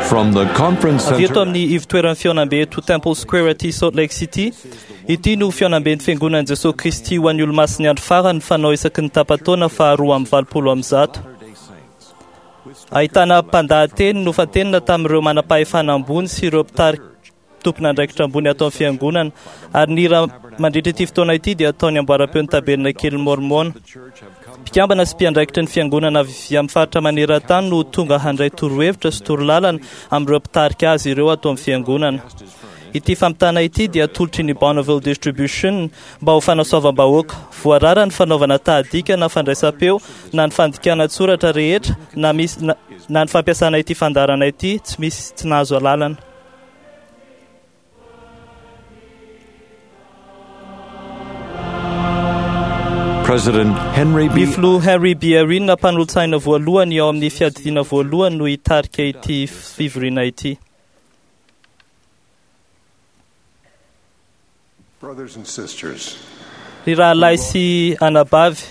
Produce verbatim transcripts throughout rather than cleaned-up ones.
From the conference Avy eto center amin'ny ivotoeran'ny fihaonambe eto Temple Square aty Salt Lake City, ity no fihaonamben'ny fiangonan'i Jesosy Kristy ho an'ny olomasin'ny andro farany fanao isaky ny tapa-taona faharoa amby valopolo amby zato. Ahitana mpandahateny nofantenina tamin'ireo manam-pahefana ambony sy ireo mpitarika tompon'andraikitra ambony ato amin'ny fiangonana, ary ny hira mandritra ity fotoana ity dia ataony amboaram-peo ny tabernakely Mormona. Mpikambana sy mpiandraikitra ny fiangonana avy amin'ny faritra maneran-tany no tonga handray torohevitra sy torolalana amin'ireo mpitarika azy ireo ato amin'ny fiangonana. Ity fampitana ity dia atolotry ny Bonneville Distribution mba ho fanasoavam-bahoaka. Voarara ny fanaovana tahadika na fandraisam-peo na ny fandikana an-tsoratra rehetra na misy na, na ny fampiasana ity fandaharana ity tsy misy tsy nahazo alalana. President Henry Ny B. filoha Henry B. Eyring mpanolotsaina voalohany ao amin'ny fiadidiana voalohany no hitarika ity fivoriana ity. Brothers and sisters, Ry rahalahy sy anabavy,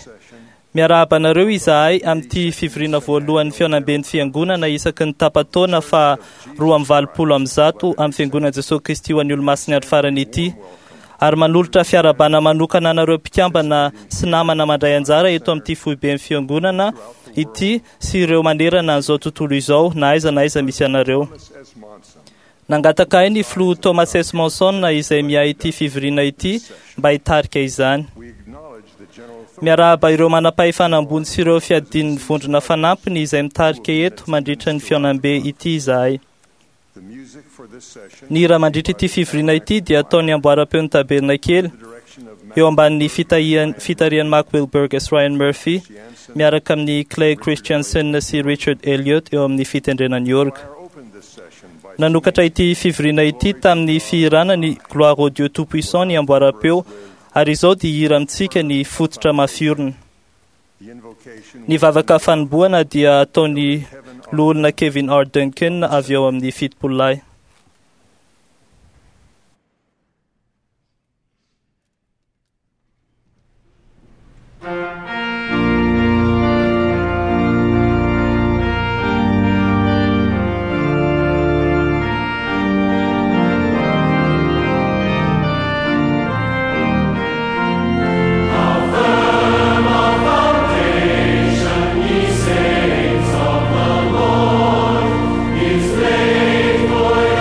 miarahaba anareo izahay amin'ity fivoriana voalohan'ny fihaonamben'ny fiangonana isaky ny tapa-taona fa roa amby valopolo amby zato amin'ny fiangonan'i Jesosy Kristy ho an'ny olomasin'ny andro farany ity. Ary manolotra fiarahabana manokana anareo mpikambana sy namana mandray anjara eto amin'ity foiben'ny fiangonana ity sy ireo manerana an'izao tontolo izao na aiza na aiza misy anareo. S. Monson, Nangataka ahy ny filoha Thomas S. Monson izay miahy ity fivoriana ity mba hitarika izany. we acknowledge the general Miarahaba ireo manam-pahefana ambony sy ireo fiadian'ny vondrona fanampiny izay mitarika eto mandritra ny fihaonambe ity izahay. The music for this session Ny hira mandritra ity fivoriana ity dia ataony amboaram-peo ny tabernakely the direction of eo ambanin'ny fitahian- fitarihan'i Mark Wilberg sy Ryan Murphy miaraka amin'ny Clay Christensen sy Richard Elliott eo amin'ny fitendrena ny orga. Choir opened this session by Nanokatra ity fivoriana ity tamin'ny fihirana ny Gloire au Dieu Tout-Puissant ny amboaram-peo ary izao dia hira amintsika ny fototra mafiorina. the invocation Ny vavaka fanombohana dia ataon'ny loholona Kevin R. Duncan avy eo amin'ny fitopolo lahy. Is laid for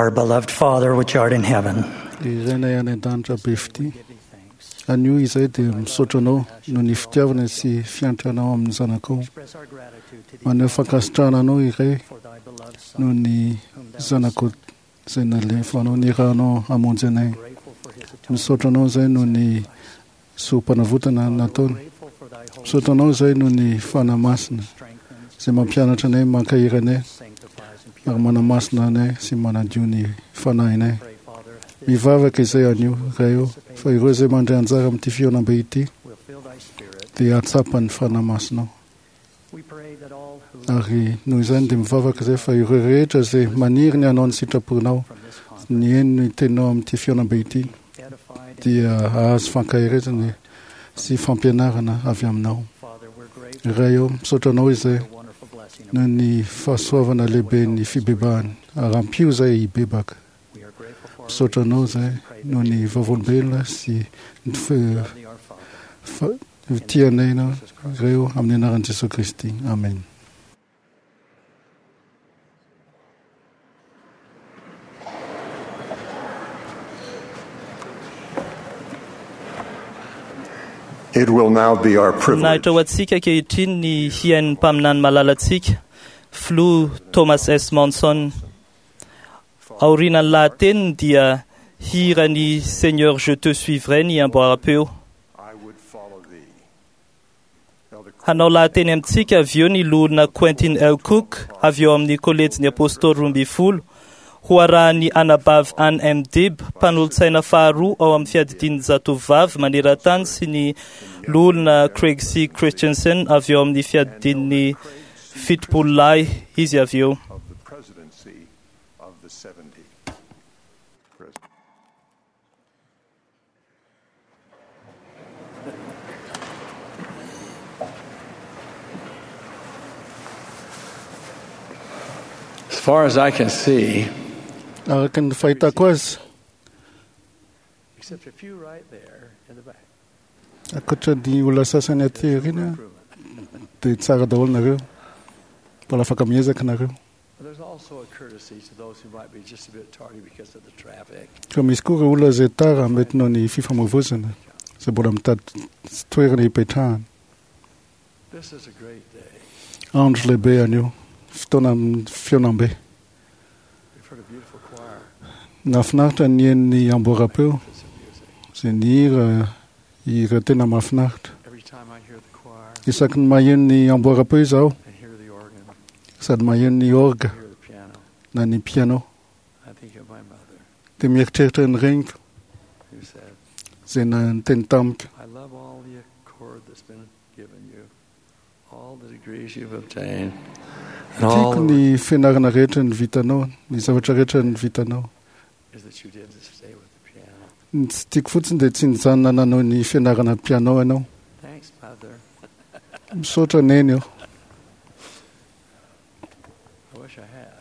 Our beloved Father, which art in heaven, Ry Rainay any an-danitra be fitia, anio izay dia misaotra anao noho ny fitiavana sy fiantranao amin'ny zanakao. express our gratitude to thee Maneho fankasitrahana anao iray for thy beloved Son, noho ny whom thou zanakao izay nalefanao nirahanao hamonjy anay. grateful for his atonement. Misaotra anao izay noho ny soa-panavotana nataony. Grateful for thy holy Misaotra anao izay noho ny Fanahy Masina strengthens, izay mampianatra anay, mankahery anay sanctifies, and ary purifies. manamasina anay sy manadio ny fanahinay. Pray, Father, this Mivavaka izay anio Ray ô, fa ireo izay mandray anjara amin'ity fihaonambe ity will fill thy spirit. dia hahatsapa ny Fanahy Masinao. We pray that all who Ary noho izany dia mivavaka izay fa ireo rehetra izay maniry ny hanao ny sitraponao, from this conference ny heno ny teninao amin'ity fihaonambe ity edified and dia hahazo fankaherezana sy fampianarana avy aminao. Father, we're grateful Ray ô, misaotra anao izay for the wonderful blessing of noho ny fahasoavana lehibe ny fibebahana ary ampio izay hibebaka. We are grateful for our Misaotra anao witnesses izay and pray that noho they ny vavolombelona sy ny fe- love thee, our Father. fa- tianay anao Ray ô, amin'ny anaran'i Jesosy Kristy. Amen. It will now be our privilege Voninahitra ho antsika ankehitriny ny hiain'ny mpaminany malalantsika, Filoha Thomas S. Monson. Aorian'ny lahateniny dia hira ny Seigneur je te suivrai ny amboaram-peo. I would follow thee. Elder Hanao lahateny amintsika avy eo ny loholona Quentin L. Cook avy eo amin'ny kolejin'ny Apôstôly roa ambin'ny folo, ho arahan'ny anabavy Ann M. Dib, mpanolotsaina faharoa ao amin'ny fiadidian'ny zatovovavy maneran-tany sy ny loholona Craig C. Christensen avy eo amin'ny fiadidian'ny fitopolo lahy izy avy eo. of the presidency of the seventy. President. As far as I can see, Araka ny fahitako azy, except a few right there in the back. ankoatra ny olona sasany aty aoriana Improvement. dia tsara daholo nareo. Mbola afaka miezaka nareo. There's also a courtesy to those who might be just a bit tardy because of the traffic. Ka misy koa ireo olona izay tara mety noho ny fifamoivoizana izay mbola mitady toerana hipetrahana. This is a great day. Andro lehibe anio, fotoana amin'ny fihaonambe. We've heard a beautiful choir. Nahafinaritra ny henon'ny amboaram-peo It's a music. izay nihira hira tena mahafinaritra. Every time I hear the choir Isaky ny maheno ny amboaram-peo izaho and hear the organ, sady maheno ny orga hear the piano, na ny piano I think of my mother dia mieritreritra ny reniko who said, izay niteny tamiko. I love all the accord that's been given you, all the degrees you've obtained, and all Tiako the ny fianarana rehetra ny vitanao, ny zavatra rehetra ny vitanao. is that you didn't stay with the piano. Ny tsy tiako fotsiny dia tsy nijanona nanao ny fianarana piano ianao. Thanks, Mother. Misaotra neny eo. I wish I had.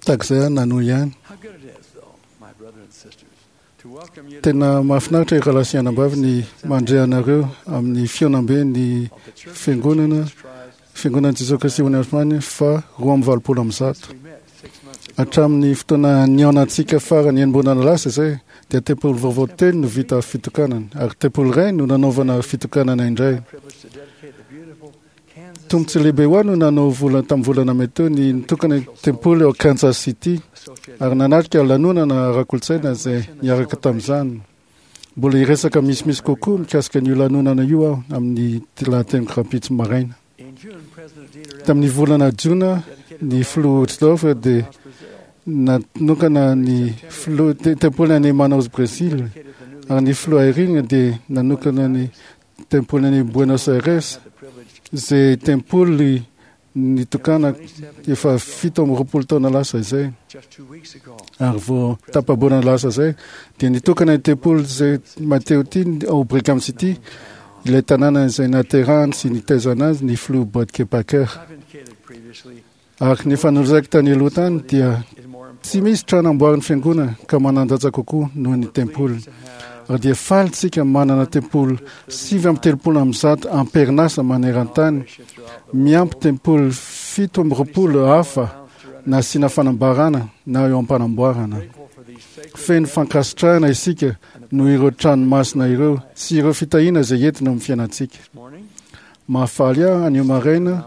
Tahaka izay aho nanohy ihany. How good it is, though, my brother and sisters, to welcome you to Tena mahafinaritra ireo rahalahy sy anabavy ny mandre anareo amin'ny fihaonambe ny of the Church of fiangonana Jesus Christ. fiangonana Jesosy Kristy ho an'ny fa roa amby valopolo amby zato. We met six months ago. Hatramin'ny fotoana nihaonantsika farany enim-bolana lasa izay dia tempoly vaovao telo no vita fitokanana ary tempoly iray no nanaovana fitokanana indray. Privileged to dedicate the beautiful Kansas Tombontsoa lehibe ho ahy no nanao vola tamin'ny volana mey teo ny nitokana tempoly ao Kansas City Associated ary nanatrika lanonana ara-kolontsaina izay niaraka tamin'izany. Mbola hiresaka misimisy kokoa mikasika an'io lanonana io aho amin'ny lahateniko rahampitso maraina. In June, President Dieter Tamin'ny volana jona ny filoha Uchtdorf dia Brazil nanokana ny filoha te- tempoly any Manaus Brésil dedicated the newly ary ny filoha Irina dia nanokana ny tempoly any Buenos Aires had the privilege izay tempoly nitokana efa fito amby roapolo taona lasa izay. just two weeks ago. Ary vao tapa-bolana lasa izay dia nitokana ny tempoly izay Mateo ty ao Brigham City, ilay tanàna izay naterahany sy nitaizana azy ny filoha Bodke Packer. I've indicated previously Ary ny efa nolazaiko tany aloha tany dia is more tsy misy trano amboarin'ny fiangonana ka manan-danja kokoa noho ny tempoly. to have Ary dia faly tsika manana tempoly sivy amby telopolo amby zato amperinasa maneran-tany, miampy tempoly fito amby roapolo hafa na asiana fanambarana na eo am-panamboarana. Feno fankasitrahana isika noho ireo trano masina ireo sy ireo fitahiana izay entina amin'ny fiainantsika. Mahafaly ahy anio maraina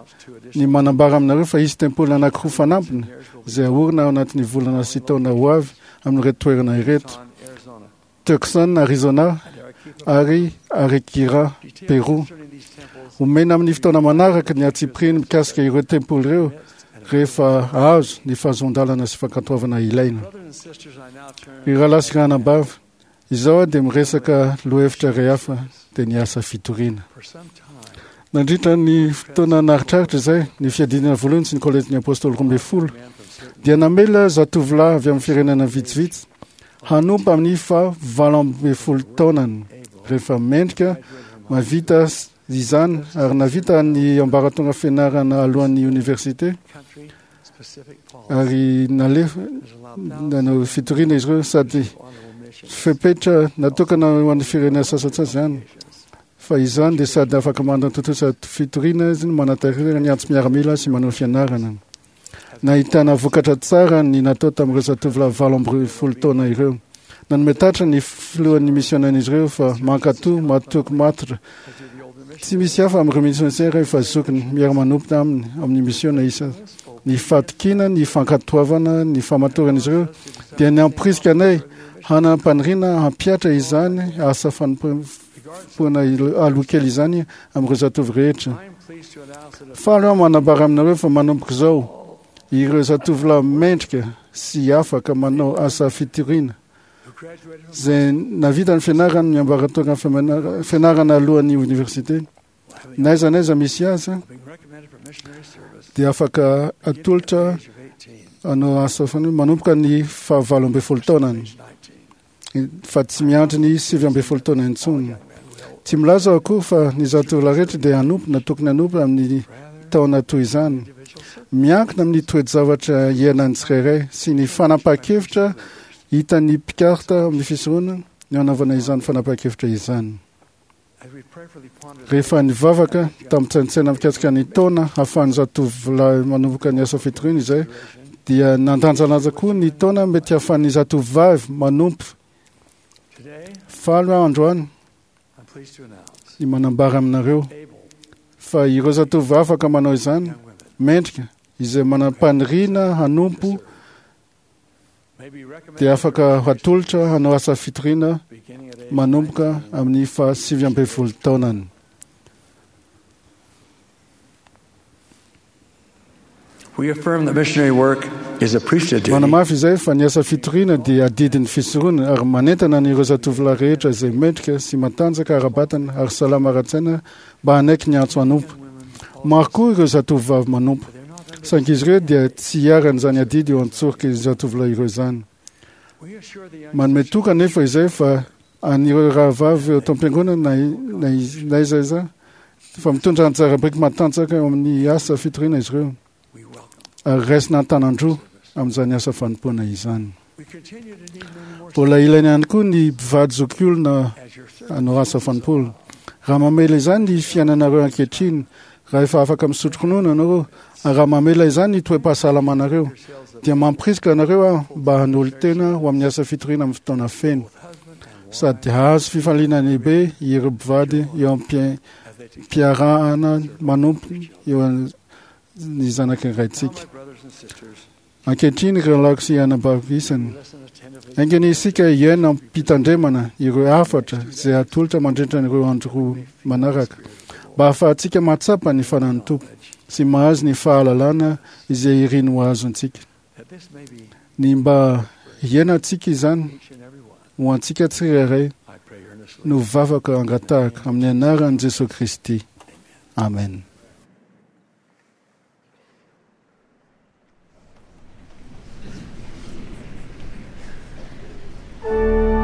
ny manambara aminareo fa hisy tempoly anankiroa fanampiny izay haorina ao anatin'ny volana sy taona ho avy amin'ireto toerana ireto: Tucson, Arizona ary Arequipa, Peru. Omena amin'ny fotoana manaraka ny antsipiriany mikasika ireo tempoly ireo rehefa azo ny fahazoan-dalana sy fankatoavana ilaina. Ry rahalahy sy ranabavy, izao aho dia miresaka lohahevitra iray hafa, dia ny asa fitoriana. Nandritra ny fotoana naritraritra izay, ny fiadiana voalohany sy ny kolejin'ny apôstôly roa ambin'ny folo dia namela zatovolahy avy amin'ny firenena vitsivitsy hanompo amin'ny faha valo ambin'ny folo taonany rehefa mendrika mahavita izany ary nahavita ny ambaratonga fianarana alohan'ny oniversite ary nalefa nanao fitoriana izy ireo sady fepetra natokana ho an'ny firenena sasantsasany izany fa izany dia sady afaka manatontosa fitoriana izy no manatanteraka ny antso miaramila sy manao fianarana. Nahitana vokatra tsara ny natao tamin'ireo zatovolahy valo amby folo taona ireo. Nanome tatra ny filohan'ny misionan'izy ireo fa mankatò, matoky matotra. Tsy misy hafa amin'ireo misionera efa zokiny miara-manompo aminy amin'ny misiona isa. Ny fahatokiana, ny fankatoavana, ny famatoran'izy ireo dia namporisika anay hanam-paniriana hampihatra izany asa fanompoana aloha kely izany amin'ireo zatovo rehetra. Faly aho manambara aminareo fa manomboka izao ireo zatovolahy mendrika sy afaka manao asa fitoriana izay nahavita ny fianarany ny ambaratonga fianarana alohan'ny oniversite na aiza na aiza misy azy dia afaka atolotra hanao asa fanompoana manomboka ny fahavalo ambin'ny folo taonany fa tsy miandry ny sivy ambin'ny folo taona intsony. Tsy milaza aho akory fa ny zatovolahy rehetra dia hanompo na tokony hanompo amin'ny taona toy izany. Miankina amin'ny toe-javatra iainan'ny tsirairay sy ny fanapahan-kevitra hitan'ny mpikarta amin'ny fisorona ny hanaovana izany fanapahan-kevitra izany. Rehefa nivavaka tamin-tsaintsaina mikasika ny taona hahafahan'ny zatovolahy manomboka ny asa fitoriana izay dia nandanjalanja koa ny taona mety hahafahan'ny zatovovavy manompo. Faly aho androany ny manambara aminareo fa ireo zatovovavy afaka manao izany mendrika izay manam-paniriana hanompo dia afaka hatolotra hanao asa fitoriana manomboka amin'ny faha sivy ambin'ny folo taonany. We affirm that missionary work is a priesthood duty. Manamafy izay fa ny asa fitoriana dia adidin'ny fisorona ary manentana an'ireo zatovolahy rehetra izay mendrika sy matanjaka ara-batana ary salama ara-tsaina mba hanaiky ny antso hanompo. Maro koa ireo zatovovavy manompo, saingy izy ireo dia tsy iharan'izany adidy eo an-tsoroka zatovolahy ireo izany. We assure the young Manome toky anefa izay fa an'ireo rahavavy eo am-piangonana na na na aiza aiza fa mitondra anjara biriky matanjaka eo amin'ny asa fitoriana izy ireo we welcome. ary raisina an-tanan-droa amin'izany asa fanompoana izany. We continue to need many more Mbola ilaina ihany koa ny mpivady zokiolona as your service. hanao asa fanompoana. Raha mamela izany ny fiainanareo ankehitriny, raha efa afaka misotro ronono ianareo, ary raha mamela izany ny toe-pahasalamanareo, dia mampirisika anareo aho mba hanolo-tena ho amin'ny asa fitoriana amin'ny fotoana feno. Sady hahazo fifaliana lehibe ireo mpivady eo am-piarahana manompo eo ny zanaky ny raintsika. My brothers and sisters, Ankehitriny ireo rahalahy sy anabavy isany, listen attentively Aingana isika hiaina am-pitandremana ireo hafatra izay atolotra mandritra ireo andro roa manaraka mba hahafahantsika mahatsapa ny fanan'ny Tompo sy mahazo ny fahalalana izay iriny ho azontsika. that this may be Ny mba hiainantsika izany each and every one. ho antsika tsirairay I pray earnestly. no vavaka angatahaka amin'ny anaran'i Jesosy Kristy. Amen. Sing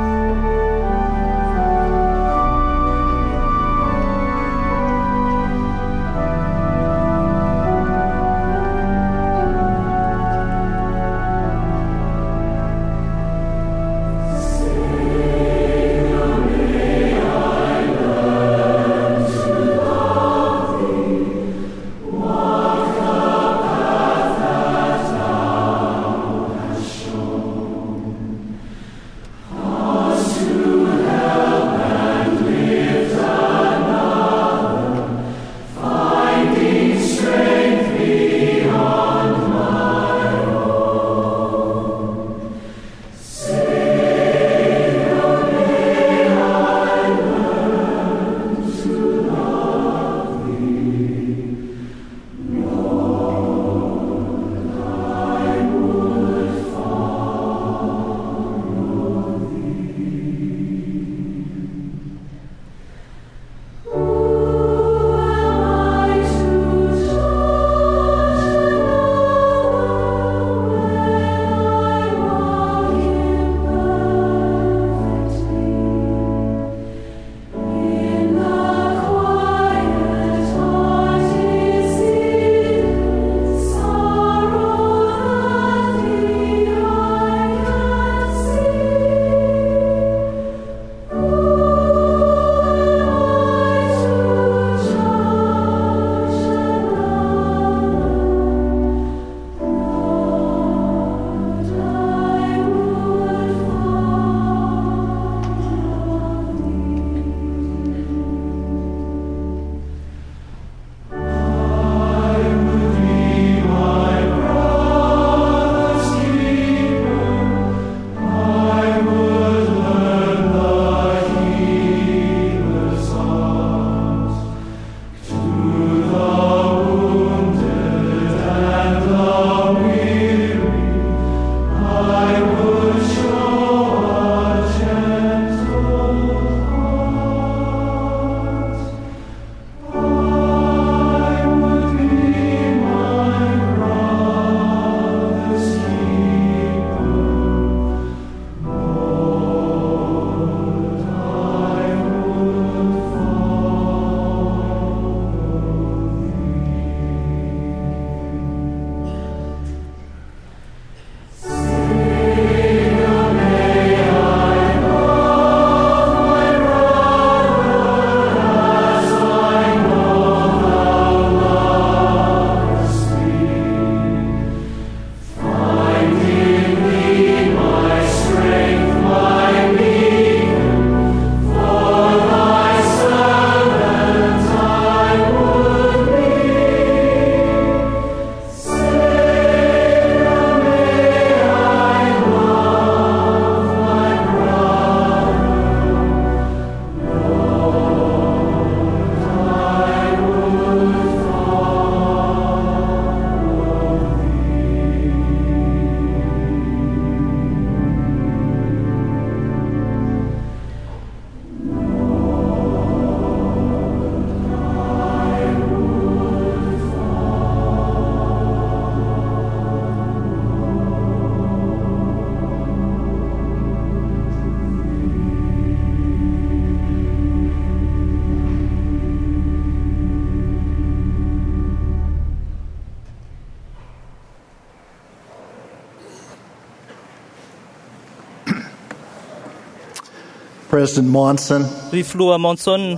President Monson, Ry filoha Monson,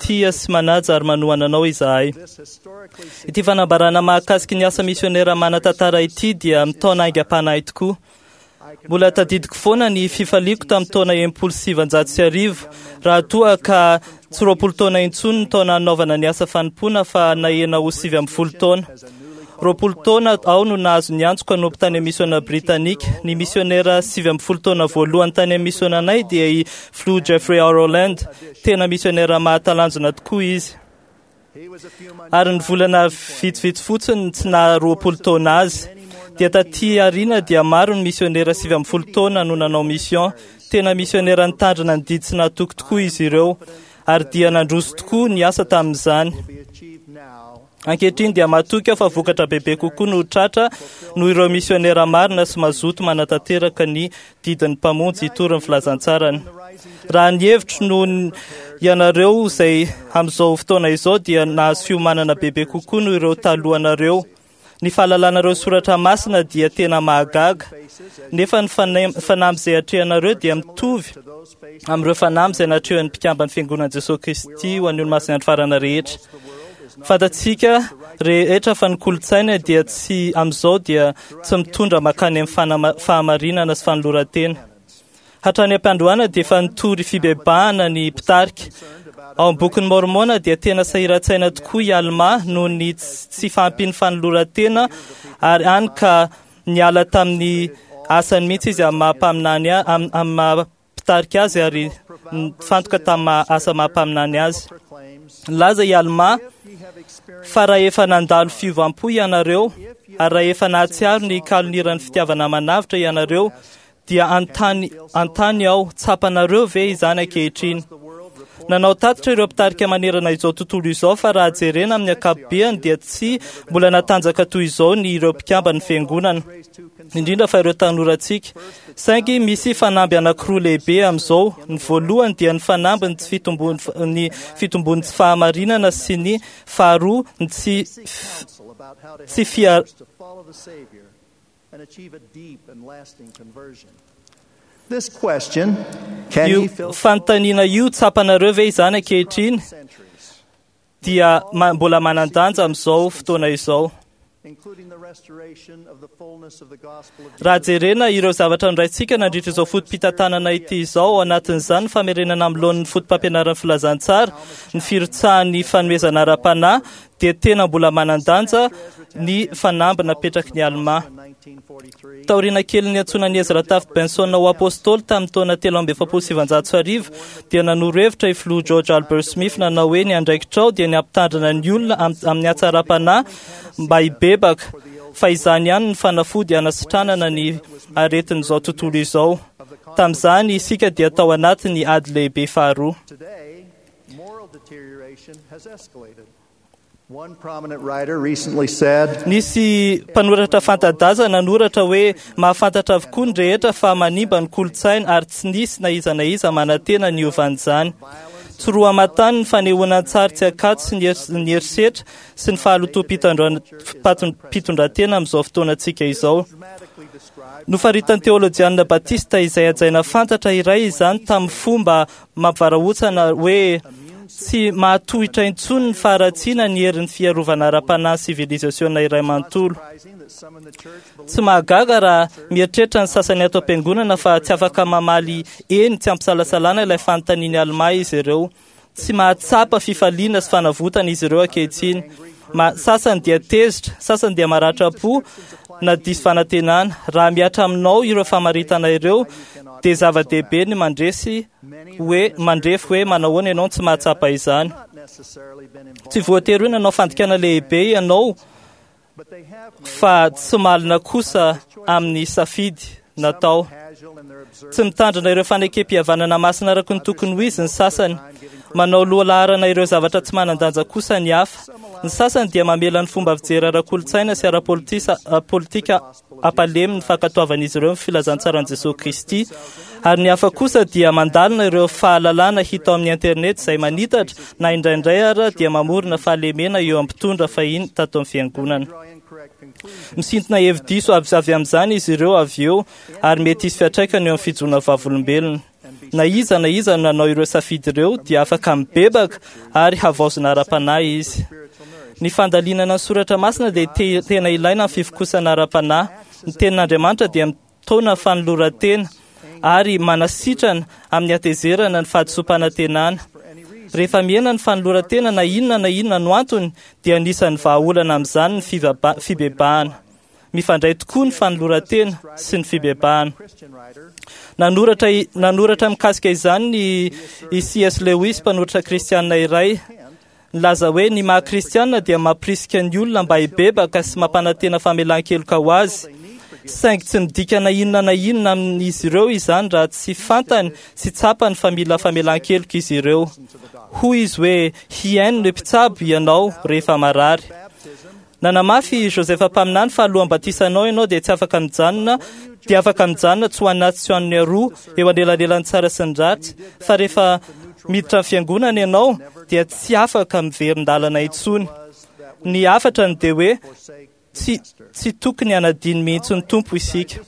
tia sy manaja ary manohana anao izahay. Ity fanambarana mahakasiky ny asa misionera manan-tantara ity dia mitaona haingam-panahy tokoa. Mbola tadidiko foana ny fifaliako tamin'ny taona enimpolo sy sivanjato sy arivo, raha toa ka tsy roapolo taona intsony ny taona hanaovana ny asa fanompoana fa nahena ho sivy ambin'ny folo taona. Roapolo taona aho no nahazo ny antsoko hanompo tany amin'ny misiona britanika. Ny misionera sivy ambin'ny folo taona voalohany tany amin'ny misionanay dia i filoha Jeffrey R. Holland. Tena misionera mahatalanjona tokoa izy. Ary ny volana vitsivitsy fotsiny tsy naha roapolo taona azy. Dia taty aoriana dia maro ny misionera sivy ambin'ny folo taona no nanao mission. Tena misionera nitandrina ny didy sy nahatoky tokoa izy ireo. Ary dia nandroso tokoa ny asa tamin'izany. Ankehitriny dia matoky aho fa vokatra bebe kokoa no tratra noho ireo misionera marina sy mazoto manatanteraka ny didin'ny mpamonjy hitory ny filazantsarany. Raha ny hevitro noho ny- ianareo izay amin'izao fotoana izao dia nahazo fiomanana bebe kokoa noho ireo talohanareo. Ny fahalalanareo soratra masina dia tena mahagaga, nefa ny fana- fanamby izay atrehanareo dia mitovy amin'ireo fanamby izay natrehan'ny mpikamban'ny Fiangonan'i Jesosy Kristy ho an'ny olomasin'ny andro farany rehetra. Fantatsika rehetra fa ny kolontsaina dia tsy amin'izao dia tsy mitondra mankany amin'ny fanama- fahamarinana sy fanoloran-tena. Hatrany am-piandohana dia efa nitory fibebahana ny mpitarika. Ao amin'ny bokin'ny Mormona dia tena sahiran-tsaina tokoa i Alma noho ny tsy tsy fahampian'ny fanoloran-tena, ary hany ka niala tamin'ny asany mihitsy izy amin'ny maha mpaminany a- am- amin'ny maha mpitarika azy ary nifantoka tamin'ny maha asa maha mpaminany azy. Nilaza i Alma fa raha efa nandalo fiovam-po ianareo ary raha efa nahatsiaro ny kaloniran'ny fitiavana manavotra ianareo, dia antany antany aho, tsapanareo ve izany ankehitriny? Nanao tatitra ireo mpitarika manerana izao tontolo izao fa raha jerena amin'ny ankapobeany dia tsy mbola natanjaka toy izao ny ireo mpikamban'ny fiangonana, indrindra fa ireo tanorantsika. Saingy misy fanamby anankiroa lehibe amin'izao. Ny voalohany dia ny fanamby ny tsy fitombon'ny ny fitombon'ny tsy fahamarinana sy ny faharoa ny tsy counsel about how to tsy help fia- others to follow the Savior and achieve a deep and lasting conversion. This question, can io ye fill fanontaniana io tsapanareo ve izany ankehitriny centuries, dia ma- mbola manan-danja amin'izao fotoana izao. including the restoration of the fullness of the gospel of Raha Jesus jerena ireo zavatra noraintsika nandritra izao foto-pitantanana ity izao, ao anatin'izany ny famerenana amin'ny laoniny foto-pampianaran'ny filazantsara, ny firotsahan'ny fanomezana ara-panahy, dia tena mbola manan-danja ny fanamby napetraky ny Alma. in nineteen forty-three, Taoriana kelin'ny niantsoana Ezra Taft Benson ho apôstôly tamin'ny taona telo amby efapolo sy sivanjato sy arivo, dia nanoro hevitra i filoha George Albert Smith nanao hoe ny andraikitrao dia ny hampitandrina ny olona am- amin'ny hatsaram-panahy mba hibebaka, fa izany ihany ny fanafody hanasitranana ny aretin'izao tontolo izao. Tamin'izany isika dia tao anatin'ny ady lehibe faharoa. Today, moral deterioration has escalated. One prominent writer recently said, Nisy mpanoratra fanta-daza nanoratra hoe mahafantatra avokoa ny rehetra fa manimba ny kolontsaina ary tsy nisy na iza na iza manantena ny hovan'izany. Tsy roa aman-tany ny fanehoana an-tsary tsy ankatso sy ny hers- ny herisetra sy ny fahalotoam-pitondran-tena amin'izao fotoanantsika izao. dramatically described Nofaritan'ny teolojianina Batista izay hajaina fantatra iray izany tamin'ny fomba mampivarahontsana hoe tsy mahatohitra intsony ny faharatsiana ny herin'ny fiarovana ara-panahy sivilizasiona iray manontolo. surprising that some in the church believe Tsy mahagaga raha mieritreritra ny sasany ato am-piangonana fa tsy afaka mamaly eny tsy ampisalasalana ilay fanontanian'i Alma izy ireo. Tsy mahatsapa fifaliana sy fanavotana izy ireo ankehitriny. Ma, sasany dia tezitra, sasany dia maratra-po na diso fanantenana. Raha mihatra aminao ireo famaritana ireo, dia zava-dehibe ny mandresy hoe mandrefy hoe manahoana ianao no tsy mahatsapa izany. not necessarily been involved, Tsy voatery hoe nanao fandikana lehibe ianao but they have made fa tsy malina kosa amin'ny safidy natao. casual in their observance Tsy mitandrina ireo fanekem-pihavanana masina araka ny tokony ho izy ny sasany. Manao loha laharana ireo zavatra tsy manan-danja kosa ny hafa. Ny sasany dia mamela ny fomba fijery ara-kolontsaina sy ara-politisa- ara-politika ampalemy ny fankatoavan'izy ireo ny filazantsaran'i Jesosy Kristy. Ary ny hafa kosa dia mandalina ireo fahalalana hita ao amin'ny internet izay manitatra na indraindray ara dia mamorona fahalemena eo amin'ny mpitondra fahiny tato amin'ny fiangonana. draw incorrect conclusions. Misintona hevi-diso avy avy amin'izany izy ireo avy eo ary mety hisy fiantraikany eo amin'ny fijoroana vavolombelona. Na iza na iza nanao ireo safidy ireo dia afaka mibebaka ary havaozina ara-panahy izy. Ny fandalinana ny soratra masina dia te- tena ilaina amin'ny fivokosana ara-panahy. Ny tenin'Andriamanitra dia mitaona fanoloran-tena ary manasitrana amin'ny hatezerana ny fahadisoam-panantenana. Rehefa mihena ny fanoloran-tena na inona na inona no antony dia anisan'ny vahaolana amin'izany ny fivaba- fibebahana. Mifandray tokoa ny fanoloran-tena sy ny fibebahana. Nanoratra, nanoratra mikasika izany ny i C S Lewis, mpanoratra kristianina iray, nilaza hoe ny maha kristianina dia mampirisika ny olona mba hibebaka sy mampanantena famelan-keloka ho azy. Saingy tsy midika na inona na inona amin'izy ireo izany raha tsy fantany sy tsapany fa mila famelan-keloka izy ireo. Hoy izy hoe hihaino ny mpitsabo ianao rehefa marary. Nanamafy Joseph mpaminany fa alohan'ny batisanao ianao dia tsy afaka mijanona, dia afaka mijanona tsy ho anaty sy ho an'ny aroa eo anelanelan'ny tsara sy ny ratsy, fa rehefa miditra ny fiangonana ianao dia tsy afaka miverin-dalana intsony. Ny hafatra ny dia hoe tsy tsy tokony hanadino mihitsy ny Tompo isika.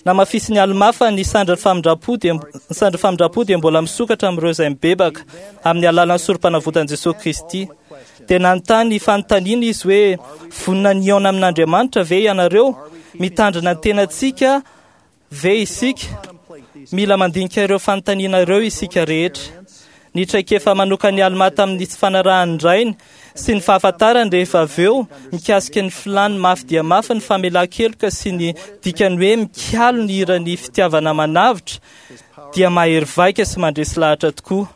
Namafisin'ny Almà fa ny sandrin'ny famindram-po dia ny sandrin'ny famindram-po dia mbola misokatra amin'ireo izay mibebaka amin'ny alalan'ny sorom-panavotan'i Jesosy Kristy. Dia nanontany fanontaniana izy hoe vonona ny hihaona amin'Andriamanitra ve ianareo? Mitandrina ny tenantsika ve isika? Mila mandinika ireo fanontaniana ireo isika rehetra. Ny traikefa manokan'ny Almà tamin'ny tsy fanarahan'ny rainy sy ny fahafantarany rehefa avy eo mikasika ny filàny mafy dia mafy ny famelan-keloka sy ny dikany hoe mikalo ny hiran'ny fitiavana manavotra dia mahery vaika sy mandresy lahatra tokoa.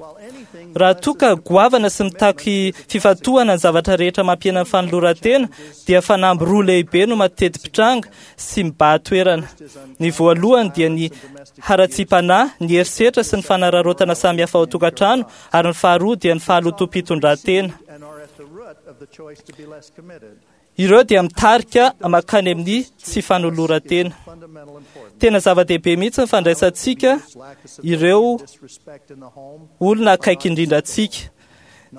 Raha toa ka goavana sy mitaky fifantohana ny zavatra rehetra mampihena ny fanoloran-tena dia fanamby roa lehibe no mateti-pitranga sy mibahan-toerana. Ny voalohany dia ny haratsiam-panahy, ny herisetra sy ny fanararaotana samihafa ao an-tokantrano, ary ny faharoa dia ny fahalotoam-pitondran-tena. Ireo dia mitarika mankany amin'ny tsy fanoloran-tena. Tena zava-dehibe mihitsy ny fandraisantsika ireo olona akaiky indrindra antsika.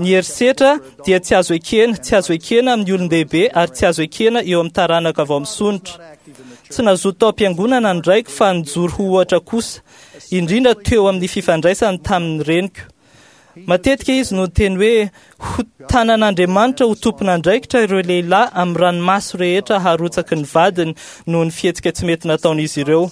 Ny herisetra dia tsy azo ekena, tsy azo ekena amin'ny olon-dehibe ary tsy azo ekena eo amin'ny taranaka vao misondrotra. Tsy nazoto tao am-piangonana ny raiko fa nijoro ho ohatra kosa, indrindra teo amin'ny fifandraisany tamin'ny reniko. Matetika izy no niteny hoe ho tanan'Andriamanitra ho tompon'andraikitra ireo lehilahy amin'ny ranomaso rehetra harotsaky ny vadiny noho ny fihetsika tsy mety nataon'izy ireo.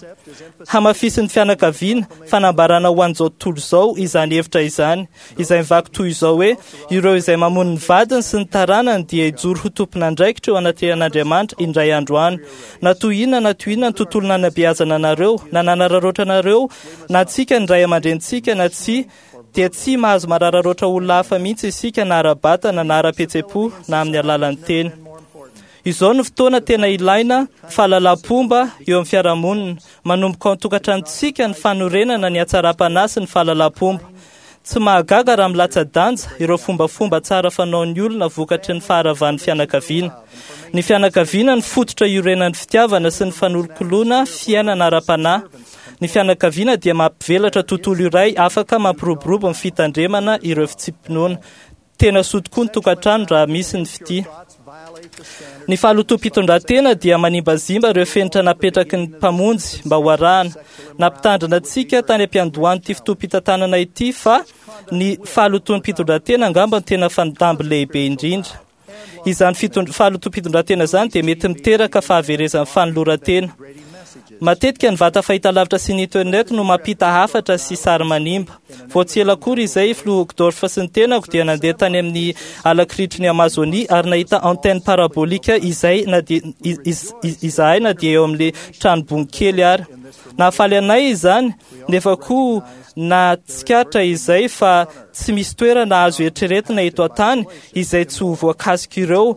Hamafisin'ny fianakaviana, fanambarana ho an'izao tontolo izao izany hevitra izany, izay mivaky toy izao hoe ireo izay mamono ny vadiny sy ny taranany dia hijoro ho tompon'andraikitra eo anatrehan'Andriamanitra indray andro any. Na toy inona na toy inona ny tontolo nanabeazana anareo, na nanararaotra anareo, na antsika ny ray aman-drenintsika na tsy, dia tsy mahazo marararoatra olona hafa mihitsy isika na ara-batana na ara-pihetseham-po na amin'ny alalan'ny teny. Izao no fotoana tena ilaina fahalalam-pomba eo amin'ny fiarahamonina. Manomboka ao an-tokantranontsika ny fanorenana ny hatsaram-panahy sy ny fahalalam-pomba. Tsy mahagaga raha milatsa-danja ireo fombafomba tsara fanaon'ny olona vokatry ny faharavan'ny fianakaviana. Ny fianakaviana no fototra iorenan'ny fitiavana sy ny fanolokoloana fiainana ara-panahy. Ny fianakaviana dia mampivelatra tontolo iray afaka mampiroborobo ny fitandremana ireo fitsipi-pinoana. Tena soa tokoa ny tokantrano raha misy ny fitia. Ny fahalotoam-pitondran-tena dia manimbazimba ireo fenitra napetraky ny mpamonjy mba ho arahana. Nampitandrina antsika tany am-piandohan'ity fotoam-pitantanana ity fa ny fahalotoam-pitondran-tena angamba no tena fanamby lehibe indrindra. Izany fahalotoam-pitondran-tena izany dia mety miteraka fahaverezan'ny fanoloran-tena. Matetika ny vata fahitalavitra sy ny internet no mampita hafatra sy sary manimba. Vao tsy ela akory izay filoha Uchtdorf sy ny tenako dia nandeha tany amin'ny alakiritry ny Amazonia ary nahita antenne parabolika izay na dia izahay na dia eo amin'ilay trano kely ary. Nahafaly anay izany nefa koa nahatsikaritra izay fa tsy misy toerana azo eritreretina eto an-tany izay tsy ho voakasika ireo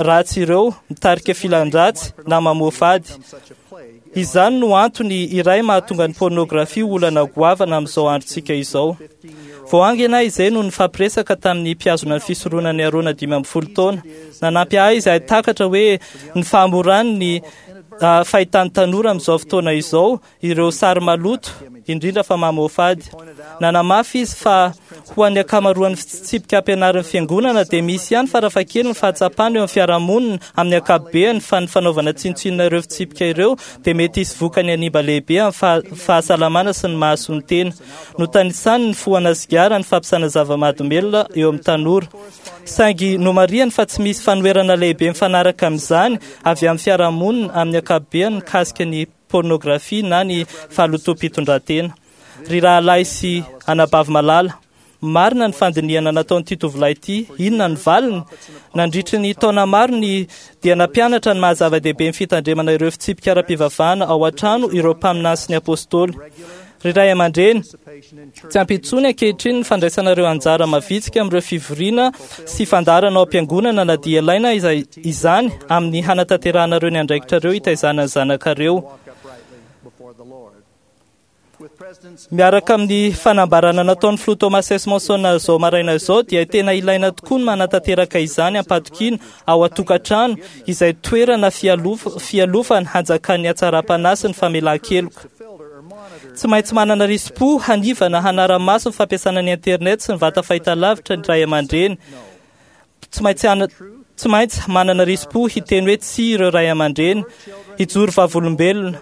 ratsy ireo mitarika filan-dratsy na mamoafady. Izany no antony iray mahatonga ny pornografia olana goavana amin'izao androntsika izao. Vao haingana izay no nifampiresaka tamin'ny mpihazona ny fisoronan'i Arona dimy ambin'ny folo taona. Nanampy ahy izahay takatra hoe ny fahamorany ny fahitan'ny tanora amin'izao fotoana izao ireo sary maloto indrindra fa mamoafady. Nanamafy izy fa ho an'ny ankamaroan'ny fitsipika ampianarin'ny fiangonana dia misy ihany farafahakeliny ny fahatsapana eo amin'ny fiarahamonina amin'ny ankapobeny fa ny fanaovana tsinontsinona ireo fitsipika ireo dia mety hisy vokany hanimba lehibe amin'ny fahasalamana sy ny mahasoa ny tena. Notanisany ny fohana sigara, ny fampiasana zava-mahadomelina eo amin'ny tanora. Saingy nomarihany fa tsy misy fanoherana lehibe mifanaraka amin'izany avy amin'ny fiarahamonina amin'ny ankapobeny mikasika ny pornografia na ny fahalotoam-pitondran-tena. Ry rahalahy sy anabavy malala, marina ny fandinihana nataon'ity tovolahy ity. Inona ny valiny? Nandritry ny taona maro ny dia nampianatra ny maha-zava-dehibe ny fitandremana ireo fitsipika ara-pivavahana ao an-trano ireo mpaminany sy ny apôstôly. Ry ray aman-dreny, tsy ampy intsony ankehitriny ny fandraisanareo anjara mavitrika amin'ireo fivoriana sy fandaharana ao am-piangonana na dia ilaina izany amin'ny hanatanterahanareo ny andraikitrareo hitaizana ny zanakareo. Miaraka amin'ny fanambarana nataon'ny filoha Thomas S. Monson izao maraina izao dia tena ilaina tokoa ny manatanteraka izany am-patokiana ao an-tokantrano izay toerana fialofana hanjakan'ny hatsaram-panahy sy ny famelan-keloka. Tsy maintsy manana risi-po hanivana hanara-maso ny fampiasana ny internet sy ny vata fahitalavitra ny ray aman-dreny. Tsy maintsy tsy maintsy manana risi-po hiteny hoe tsy ireo ray aman-dreny, hijoro vavolombelona.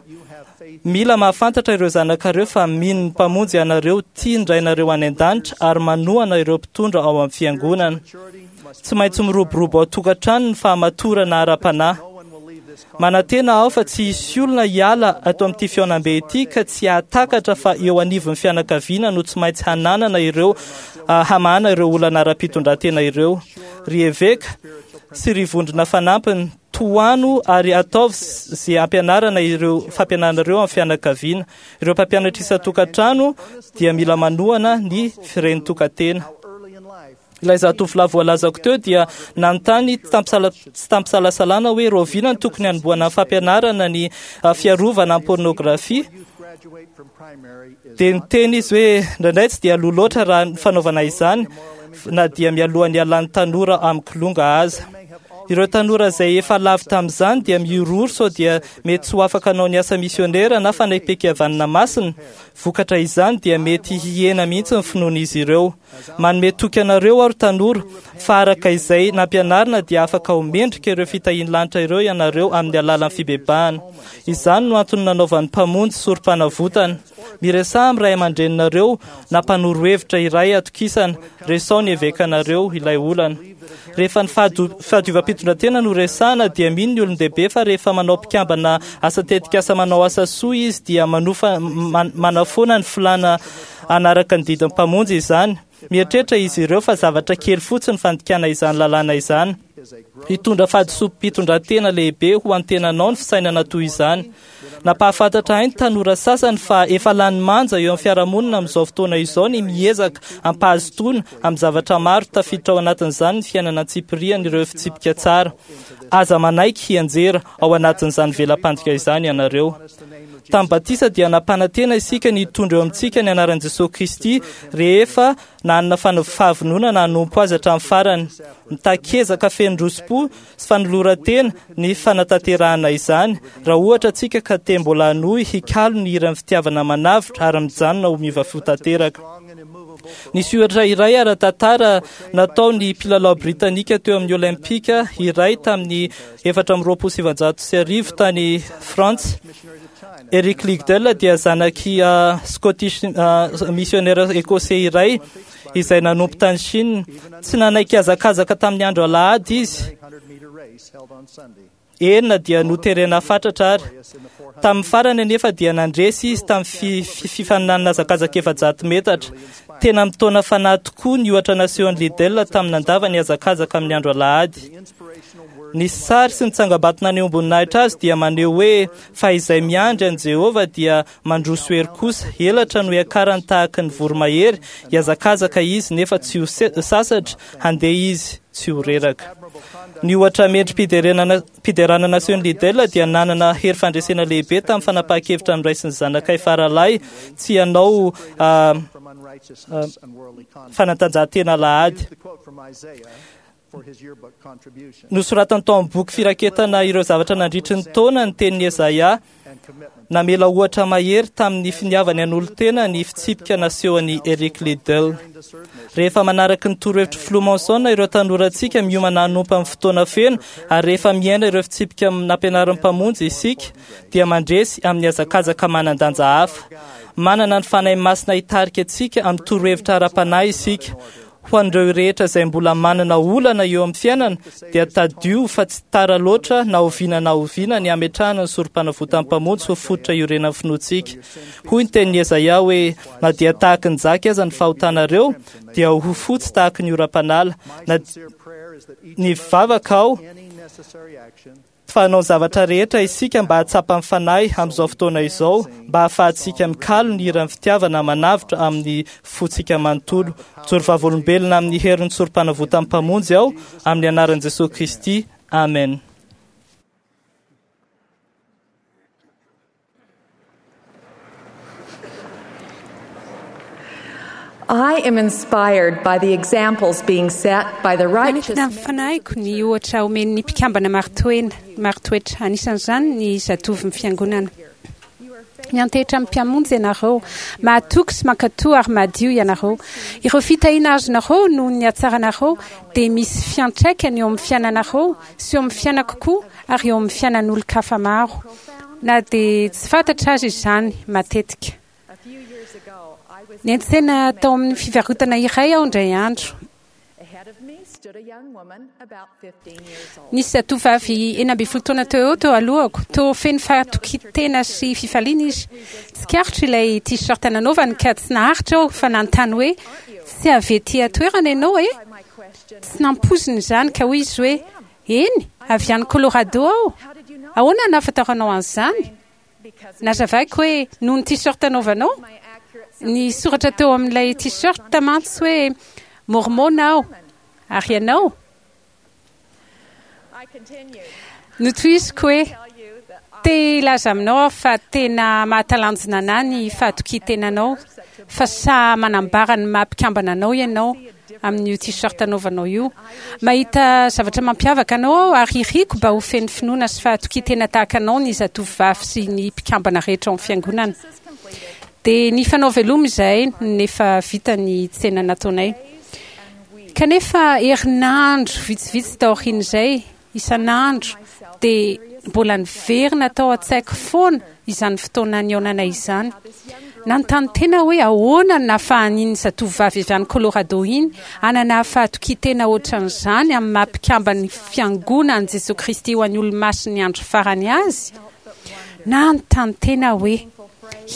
Mila mahafantatra ireo zanakareo fa mino ny mpamonjy ianareo, tia ny rainareo any an-danitra ary manohana ireo mpitondra ao amin'ny fiangonana. Tsy maintsy miroborobo ao an-tokantrano ny fahamatorana ara-panahy. Manantena aho fa tsy hisy olona hiala ato amin'ity fihaonambe ity ka tsy hahatakatra fa eo anivon'ny fianakaviana no tsy maintsy hananana ireo hamahana ireo olana ara-pitondran-tena ireo. Ry eveka sy ry vondrona fanampiny, tohano ary ataovy izay ampianarana ireo fampianarana ireo amin'ny fianakaviana. Ireo mpampianatra isan-tokantrano dia mila manohana ny firenitokantena. Ilay zatovolahy voalazako teo dia nanontany tsy tampisalasalana hoe rahoviana no tokony hanombohana ny fampianarana ny fiarovana amin'ny pornografia. Dia niteny izy hoe indraindray tsy dia aloha loatra raha ny fanaovana izany na dia mialohan'ny hialan'ny tanora amin'ny kilonga aza. Ireo tanora izay efa lavo tamin'izany dia mihorohoro sao dia mety tsy ho afaka hanao ny asa misionera na fanekempihavanana masina. Vokatra izany dia mety hihena mihitsy ny finoan'izy ireo. Manome toky anareo aho ry tanora fa araka izay nampianarina dia afaka ho mendrika ireo fitahian'ny lanitra ireo ianareo amin'ny alalan'ny fibebahana. Izany no antony nanaovan'ny mpamonjy sorom-panavotana. Miresaha amin'ny ray aman-dreninareo na mpanoro hevitra iray atokisana, resao ny evekanareo ilay olana. Rehefa ny fahadiovam-pitondran-tena no resahana dia mino ny olon-dehibe fa rehefa manao mpikambana asa tetikasa manao asa soa izy dia manofa manafoana ny filàna hanaraka ny didin'ny mpamonjy izany. Mieritreritra izy ireo fa zavatra kely fotsiny fandikana izany lalàna izany. Hitondra fahadisoam-pitondran-tena lehibe ho antenanao ny fisainana toy izany. Nampahafantatra ahy ny tanora sasany fa efa lany manja eo amin'ny fiarahamonina amin'izao fotoana izao ny miezaka ampahazotoana amin'ny zavatra maro tafiditra ao anatin'izany ny fiainana antsipiriany ireo fitsipika tsara. Aza manaiky hianjera ao anatin'izany vela-pandrika izany ianareo. Tamin'ny batisa dia nampanantena isika ny hitondra eo amintsika ny anaran'i Jesosy Kristy rehefa nanana fahavononana hanompo azy hatramin'ny farany. Mitaky ezaka feno roso-po sy fanoloran-tena ny fanatanterahana izany raha ohatra antsika ka te mbola hanohy hikalo ny hiran'ny fitiavana manavotra ary mijanona ho miova fo tanteraka. Nisy ohatra iray ara-tantara natao ny mpilalao britanika teo amin'ny Olympika iray tamin'ny efatra amby roapolo sy sivinjato sy arivo tany Frantsa. Eric Liddell dia zanaky Scottish missionnaire écossais iray izay nanompo tany Chine. Tsy nanaiky hazakazaka tamin'ny andro alahady izy. Enina dia noterena fatratra ary. Tamin'ny farany anefa dia nandresy izy tamin'ny fifaninanana hazakazaka efajato metatra. Tena mitaona fanahy tokoa ny ohatra nasehon'i Liddell tamin'ny nandavany hazakazaka amin'ny andro alahady. Ny sary sy ny tsangambato nanehoam-boninahitra azy dia maneho hoe fa izay miandry an'i Jehovah dia mandroso hery kosa, elatra no hiakarany tahaka ny voromahery, hihazakazaka izy nefa tsy ho sasatra, handeha izy tsy ho reraka. Ny ohatra mendri-piderana nasehon'i Liddell dia nanana hery fandresena lehibe tamin'ny fanapahan-kevitra noraisin'ny zanakay faralahy tsy hanao fanatanjahantena alahady. Nosoratany tao amin'ny boky firaketana ireo zavatra nandritry ny taona ny tenin'i Ezaia. Namela ohatra mahery tamin'ny finiavany an'olon-tena ny fitsipika nasehon'i Eric Liddell. Rehefa manaraka ny torohevitry Filoha Monson ireo tanorantsika miomana hanompo amin'ny fotoana feno, ary rehefa miaina ireo fitsipika nampianarin'ny Mpamonjy isika, dia mandresy amin'ny hazakazaka manan-danja hafa. Manana ny Fanahy Masina hitarika antsika amin'ny torohevitra ara-panahy isika. Ho an'ireo rehetra izay mbola manana olana eo amin'ny fiainana, dia tadio fa tsy tara loatra na oviana na oviana ny hametrahana ny sorom-panavotan'ny Mpamonjy ho fototra iorenan'ny finoantsika. Hoy ny tenin'i Ezaia hoe, na dia tahaka ny jaky aza ny fahotanareo, dia ho fotsy tahaka ny oram-panala. Na ny vavaka aho, fa hanao zavatra rehetra isika mba hahatsapa ny Fanahy amin'izao fotoana izao, mba hahafahantsika mikalo ny hiran'ny fitiavana manavotra amin'ny fontsika manontolo. Mijoro vavolombelona amin'ny herin'ny sorom-panavotan'ny Mpamonjy aho, amin'ny anaran'i Jesosy Kristy. Amen. I am inspired by the examples being set by the righteous. Manintona ny fanahiko ny ohatra omen'ny mpikambana marin-toena, marin-toetra, anisan'izany ny zatovon'ny fiangonana. Miantehitra amin'ny Mpamonjy ianareo, mahatoky sy mankatò ary madio ianareo. Ireo fitahiana azonareo noho ny hatsaranareo dia misy fiantraikany eo amin'ny fiainanareo sy eo amin'ny fiainako koa ary eo amin'ny fiainan'olon-kafa maro, na dia tsy fantatra aza izany matetika. Niantsena tao amin'ny fivarotana iray aho indray andro. Nisy zatovovavy enina ambin'ny folo taona teo eo teo alohako. Toa feno fahatokian-tena sy fifaliana izy. Tsikaritro ilay t-shirt nanaovany ka tsy naharitra aho fa nanontany hoe, Tsy avy ety an-toerana ianao e? Tsy nampoiziny izany ka hoy izy hoe, Eny, avy any Colorado aho. Ahoana no nahafantaranao an'izany? Nazavaiko hoe noho ny t-shirt anaovanao. Ny soratra teo amin'ilay t-shirt mantsy hoe Mormon aho, ary ianao? Notohiziko hoe, Te hilaza aminao aho fa tena mahatalanjona anà ny fahatokian-tenanao, fa sahy manambara ny maha mpikambana anao ianao amin'io t-shirt anaovanao io. Mahita zavatra mampiavaka anao aho ary iriko mba ho feno finoana sy fahatokian-tena tahaka anao ny zatovovavy sy ny mpikambana rehetra ao amin'ny fiangonana. Dia nifanao veloma izahay nefa vita ny tsena nataonay. Kanefa herinandro vitsivitsy taorian'izay, isan'andro, dia mbola niverina tao an-tsaiko foana izany fotoana nihaonanay izany. Nanontany tena aho hoe ahoana no nahafahan'iny zatovovavy avy any Colorado iny hanana fahatokian-tena hoatran'izany amin'ny maha mpikamban'ny Fiangonan'i Jesoa Kristy ho an'ny Olomasin'ny Andro Farany azy. Nanontany tena aho hoe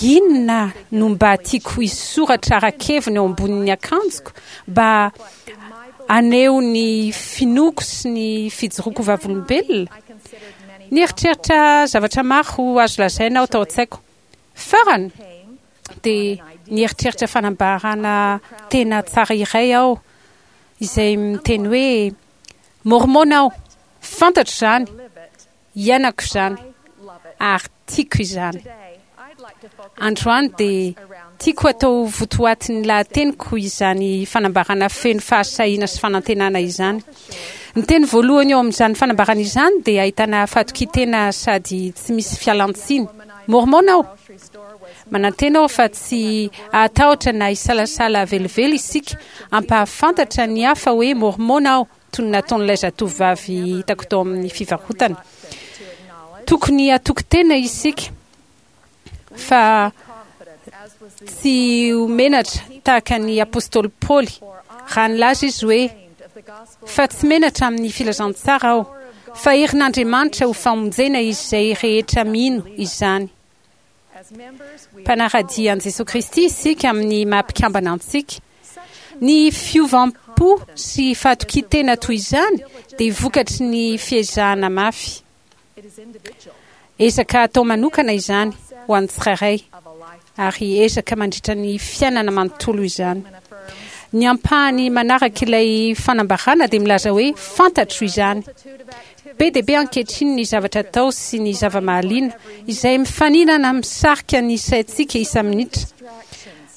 inona no mba tiako hisoratra ara-keviny eo ambonin'ny akanjoko mba haneho ny finoako sy ny fijoroako ho vavolombelona. Nieritreritra zavatra maro azo lazaina aho tao an-tsaiko. Farany, dia nieritreritra fanambarana tena tsara iray aho, izay miteny hoe, Môrmôna aho! Fantatro izany! Iainako izany! Ary tiako izany! Androany dia tiako hatao votoatin'ny lahateniko izany fanambarana feno fahasahiana sy fanantenana izany. Ny teny voalohany ao amin'izany fanambarana izany dia ahitana fahatokian-tena sady tsy misy fialan-tsiny. Môrmôna aho! Manantena aho fa tsy hahatahotra na hisalasala velively isika hampahafantatra ny hafa hoe Môrmôna aho, toy ny nataon'ilay zatovovavy hitako tao amin'ny fivarotana. Tokony hatoky tena isika fa tsy ho menatra tahaka ny apostoly Paoly raha nilaza izy hoe, Fa tsy menatra amin'ny filazantsara aho, fa herin'Andriamanitra ho famonjena izay rehetra mino izany. Mpanara-dia an'i Jesoa Kristy isika amin'ny maha mpikambana antsika. Ny fiovam-po sy fahatokian-tena toy izany dia vokatry ny fiezahana mafy. Ezaka atao manokana izany ho an'ny tsirairay, ary ezaka mandritra ny fiainana manontolo izany. Ny ampahany manaraka ilay fanambarana dia milaza hoe fantatro izany. Be dia be ankehitriny ny zavatra atao sy ny zava-mahaliana izay mifaninana misarika ny saintsika isa-minitra.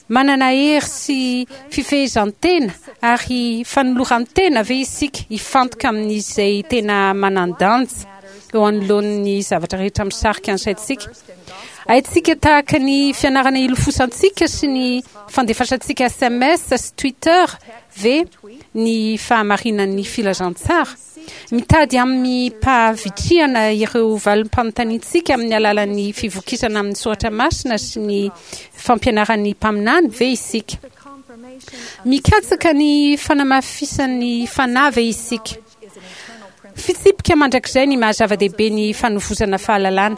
Manana hery sy fifehezan-tena ary fanoloran-tena ve isika hifantoka amin'izay tena manan-danja eo anoloan'ny zavatra rehetra misarika ny saintsika? Haintsika tahaka ny fianarana ilofosantsika sy ny fandefasantsika S M S sy Twitter ve ny fahamarinan'ny filazantsara? Mitady amim-pahavitrihana ireo valim-panontaniantsika amin'ny alalan'ny fivokisana amin'ny soratra masina sy ny fampianaran'ny mpaminany ve isika? Mikatsaka ny fanamafisan'ny fanahy ve isika? Fitsipika mandrakizay ny maha-zava-dehibe ny fanovozana fahalalana.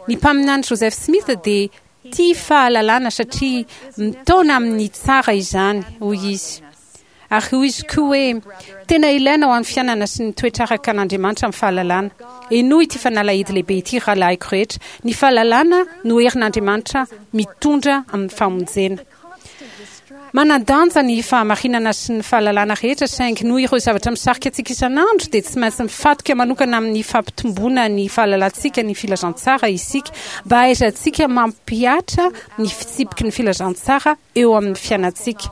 Ny mpaminany Joseph Smith dia tia fahalalana satria mitaona amin'ny tsara izany, hoy izy. Ary hoy izy koa hoe tena ilaina ho an'ny fiainana sy ny toetra araka an'Andriamanitra amin'ny fahalalana. Henoy ity fanalahidy lehibe ity, rahalahiko rehetra. Ny fahalalana no herin'Andriamanitra mitondra amin'ny famonjena. Manan-danja ny fahamarinana sy ny fahalalana rehetra, saingy noho ireo zavatra misarika antsika isan'andro dia tsy maintsy mifatoka manokana amin'ny fampitomboana ny fahalalantsika ny filazantsara isika mba hahaizantsika mampihatra ny fitsipiky ny filazantsara eo amin'ny fiainantsika.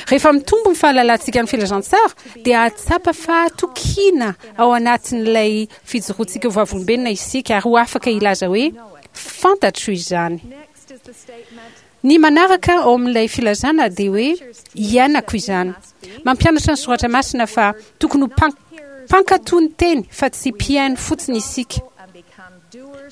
Rehefa mitombo ny fahalalantsika ny filazantsara dia hahatsapa fahatokiana ao anatin'ilay fijoroantsika ho vavolombelona isika ary ho afaka hilaza hoe fantatro izany. Ny manaraka ao amin'ilay filazana dia hoe iainako izany. Mampianatra ny soratra masina fa tokony ho mpankatò ny teny fa tsy mpihaino fotsiny isika.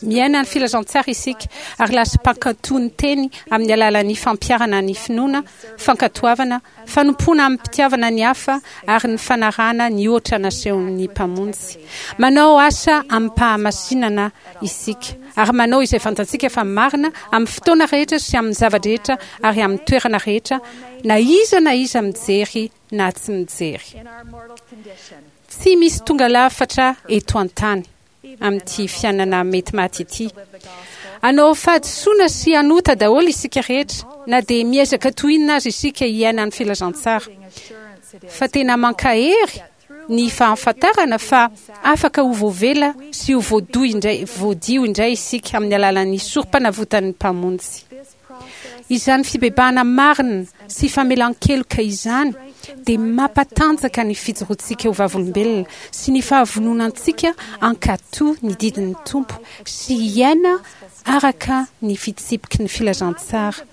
Miaina ny filazantsara isika ary lasa mpankatò ny teny amin'ny alalan'ny fampiharana ny finoana, fankatoavana, fanompoana amim-pitiavana ny hafa ary ny fanarahana ny ohatra nasehon'ny Mpamonjy. Manao asa amim-pahamasinana isika ary manao izay fantatsika fa marina amin'ny fotoana rehetra sy amin'ny zava-drehetra ary amin'ny toerana rehetra, na iza na iza mijery na tsy mijery. Tsy misy tonga lafatra eto an-tany amin'ity fiainana mety maty ity. Hanao fahadisoana sy hanota daholo isika rehetra, na dia miezaka toy inona aza isika hiaina ny filazantsara. Fa tena mankahery ny fahafantarana fa afaka ho voavela sy ho voadio indray, voadio indray isika amin'ny alalan'ny sorom-panavotan'ny Mpamonjy. Izany fibebahana marina sy famelan-keloka izany dia mampatanjaka ny fijoroantsika ho vavolombelona sy ny fahavononantsika hankatò ny didin'ny Tompo sy hiaina araka ny fitsipiky ny filazantsara.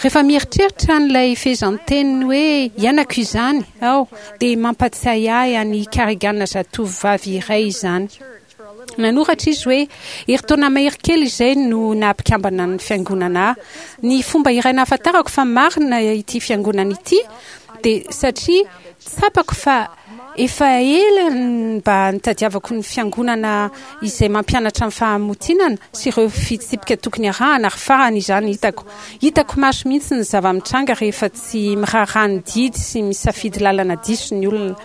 Rehefa mieritreritra an'ilay fehezanteny hoe iainako izany aho dia mampatsiahy ahy an'i Carrigan zatovovavy iray izany. Nanoratra izy hoe herintaona mahery kely izay no naha-mpikambana ny fiangonana ahy. Ny fomba iray nahafantarako fa marina ity fiangonana ity dia satria tsapako fa efa ela mba nitadiavako ny fiangonana izay mampianatra ny fahamotinana sy ireo fitsipika tokony arahana ary farany izany hitako. Hitako maso mihitsy ny zava-mitranga rehefa tsy miraharaha ny didy sy misafidy lalana diso ny olona.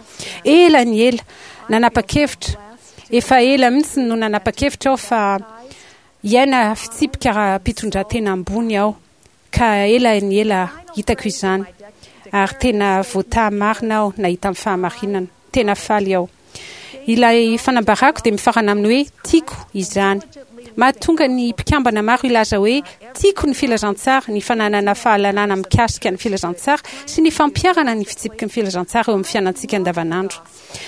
Ela ny ela, nanapa-kevitra. Efa ela mihitsy no nanapa-kevitra aho fa hiaina fitsipika ara-pitondran-tena ambony aho, ka ela ny ela hitako izany, ary tena voataha marina aho nahita ny fahamarinana. Tena faly aho. Ilay fanambarako dia mifarana amin'ny hoe tiako izany. Mahatonga ny mpikambana maro hilaza hoe tiako ny filazantsara, ny fananana fahalalana mikasika ny filazantsara sy ny fampiharana ny fitsipiky ny filazantsara eo amin'ny fiainantsika andavanandro.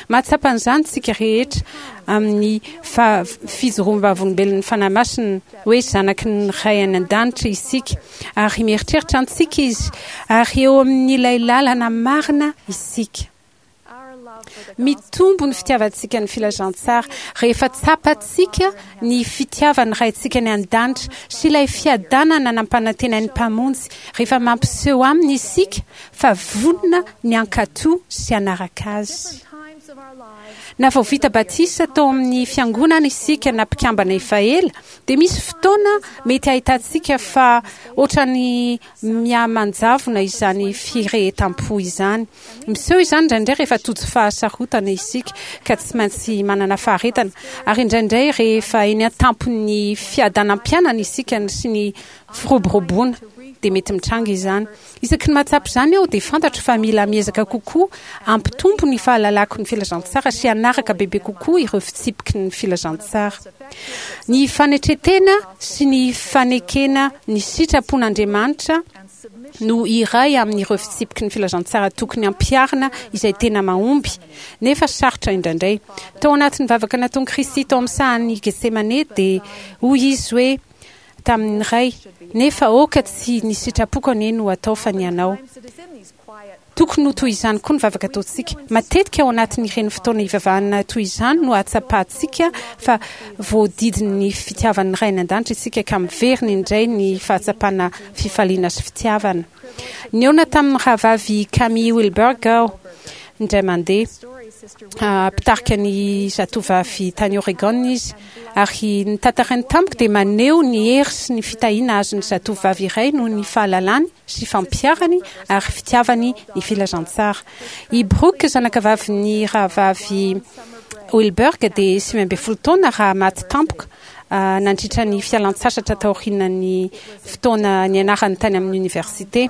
Mahatsapa an'izany isika rehetra amin'ny fijoroam-bavolombelon'ny Fanahy Masina hoe zanaky ny Ray any an-danitra isika ary mieritreritra antsika Izy ary eo amin'ilay lalana marina isika. Mitombo ny fitiavantsika ny filazantsara rehefa tsapantsika ny fitiavan'ny Raintsika any an-danitra sy ilay fiadanana nampanantenain'ny Mpamonjy rehefa mampiseho aminy isika fa vonona ny hankatò sy hanaraka azy. Na vao vita batisa tao amin'ny fiangonana isika na mpikambana efa ela, dia misy fotoana mety hahitantsika fa ohatran'ny mihamanjavona izany firehetam-po izany. Miseho izany indraindray rehefa tojo fahasarotana isika ka tsy maintsy manana faharetana, ary indraindray rehefa eny an-tampon'ny fiadanam-piainana isika sy ny firoboroboana dia mety mitranga izany. Isaky ny mahatsapa izany aho dia fantatro fa mila miezaka kokoa hampitombo ny fahalalako ny filazantsara sy hanaraka bebe kokoa ireo fitsipiky ny filazantsara. Ny fanetren-tena sy ny fanekena ny sitrapon'Andriamanitra no iray amin'ireo fitsipiky ny filazantsara tokony ampiharina izay tena mahomby, nefa sarotra indraindray. Tao anatin'ny vavaka nataon'i Kristy tao amin'ny sahan'i Getsemane dia hoy izy hoe tamin'ny Ray, nefa aoka tsy ny sitrapoko anie no atao fa ny anao. Tokony ho toy izany koa ny vavaka ataontsika. Matetika ao anatin'ireny fotoana ivavahana toy izany no ahatsapantsika fa voadidin'ny fitiavan'ny Ray any an-danitra isika ka miverina indray ny fahatsapana fifaliana sy fitiavana. Nihaona tamin'ny rahavavy Camille Wilberg aho indray mandeha. Mpitarika ny zatovavy tany Oregon izy, ary ny tantarainy tamiko dia maneho ny hery sy ny fitahiana azon'ny zatovavy iray noho ny fahalalany sy fampiharany ary fitiavany ny filazantsara. I Brooke, zanakavavin'ny rahavavy Wilberg, dia sivy ambin'ny folo taona raha maty tampoka nandritra ny fialan-tsasatra taorian'ny fotoana nianarany tany amin'ny oniversite.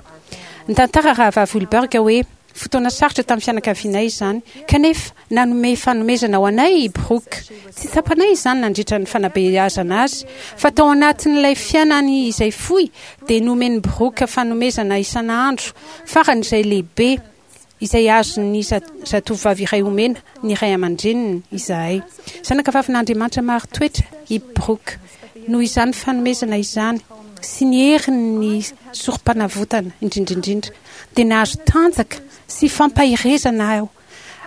Nitantara rahavavy Wilberg hoe fotoana sarotra tamin'ny fianakavianay izany, kanefa nanome fanomezana ho anay i Brooke. Tsy tsapanay izany nandritra ny fanabeazana azy, fa tao anatin'ilay fiainany izay fohy dia nomen'i Brooke fanomezana isan'andro faran'izay lehibe izay azon'ny zatovavy iray omena ny ray aman-dreniny izahay. Zanakavavin'Andriamanitra marin-toetra i Brooke. Noho izany fanomezana izany sy ny herin'ny sorom-panavotana indrindra indrindra dia nahazo tanjaka sy fampaherezana aho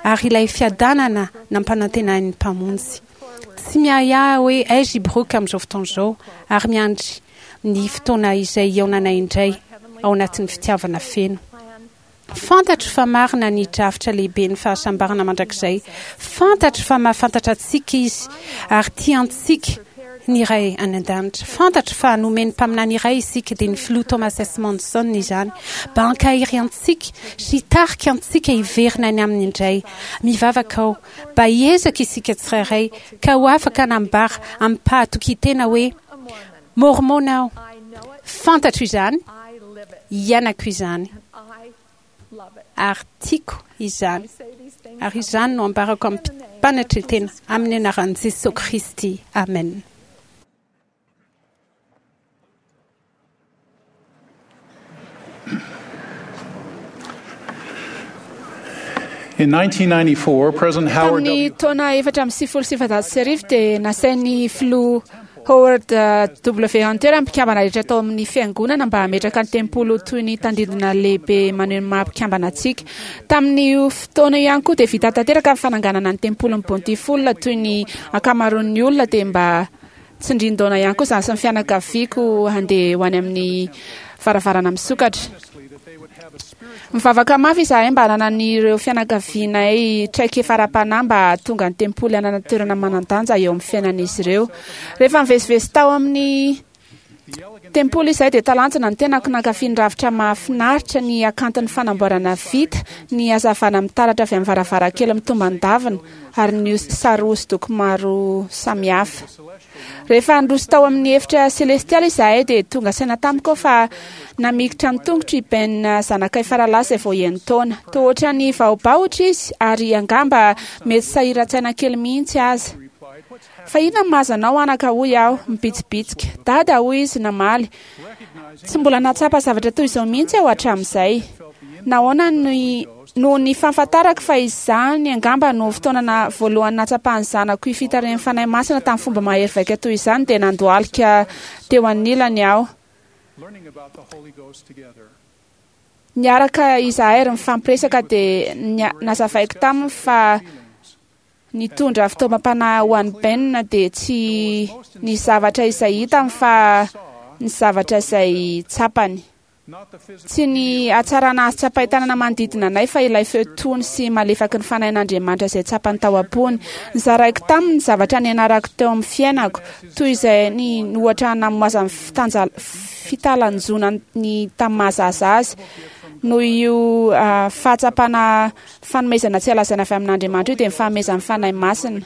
ary ilay fiadanana nampanantenain'ny Mpamonjy. Tsy miahiahy hoe aiza i Brooke amin'izao fotoana izao ary miandry ny fotoana izay hihaonanay indray ao anatin'ny fitiavana feno. Fantatro fa marina ny drafitra lehibe ny fahasambarana mandrakizay. Fantatro fa mahafantatra antsika izy ary tia antsika ny Ray any an-danitra. Fantatro fa nomen'ny mpaminany iray isika, dia ny filoha Thomas S. Monson izany, mba hankahery antsika sy hitarika antsika hiverina any aminy indray. Mivavaka aho mba hiezaka isika tsirairay ka ho afaka hanambara amim-pahatokian-tena hoe, Mormona aho. Fantatro izany, iainako izany, ary tiako izany. Ary izany no ambarako amim-panetren-tena amin'ny anaran'i Jesoa Kristy. Amen. In nineteen ninety-four, President Howard Tamin'ny W. taona efatra amby sivifolo sy sivinjato sy arivo dia nasain'ny filoha Howard W. Hunter mpikambana rehetra tao amin'ny fiangonana mba hametraka ny tempoly ho toy ny tandindona lehibe maneho ny maha mpikambana antsika. Tamin'io fotoana io ihany koa dia vita tanteraka ny fananganana ny tempolin'ny Bountiful toy ny ankamaroan'ny olona dia mba tsindrin-daona ihany koa izany sy ny fianakaviako handeha ho any amin'ny varavarana misokatra. Mivavaka mafy izahay mba hananan'ireo fianakavianay traikefa ara-panahy mba hahatonga ny tempoly hanana toerana manan-danja eo amin'ny fiainan'izy ireo. Rehefa nivezivezy tao amin'ny tempoly izahay dia talanjona ny tenako nankafy ny rafitra mahafinaritra, ny hakanton'ny fanamboarana vita, ny hazavana mitaratra avy amin'ny varavarankely mitomban-davina ary ny sary hosodoko maro samihafa. Rehefa niroso tao amin'ny efitra selestialy izahay dia tonga saina tamiko aho fa namikitra ny tongotro i Ben zanakay faralahy izay vao enin-taona. Toa ohatran'ny vahobahotra izy ary angamba mety sahiran-tsaina kely mihitsy aza. Fa inona no mahazo anao anaka hoy aho, mibitsibitsika. Dada hoy izy namaly. Tsy mbola nahatsapa zavatra toy izao mihitsy aho hatramin'izay. Nahoana ny noho ny fahafantarako fa izany angamba no fotoana voalohany nahatsapan'ny zanako io fitarihan'ny Fanahy Masina tamin'ny fomba mahery vaika toy izany dia nandohalika teo anilany aho. Niaraka izahay ary nifampiresaka dia nazavaiko taminy fa nitondra fitaovam-panahy ho an'i Ben dia tsy ny zavatra izay hitany fa ny zavatra izay tsapany. Tsy ny hatsarana azo tsapain-tanana manodidina anay fa ilay feo tony sy malefaky ny Fanahin'Andriamanitra izay tsapany tao am-pony. Nozaraiko taminy ny zavatra nianarako teo amin'ny fiainako, toy izay ny ohatra namoazan'ny fitanja- fitalanjona ny tamin'ny mahazaza azy. Noho io fahatsapana fanomezana tsy lazaina avy amin'Andriamanitra io dia ny fanomezan'ny Fanahy Masina.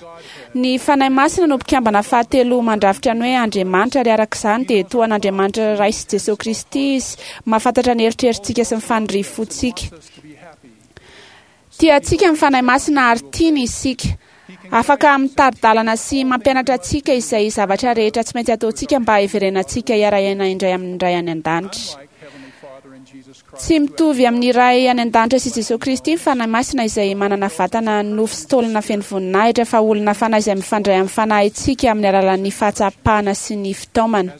Ny Fanahy Masina no mpikambana fahatelo mandrafitra ny hoe Andriamanitra, ary araka izany dia toa an'Andriamanitra Ray sy Jesoa Kristy izy, mahafantatra ny eritreritsika sy ny faniriam-pontsika. Tia antsika ny Fanahy Masina ary tiany isika. Afaka mitari-dalana sy mampianatra antsika izay zavatra rehetra tsy maintsy ataontsika mba hiverenantsika hiara-hiaina indray amin'ny Ray any an-danitra. Tsy mitovy amin'ny Ray any an-danitra sy Jesosy Kristy ny Fanahy Masina izay manana vatana nofo sy taolana feno voninahitra, fa olona fanahy izay mifandray amin'ny fanahintsika amin'ny alalan'ny fahatsapana sy ny fitaomana.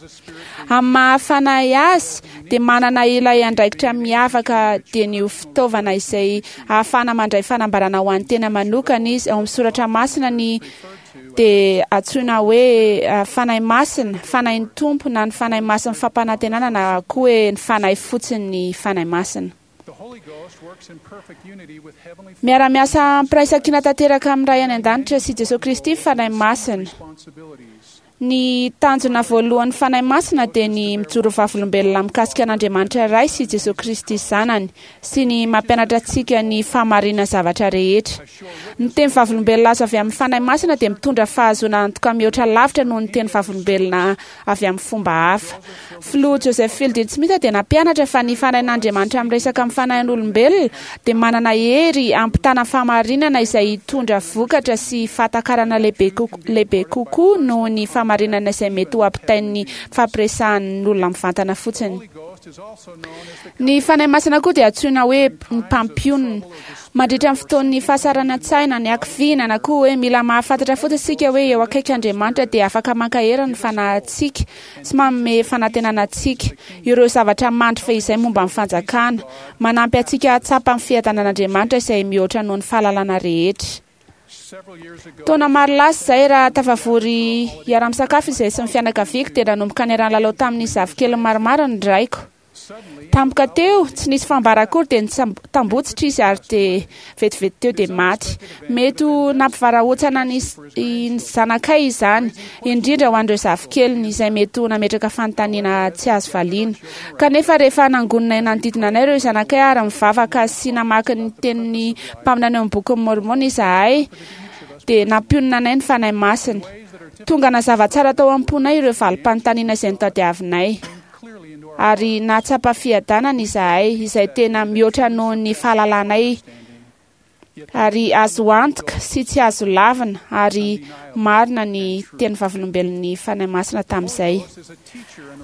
Amin'ny maha fanahy azy dia manana ilay andraikitra miavaka, dia ny ho fitaovana izay ahafahana mandray fanambarana ho an'ny tena manokana izy. Ao amin'ny Soratra Masina ny dia antsoina hoe Fanahy Masina, Fanahin'ny Tompo, na ny Fanahy Masin'ny fampanantenana, na koa hoe ny Fanahy fotsiny ny Fanahy Masina. Miara-miasa am-piraisankina tanteraka amin'ny Ray any an-danitra sy Jesosy Kristy ny Fanahy Masina. Ny tanjona voalohan'ny Fanahy Masina dia ny mijoro vavolombelona mikasika an'Andriamanitra Ray sy Jesosy Kristy Zanany sy ny mampianatra antsika ny fahamarinan'ny zavatra rehetra. Ny teny vavolombelona azo avy amin'ny Fanahy Masina dia mitondra fahazoana antoka mihoatra lavitra noho ny teny vavolombelona avy amin'ny fomba hafa. Filoha Joseph Fielding Smith dia nampianatra fa ny Fanahin'Andriamanitra miresaka amin'ny fanahin'olombelona dia manana hery hampitana fahamarinana izay hitondra vokatra sy fahatakarana lehibe kokoa noho ny fahamarinana izay mety ho ampitain'ny fampiresahan'olona mivantana fotsiny. Ny Fanahy Masina koa dia antsoina hoe ny mpampionona. Mandritra ny fotoan'ny fahasaran-tsaina, ny hakiviana, na koa hoe mila mahafantatra fotsiny isika hoe eo akaiky Andriamanitra dia afaka mankahery ny fanahintsika sy manome fanantenana antsika ireo zavatra mandry fehizay momba ny fanjakana, manampy antsika hahatsapa ny fiadanan'Andriamanitra izay mihoatra noho ny fahalalana rehetra. Taona maro lasa izay, raha tafavory hiara-misakafo izahay sy ny fianakaviako, dia nanomboka niara-nilalao tamin'ny zafikeliny maromaro ny raiko. Tampoka teo, tsy nisy fambara akory, dia nitambotsitra izy ary dia vetivety teo dia maty. Mety ho nampivarahontsana ny zanakay izany, indrindra ho an'ireo zafikeliny izay mety ho nametraka fanontaniana tsy azo valiana. Kanefa rehefa nangonina nanodidina anay ireo zanakay ary mivavaka sy namaky ny tenin'ny mpaminany ao amin'ny bokin'i Môrmôna izahay, dia nampionona anay ny Fanahy Masina. Tonga nazava tsara tao am-ponay ireo valim-panontaniana izay notadiavinay, ary nahatsapa fiadanana izahay izay tena mihoatra noho ny fahalalanay, ary azo antoka sy tsy azo lavina, ary marina ny teny vavolombelon'ny Fanahy Masina tamin'izay.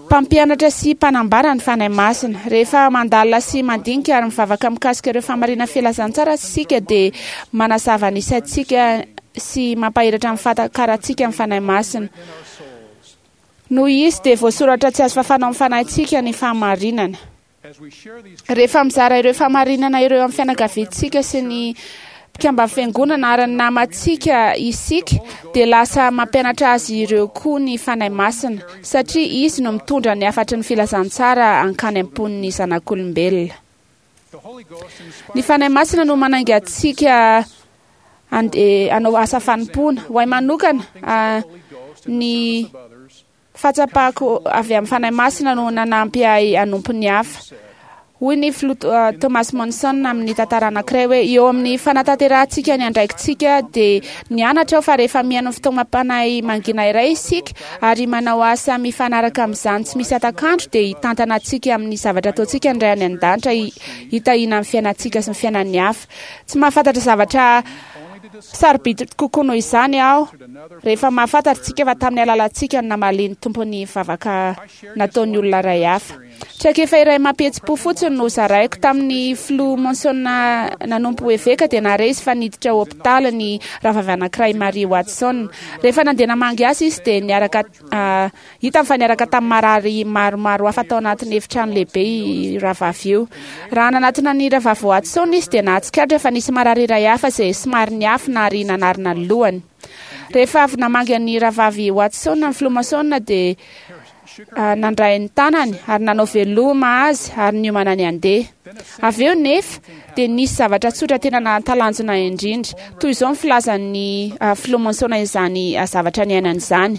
Mpampianatra sy mpanambara ny Fanahy Masina. Rehefa mandalina sy mandinika ary mivavaka mikasika ireo fahamarinana filazantsara isika, dia manazava ny saintsika sy mampahiratra ny fahatakarantsika ny Fanahy Masina. Noho izy dia voasoratra tsy azo fafana amin'ny fanahintsika ny fahamarinana. Rehefa mizara ireo fahamarinana ireo amin'ny fianakaviantsika sy ny mpikamban'ny fiangonana ary ny namantsika isika, dia lasa mampianatra azy ireo koa ny Fanahy Masina, satria izy no mitondra ny hafatry ny filazantsara hankany am-pon'ny zanak'olombelona. Ny Fanahy Masina no manainga antsika hanao asa fanompoana. Ho ahy manokana, ny fahatsapako avy amin'ny Fanahy Masina no nanampy ahy hanompo ny hafa. Hoy ny filoha Thomas Monson amin'ny tantara anankiray hoe eo amin'ny fanatanterahantsika ny andraikitsika dia nianatra aho fa rehefa mihaino ny fitaomam-panahy mangina iray isika ary manao asa mifanaraka amin'izany tsy misy hatak'andro, dia hitantana antsika amin'ny zavatra ataontsika ny Ray any an-danitra hitahiana ny fiainantsika sy ny fiainan'ny hafa. Tsy mahafantatra zavatra sarobidy kokoa noho izany aho rehefa mahafantatra isika fa tamin'ny alalantsika no namalian'ny Tompo ny vavaka nataon'ny olona iray hafa. Traikefa iray mampihetsi-po fotsiny no zaraiko. Tamin'ny filoha Monson nanompo eveka dia nahare izy fa niditra hopitaly ny rahavavy anankiray Marie Watson. Rehefa nandeha namangy azy izy dia niaraka hitany fa niaraka tamin'ny marary maromaro hafa tao anatin'ny efitrano lehibe io rahavavy io. Raha nanatona ny rahavavy Watson izy dia nahatsikaritra fa nisy marary iray hafa izay somary niafina ary nanarina ny lohany. Rehefa avy namangy ny rahavavy Watson ny filoha Monson dia nandray ny tanany ary nanao veloma azy ary niomana ny handeha. Avy eo nefa dia nisy zavatra tsotra tena nahatalanjona indrindra. Toy izao ny filazan'ny filoha Monson izany zavatra niainany izany.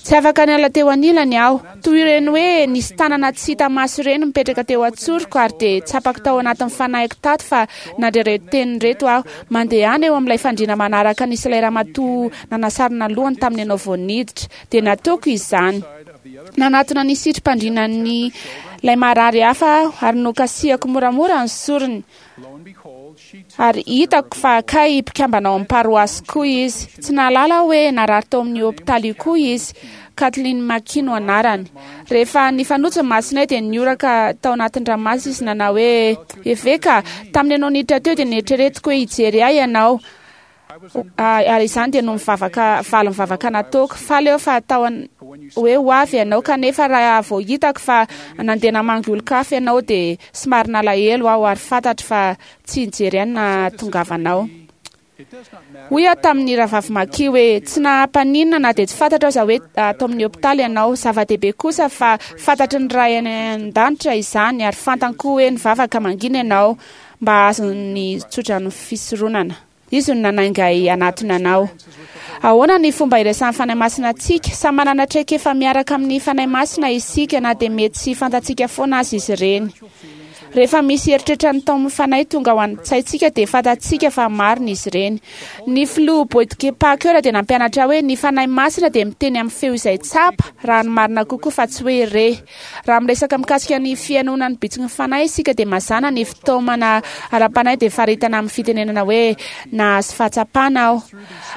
Tsy afaka niala teo anilany aho. Toy ireny hoe nisy tanana tsy hita maso ireny mipetraka teo an-tsoroko ary dia tsapako tao anatin'ny fanahiko tato fa nandre ireto teny ireto aho. Mandehana eo amin'ilay fandriana manaraka nisy ilay ramatoa nanasarona lohany tamin'ny ianao vao niditra. Dia nataoko izany. Nanatona ny sitrim-pandrinan'ny ilay marary hafa aho ary nokasihako moramora ny sorony. Ary hitako fa kay mpikambana ao amin'ny paroasy koa izy. Tsy nahalala aho hoe narary tao amin'ny hopitaly io koa izy. Kathleen McKee no anarany. Rehefa nifanojo ny masonay dia nioraka tao anatin'ny ranomaso izy nanao hoe: "Eveka, tamin'ny ianao niditra teo dia nieritreretiko hoe hijery ahy ianao." Ary izany dia no mivavaka valy mivavaka nataoko. Faly aho fa tao hoe ho avy ianao, kanefa raha vao hitako fa nandeha namangy olon-kafa ianao dia somary nalahelo aho ary fantatro fa tsy nijery ahy ny nahatongavanao. Hoy aho tamin'ny rahavavy McKee hoe: "Tsy nahampaninona na dia tsy fantatro aza hoe ato amin'ny hopitaly ianao. Zava-dehibe kosa fa fantatry ny Ray any an-danitra izany ary fantany koa hoe nivavaka mangina ianao mba hahazo ny tsodranon'ny fisoronana. Izy no nanainga ahy hanatona anao." Ahoana ny fomba iresahan'ny Fanahy Masina antsika? Samy manana traikefa miaraka amin'ny Fanahy Masina isika na dia mety tsy fantatsika foana aza izy ireny. Rehefa misy eritreritra ny taomin'ny Fanahy tonga ao an-tsaintsika dia fantatsika fa marina izy ireny. Ny filoha Boyd K. Packer dia nampianatra hoe ny Fanahy Masina dia miteny amin'ny feo izay tsapa raha ny marina kokoa fa tsy hoe re. Raha miresaka mikasika ny fihainoana ny bitsiky ny Fanahy isika dia mazàna ny fitaomana ara-panahy dia faritana amin'ny fitenenana hoe nahazo fahatsapana aho.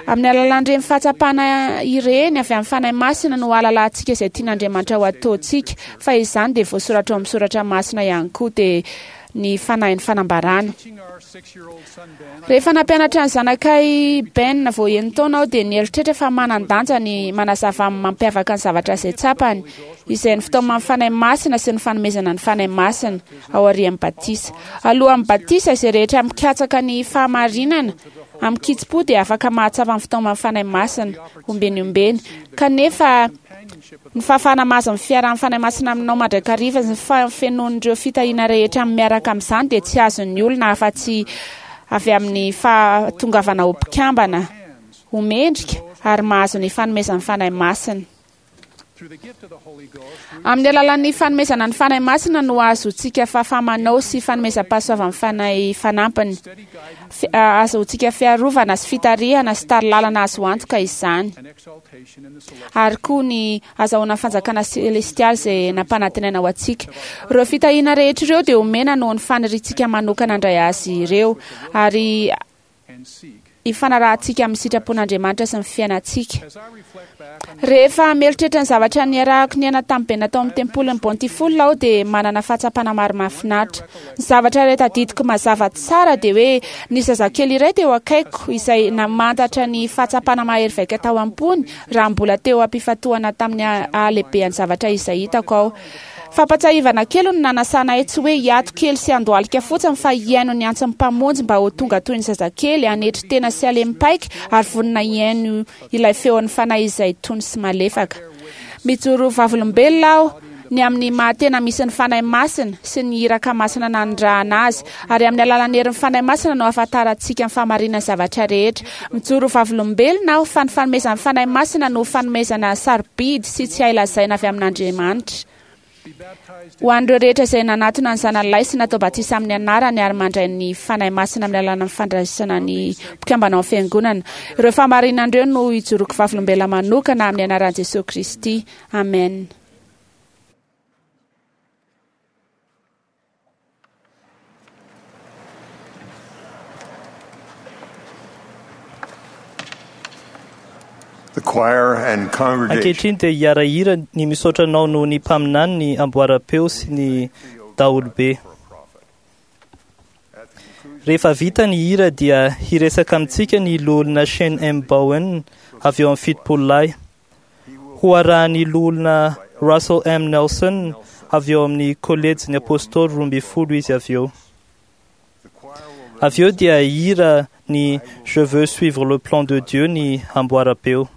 Amin'ny alalan'ireny fahatsapana ireny avy amin'ny Fanahy Masina no ahalalantsika izay tian'Andriamanitra ho ataontsika, fa izany dia voasoratra ao amin'ny soratra masina ihany koa dia ny fanahin'ny fanambarana. Rehefa nampianatra ny zanakay Ben vao enin-taona aho dia nieritreritra fa manan-danja ny manazava amin'ny mampiavaka ny zavatra izay tsapany, izay ny fitaoman'ny Fanahy Masina sy ny fanomezana ny Fanahy Masina ao aorian'ny batisa. Alohan'ny batisa, izay rehetra mikatsaka ny fahamarinana amin'ny kitsim-po dia afaka mahatsapa ny fitaoman'ny Fanahy Masina ombeny ombeny, kanefa ny fahafahana mahazo ny fiarahan'ny Fanahy Masina aminao mandrakariva sy ny fahafenoan'ireo fitahiana rehetra miaraka amin'izany dia tsy azon'ny olona afa-tsy avy amin'ny fahatongavana ho mpikambana ho mendrika ary mahazo ny fanomezan'ny Fanahy Masina. Amin'ny alalan'ny fanomezana ny Fanahy Masina no ahazoantsika fahafaha-manao sy fanomezam-pahasoavan'ny Fanahy fanampiny. Ahazoantsika fiarovana sy fitarihana sy tari-lalana azo antoka izany. Ary koa ny azahoana fanjakana selestialy izay nampanantenaina ho antsika. Ireo fitahiana rehetra ireo dia omena noho ny faniriantsika manokana handray azy ireo ary ifanarahantsika amin'ny sitrapon'Andriamanitra sy ny fiainantsika. Rehefa mieritreritra ny zavatra niarahako niaina tamin'ny Ben tao amin'ny tempolin'ny Bountiful aho dia manana fahatsapana maro mahafinaritra. Ny zavatra iray tadidiko mazava tsara dia hoe ny zazakely iray teo akaikiko izay namantatra ny fahatsapana mahery vaika tao am-pony raha mbola teo am-pifantohana tamin'ny halehibehan'ny zavatra izay hitako aho. Fampatsiahivana kely no nanasana ahy tsy hoe hiato kely sy handohalika fotsiny fa hihaino ny antson'ny Mpamonjy mba ho tonga toy ny zazakely, hanetry tena sy halemy-paika ary vonona hihaino ilay feon'ny Fanahy izay tony sy malefaka. Mijoro vavolombelona aho ny amin'ny maha-tena misy ny Fanahy Masina sy ny iraka masina nanirahana azy, ary amin'ny alalan'ny herin'ny Fanahy Masina no ahafantarantsika ny fahamarinan'ny zavatra rehetra. Mijoro vavolombelona aho fa ny fanomezan'ny Fanahy Masina no fanomezana sarobidy sy tsy hay lazaina avy amin'Andriamanitra. Ho an'ireo rehetra izay nanatona ny Zanany sy natao batisa amin'ny anarany ary mandray ny Fanahy Masina amin'ny alalan'ny fandraisana ny mpikambana ao fiangonana. Ireo fahamarinana ireo no ijoroako vavolombelona manokana amin'ny anaran'i Jesosy Kristy. Amen. The choir and congregation Ankehitriny dia hiara-hira ny misaotra anao noho ny mpaminany ny amboaram-peo sy ny daholobe. Rehefa vita ny hira dia hiresaka amintsika ny loholona Shane M. Bowen avy eo amin'ny fitopolo lahy. Ho arahan'ny loholona Russell M. Nelson avy eo amin'ny kolejin'ny apôstôly roa ambin'ny folo izy avy eo. Avy eo dia hira ny Je veux suivre le plan de Dieu ny amboaram-peo.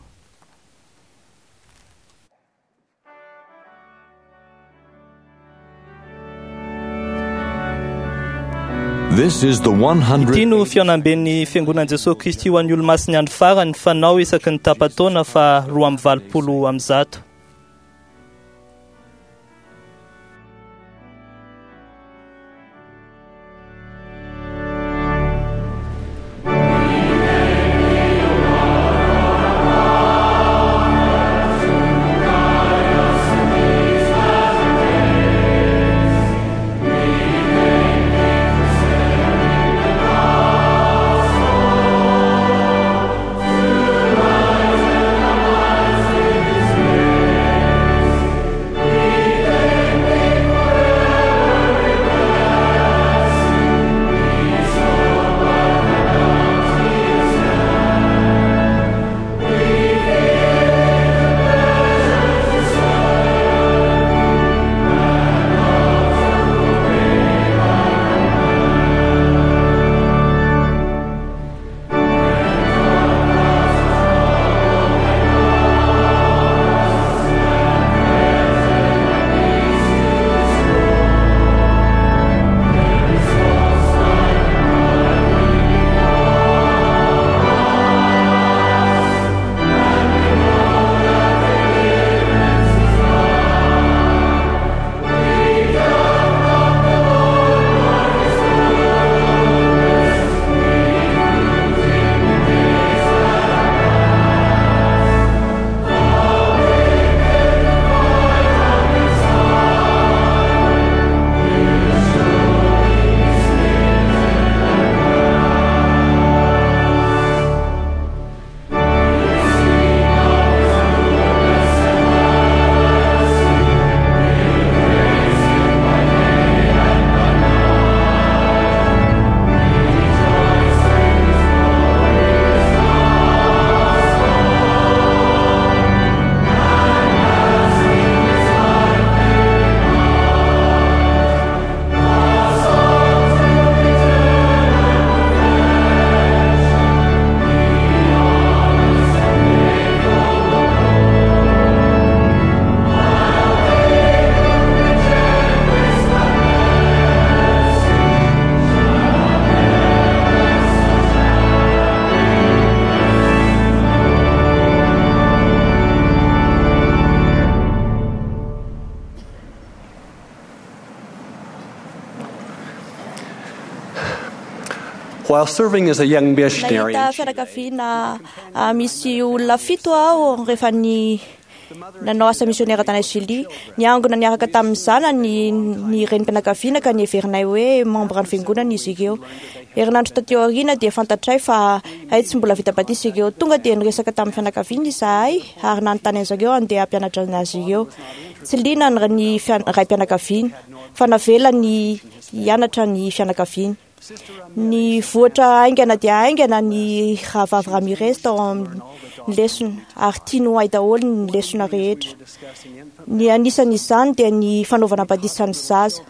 This is the Ity no fihaonamben'ny Fiangonan'i Jesosy Kristy ho an'ny olomasin'ny andro farany fanao isaky ny tapa-taona fa roa amby valopolo amby zato. one hundred While serving as a young missionary, Nahita fianakaviana ah, misy olona fito aho rehefa ny nanao asa misionera tany Chili. Niangona niaraka tamin'ny zanany ny renim-pianakaviana ka niheverinay hoe membre ny fiangonana izy ireo. Herinandro taty aoriana dia fantatray fa hay tsy mbola vita batisa ireo. Tonga dia niresaka tamin'ny fianakaviana izahay ary nanontany azy ireo handeha hampianatra azy ireo. Tsy liana ny ny fian- raim-pianakaviana fa navela ny hianatra ny fianakaviana. Ny voatra haingana dia haingana ny rahavavy Ramirez tao amin'ny lesona ary tiany ho hay daholo ny lesona rehetra. Ny anisan'izany dia ny fanaovana batisa ny zaza.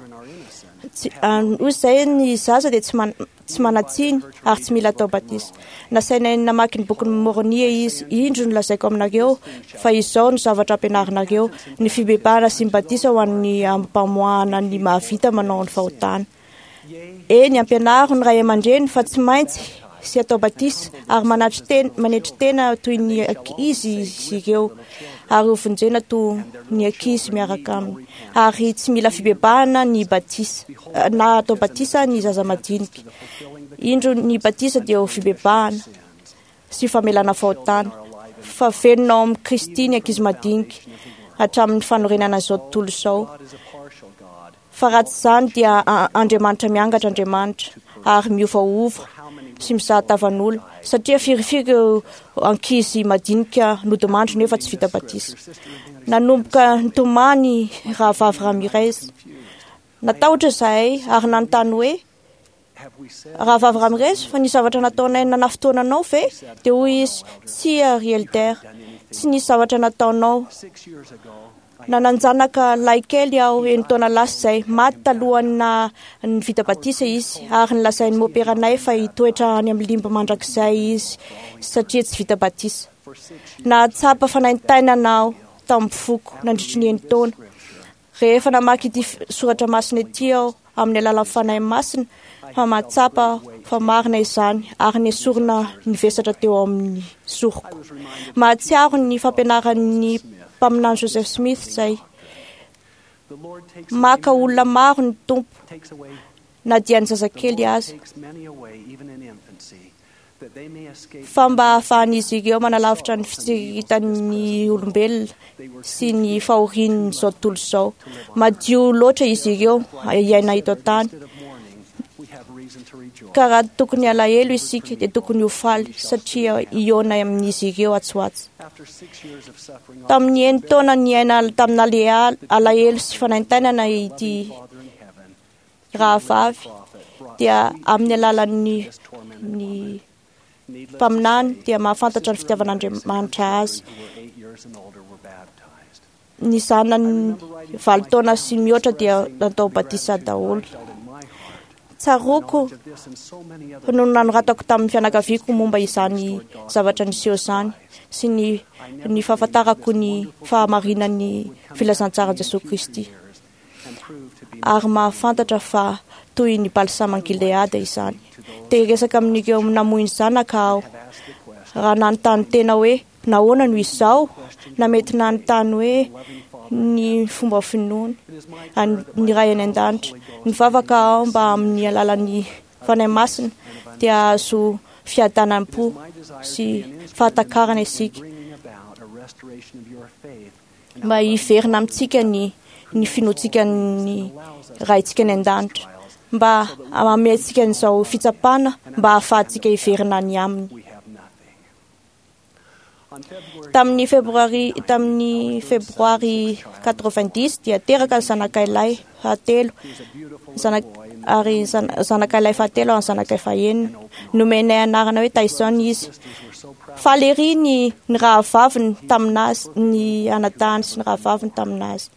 Tsy- ah, Hoy izay ny zaza dia tsy man- tsy manan-tsiny ary tsy mila atao batisa. Nasainay namaky ny bokin'i Môrônia izy. Indro no lazaiko aminareo fa izao no zavatra ampianarinareo: ny fibebahana sy ny batisa ho an'ny ampamoahana ny mahavita manao ny fahotana. Eny, ampianaro ny ray aman-dreny fa tsy maintsy sy atao batisa ary manatry tena manetry tena toy ny ankizy izy ireo ary ho vonjena toy ny ankizy miaraka aminy. Ary tsy mila fibebahana ny batisa na atao batisa ny zaza madinika. Indro ny batisa dia ho fibebahana sy famelana fahotana fa velona ao amin'i Kristy ny ankizy madinika hatramin'ny fanorenana izao tontolo izao. Fa raha tsy izany dia a- Andriamanitra miangatra Andriamanitra ary miovaova sy mizaha tavan'olona satria firifiry ireo ankizy madinika nodimandry nefa tsy vita batisa. Nanomboka nitomany rahavavy Ramirez. Natahotra izahay ary nanontany hoe rahavavy Ramirez fa nisy zavatra nataonay nanafotoana anao ve? Dia hoy izy tsia ry Elder, tsy nisy zavatra nataonao. Nanan-janaka lahikely aho enin-taona lasa izay, maty talohan'ny na ny vita batisa izy ary nolazain'ny môperanay fa hitoetra any amin'ny limby mandrakizay izy satria tsy vita batisa. Nahatsapa fanaintainana aho tamin'ny foko nandritry ny enin-taona. Rehefa namaky ity f- soratra masina ity aho amin'ny alalan'ny Fanahy Masina fa mahatsapa aho fa marina izany ary nesorina ny vesatra teo amin'ny soroko. Mahatsiaro ny fampianaran'ny mpaminany Joseph Smith izay. Maka olona maro ny Tompo na dia ny zazakely aza fa mba hahafahan'izy ireo manalavitra ny fitsiritan'ny olombelona sy ny fahorian'izao tontolo izao. Madio loatra izy ireo hiaina eto an-tany. Ka raha tokony alahelo isika dia tokony ho faly satria hihaona amin'izy ireo atsy ho atsy. Tamin'ny enin-taona niaina tamin'ny alea- alahelo sy fanaintainana ity rahavavy dia amin'ny alalan'ny ny mpaminany dia mahafantatra ny fitiavan'Andriamanitra azy. Ny zanany valo taona sy mihoatra dia natao batisa daholo. Tsaroako no nanoratako tamin'ny fianakaviako momba izany zavatra niseho izany sy ny ny fahafantarako ny fahamarinan'ny filazantsaran'i Jesoa Kristy. Ary mahafantatra fa toy ny balsama Gileada izany. Te hiresaka amin'ireo namoy ny zanaka aho. Raha nanontany tena hoe nahoana no izao, na mety nanontany hoe ny fomba finoany an- ny Ray any an-danitra. Nivavaka aho mba amin'ny alalan'ny Fanahy Masina dia hahazo fiadanam-po sy fahatakarana isika mba hiverina amintsika ny ny finoantsika ny Raintsika any an-danitra mba hanome antsika an'izao fitsapana mba hahafahantsika hiverina any aminy. Tamin'ny febroary tamin'ny febroary quatre-vingt-dix dia teraka ny zanakay lahy fahatelo zanak ary zan- zanakay lahy fahatelo ary zanakay fahenina. Nomenay anarana hoe Tyson izy. Faly ery ny ny rahavaviny taminazy, ny anadahiny sy ny rahavaviny taminazy.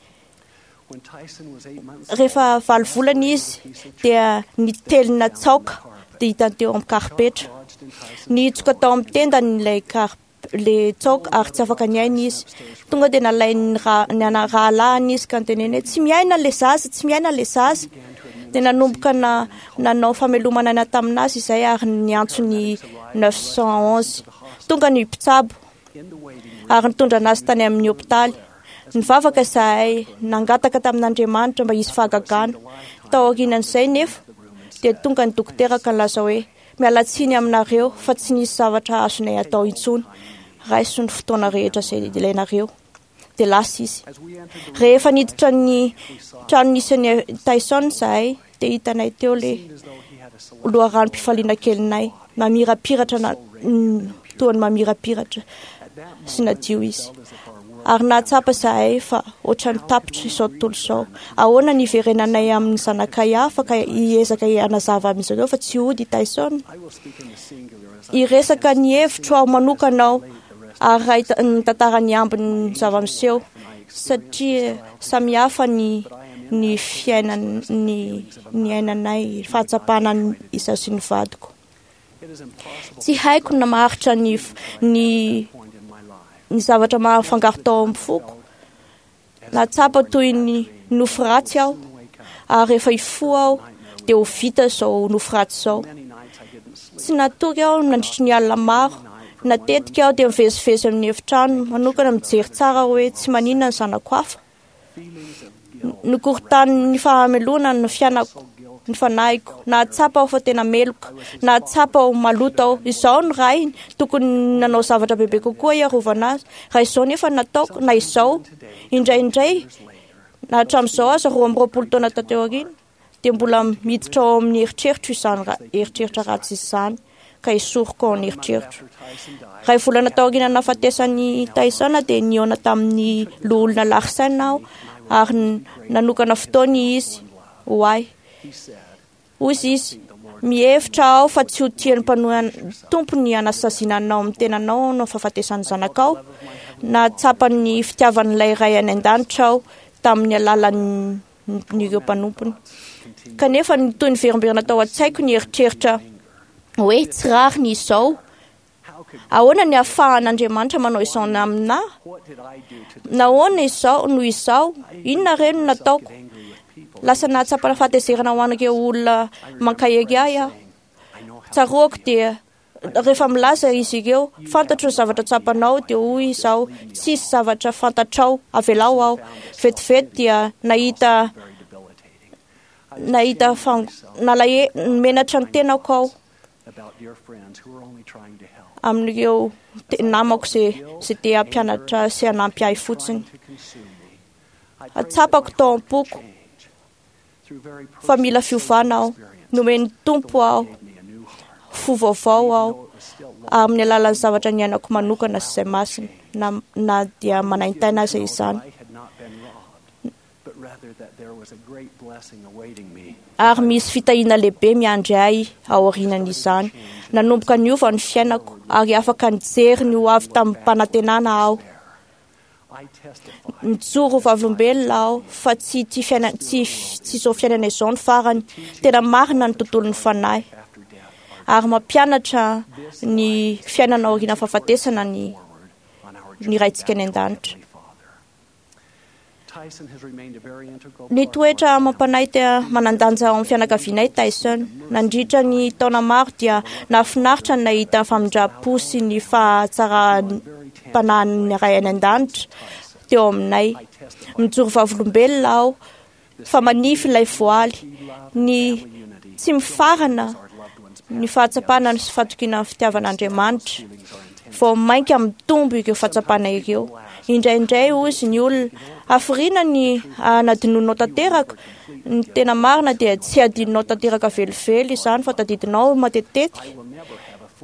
Rehefa valo volana izy dia nitelina tsaoka dia hitany teo amin'ny karipetra. Nihitsoka tao amin'ny tendany ilay kar le tsaoka ary tsy afaka niaina izy. Tonga dia nalain'ny ra- ny ana- rahalahiny izy ka niteneny hoe tsy miaina ilay zaza, tsy miaina ilay zaza. Dia nanomboka na nanao famelomana aina taminazy izay ary niantso ny neuf cent onze. Tonga ny mpitsabo ary nitondra anazy tany amin'ny hopitaly. Nivavaka izahay, nangataka tamin'Andriamanitra mba hisy fahagagana. Tao aorianan'izay nefa dia tonga ny dokotera ka nilaza hoe Miala tsiny aminareo fa tsy nisy zavatra azonay atao intsony. Raiso ny fotoana rehetra izay ilainareo. Dia lasa izy. Rehefa niditra ny trano nisy an'i Tyson izahay, dia hitanay teo ilay loharanom-pifaliana kelinay. Mamirapiratra na toa ny mamirapiratra sy nadio izy. Ary nahatsapa izahay fa ohatran'ny tapitra izao tontolo izao. Ahoana ny hiverenanay amin'ny zanakay hafa ka hiezaka hanazava amin'izy ireo fa tsy hody i Tyson? Hiresaka ny hevitro aho manokana aho ary raha mitantara ny ambin'ny zava-miseho, satria samihafa ny ny fiainan ny ny ainanay, fahatsapana izaho sy ny vadiko. Tsy haiko na maharitra ny ny ny zavatra mahafangaro tao amin'ny foko. Nahatsapa toy ny nofy ratsy aho, ary rehefa hifoha aho dia ho vita izao nofy ratsy izao. Tsy natory aho nandritry ny alina maro. Natetika aho dia mivezivezy amin'ny efitrano manokana mijery tsara hoe tsy maninona ny zanako hafa. Nokorotanin'ny fahamelohana ny fiainako, ny fanahiko. Nahatsapa aho fa tena meloka. Nahatsapa ho maloto aho. Izaho no rainy, tokony nanao zavatra bebe kokoa hiarovana azy. Raha izao nefa no nataoko, na izao, indraindray, na hatramin'izao aza roa amby roapolo taona taty aoriana, dia mbola miditra ao amin'ny eritreritro izany eritreritra ratsy izany, ka esoriko ao amin'ny eritreritro. Iray volana taoriana nahafatesan'i Tyson dia nihaona tamin'ny loholona Larsen aho ary nanokana fotoana izy ho ahy. Hoy izy, mihevitra aho fa tsy ho tian'ny mpanohana Tompo ny hanasaziana anao amin'ny tenanao noho ny fahafatesan'ny zanakao. Nahatsapa ny fitiavan'ilay Ray any an-danitra aho tamin'ny alalan'ireo mpanompony. Kanefa nitohy niverimberina tao an-tsaiko ny eritreritra hoe tsy rariny izao. Ahoana ny ahafahan'Andriamanitra manao izao amina? Nahoana izao no izao? Inona re no nataoko? Lasa nahatsapa fahatezerana ho an'ireo olona mankahery ahy aho. Tsaroako dia rehefa milaza izy ireo, fantatro ny zavatra tsapanao, dia hoy izaho, tsisy zavatra fantatrao, avelao aho. Vetivety dia nahita nahita nalahe menatra ny tenako aho amin'ireo namako izay izay te hampianatra sy hanampy ahy fotsiny. Atsapako tao am-poko fa mila fiovana aho. Nomen'ny Tompo aho fo vaovao aho amin'ny alalan'ny zavatra niainako manokana sy izay masina, na, na dia manaintaina aza izany. Ary misy fitahiana lehibe miandry ahy aorianan'izany. Nanomboka niova ny fiainako ary afaka nijery ny ho avy tamin'ny-panantenana aho. Mijoro ho vavolombelona aho fa tsy ity fiaina tsy tsy izao fiainana izao ny farany. Tena marina ny tontolon'ny fanahy ary mampianatra ny fiainana aorian'ny fahafatesana ny ny Raintsika any an-danitra. Ny toetra amam-panahy tena manan-danja ao amin'ny fianakavianay Tyson. Nandritra ny taona maro dia nahafinaritra ny nahita ny famindram-po sy ny fahatsaram-panahin'ny Ray any an-danitra teo aminay. Mijoro vavolombelona aho fa manify ilay voaly, ny tsy mifarana ny fahatsapana sy fatokiana ny fitiavan'Andriamanitra. Vao mainka mitombo ireo fahatsapana ireo. Indraindray hozy ny olona, hafiriana ny hanadinoanao tanteraka. Ny tena marina dia tsy hadinonao tanteraka velively izany fa tadidinao matetitetika.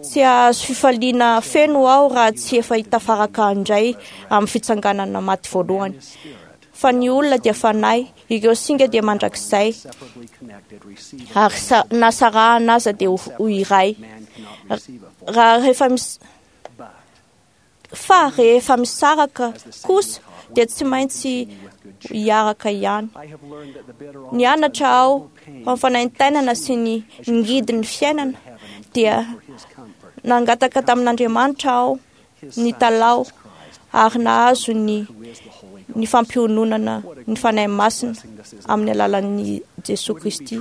Tsy hahazo fifaliana feno aho raha tsy efa hitafaraka indray amin'ny fitsanganana maty voalohany. Fa ny olona dia fanahy, ireo singa dia mandrakizay, ary na sarahana aza dia ho iray. Raha rehefa mis fa rehefa misaraka kosa dia tsy maintsy hiaraka ihany. Nianatra aho fa ny fanaintainana sy ny ngidin'ny fiainana dia nangataka tamin'Andriamanitra aho nitalaho ary nahazo ny ny fampiononana ny Fanahy Masina amin'ny alalan'i Jesoa Kristy.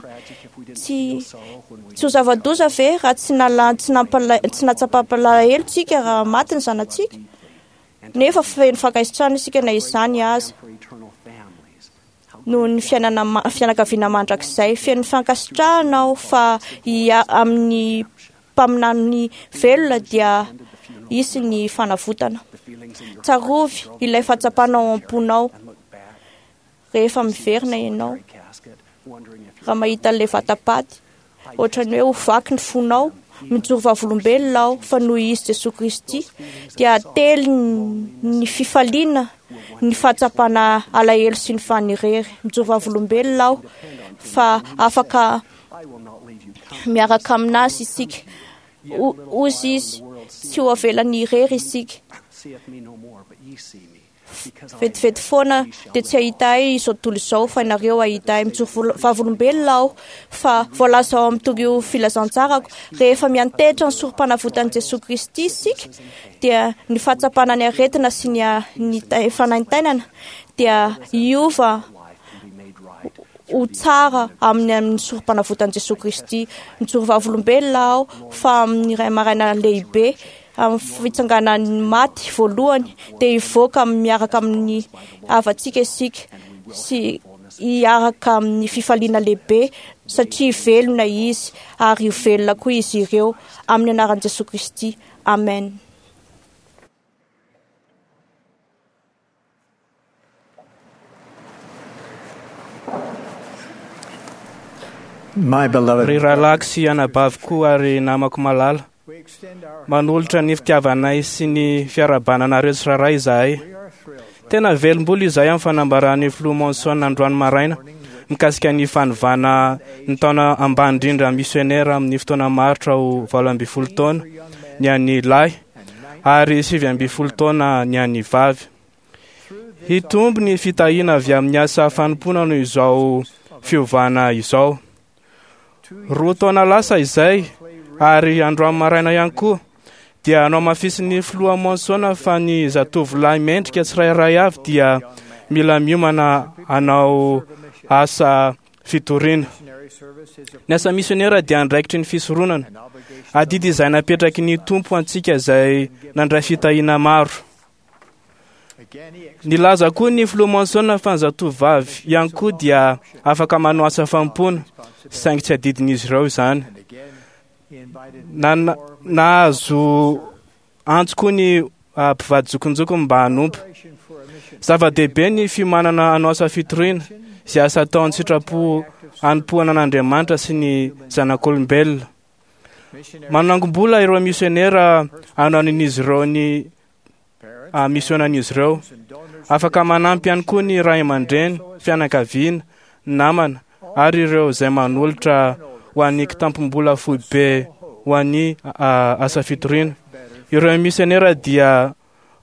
Tsy tsy ho zava-doza ve raha tsy nala tsy nampala tsy natsapam-palahelo tsika raha maty ny zanatsika? Nefa feno fankasitrahana isika na izany aza noho ny fiainana fianakaviana mandrakizay. Feno fankasitrahana aho fa ia amin'ny mpaminany velona dia hisy ny fanavotana. Tsarovy ilay fahatsapana ao am-ponao rehefa miverina ianao. Raha mahita an'ilay vatapaty, ohatran'ny hoe ho vaky ny fonao. Mijoro vavolombelona aho fa noho izy Jesosy Kristy dia telo ny fifaliana, ny fahatsapana alahelo sy ny fanirery. Mijoro vavolombelona aho fa afaka miaraka aminazy isika. Hozy izy, tsy ho avelany irery isika. Vetivety foana dia tsy hahita ahy izao tontolo izao fa ianareo hahita ahy. Mijoro vavolombelona aho fa voalaza ao amin'ny torio filazantsarako, rehefa miantehitra ny sorom-panavotan'i Jesosy Kristy isika dia ny fahatsapana ny aretina sy ny ny fanaintainana dia hiova ho tsara amin'ny amin'ny sorom-panavotan'i Jesosy Kristy. Mijoro vavolombelona aho fa amin'ny iray maraina lehibe, amin'ny fitsanganan'ny maty voalohany, dia hivoaka miaraka amin'ny havantsika isika sy hiaraka amin'ny fifaliana lehibe satria velona izy ary ho velona koa izy ireo amin'ny anaran'i Jesosy Kristy. Amen. My beloved, Ry rahalahiko sy anabavy koa ary namako malala, manolotra ny fitiavanay sy ny fiarahabana anareo tsirairay izahay. Tena velom-bolo izahay amin'ny fanambaran'ny filoha Monson androany maraina mikasika ny fanovana ny taona ambany indrindra misionera amin'ny fotoana maharitra ho valo ambin'ny folo taona ny an'ny lahy ary sivy ambin'ny folo taona ny an'ny vavy. Hitombo ny fitahiana avy amin'ny asa fanompoana noho izao fiovana izao. Roa taona lasa izay ary androany maraina ihany koa dia nohamafisin'ny filoha Monson fa ny zatovolahy mendrika tsirairay avy dia mila miomana hanao asa fitoriana. Ny asa misionera dia andraikitry ny fisoronana, adidy izay napetraky ny Tompo antsika izay nandray fitahiana maro. Nilaza koa ny filoha Monson fa ny zatovovavy ihany koa dia afaka manao asa fanompoana, saingy tsy adidin'izy ireo izany. Na, nahazo antso koa ny ah, mpivady zokinjokiny mba hanompo. Zava-dehibe ny fiomanana hanao asa fitoriana, izay asa atao an-tsitrapo hanompoana an'Andriamanitra sy ny zanak'olombelona. Manangom-bola ireo misionera hanohanan'izy ireo ny ah, misionan'izy ireo. Afaka manampy ihany koa ny ray aman-dreny, fianakaviana, namana ary ireo izay manolotra ho an'ny kitampom-bola foibe ho an'ny ah, asa fitoriana. Ireo misionera dia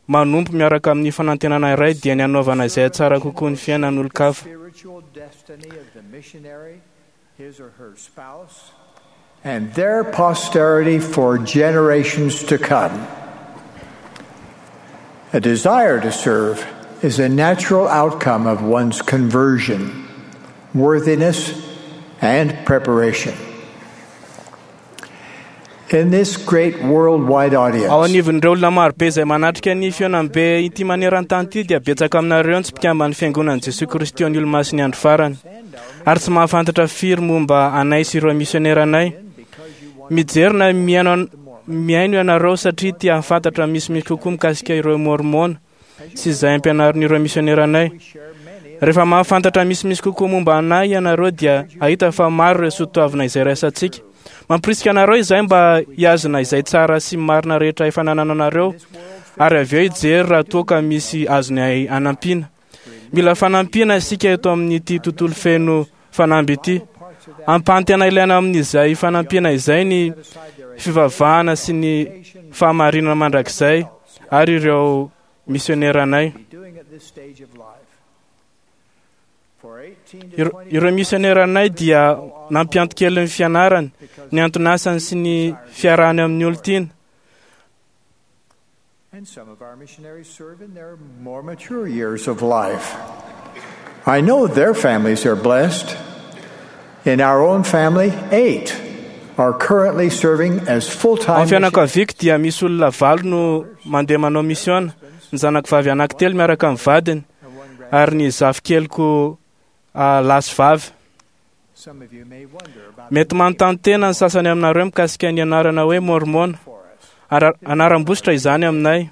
manompo miaraka amin'ny fanantenana iray dia ny hanaovana izay tsara kokoa ny fiainan'olon-kafa. spiritual destiny of the missionary, his or her spouse, and their posterity for generations to come. A desire to serve is a natural outcome of one's conversion, worthiness, and preparation. In this great worldwide audience, Ao anivon'ireo olona marobe izay manatrika ny fihaonambe ity maneran-tany ity dia betsaka aminareo ny tsy mpikamban'ny fiangonan'i Jesosy Kristy ny Olomasin'ny andro farany ary tsy mahafantatra firy momba anay sy ireo misionera anay. Mijery na mihaino mihaino ianareo satria tia hahafantatra misimisy kokoa mikasika ireo Mormona sy izay ampianarin'ireo misionera anay. Rehefa mahafantatra misimisy kokoa momba anay ianareo dia hahita fa maro ireo soatoavina izay raisantsika. Mampirisika anareo izay mba hihazona izay tsara sy marina rehetra efa nanananareo ary avy eo hijery raha toa ka misy azony anampiana. Mila fanampiana isika eto amin'ity tontolo feno fanamby ity. Ampahantena ilaina amin'izay fanampiana izay ny fivavahana sy ny fahamarinana mandrakizay ary ireo misioneranay. doing at this stage of life. For eighteen to Ireo ireo misioneranay dia nampianto kely ny fianarany, ny anton'asany sy ny fiarahany amin'ny olon-tiana. And some of our missionaries serve in their more mature years of life. I know their families are blessed. In our own family, eight are currently serving as full Ao time amin'ny fianakaviako dia misy olona valo no mandeha manao misiona, ny zanako vavy anankitelo miaraka amin'ny vadiny ary ny zafikeliko ah, lahy sy vavy. Mety manontany tena ny sasany aminareo mikasika ny anarana hoe Môrmôna. Anaram-bositra izany aminay.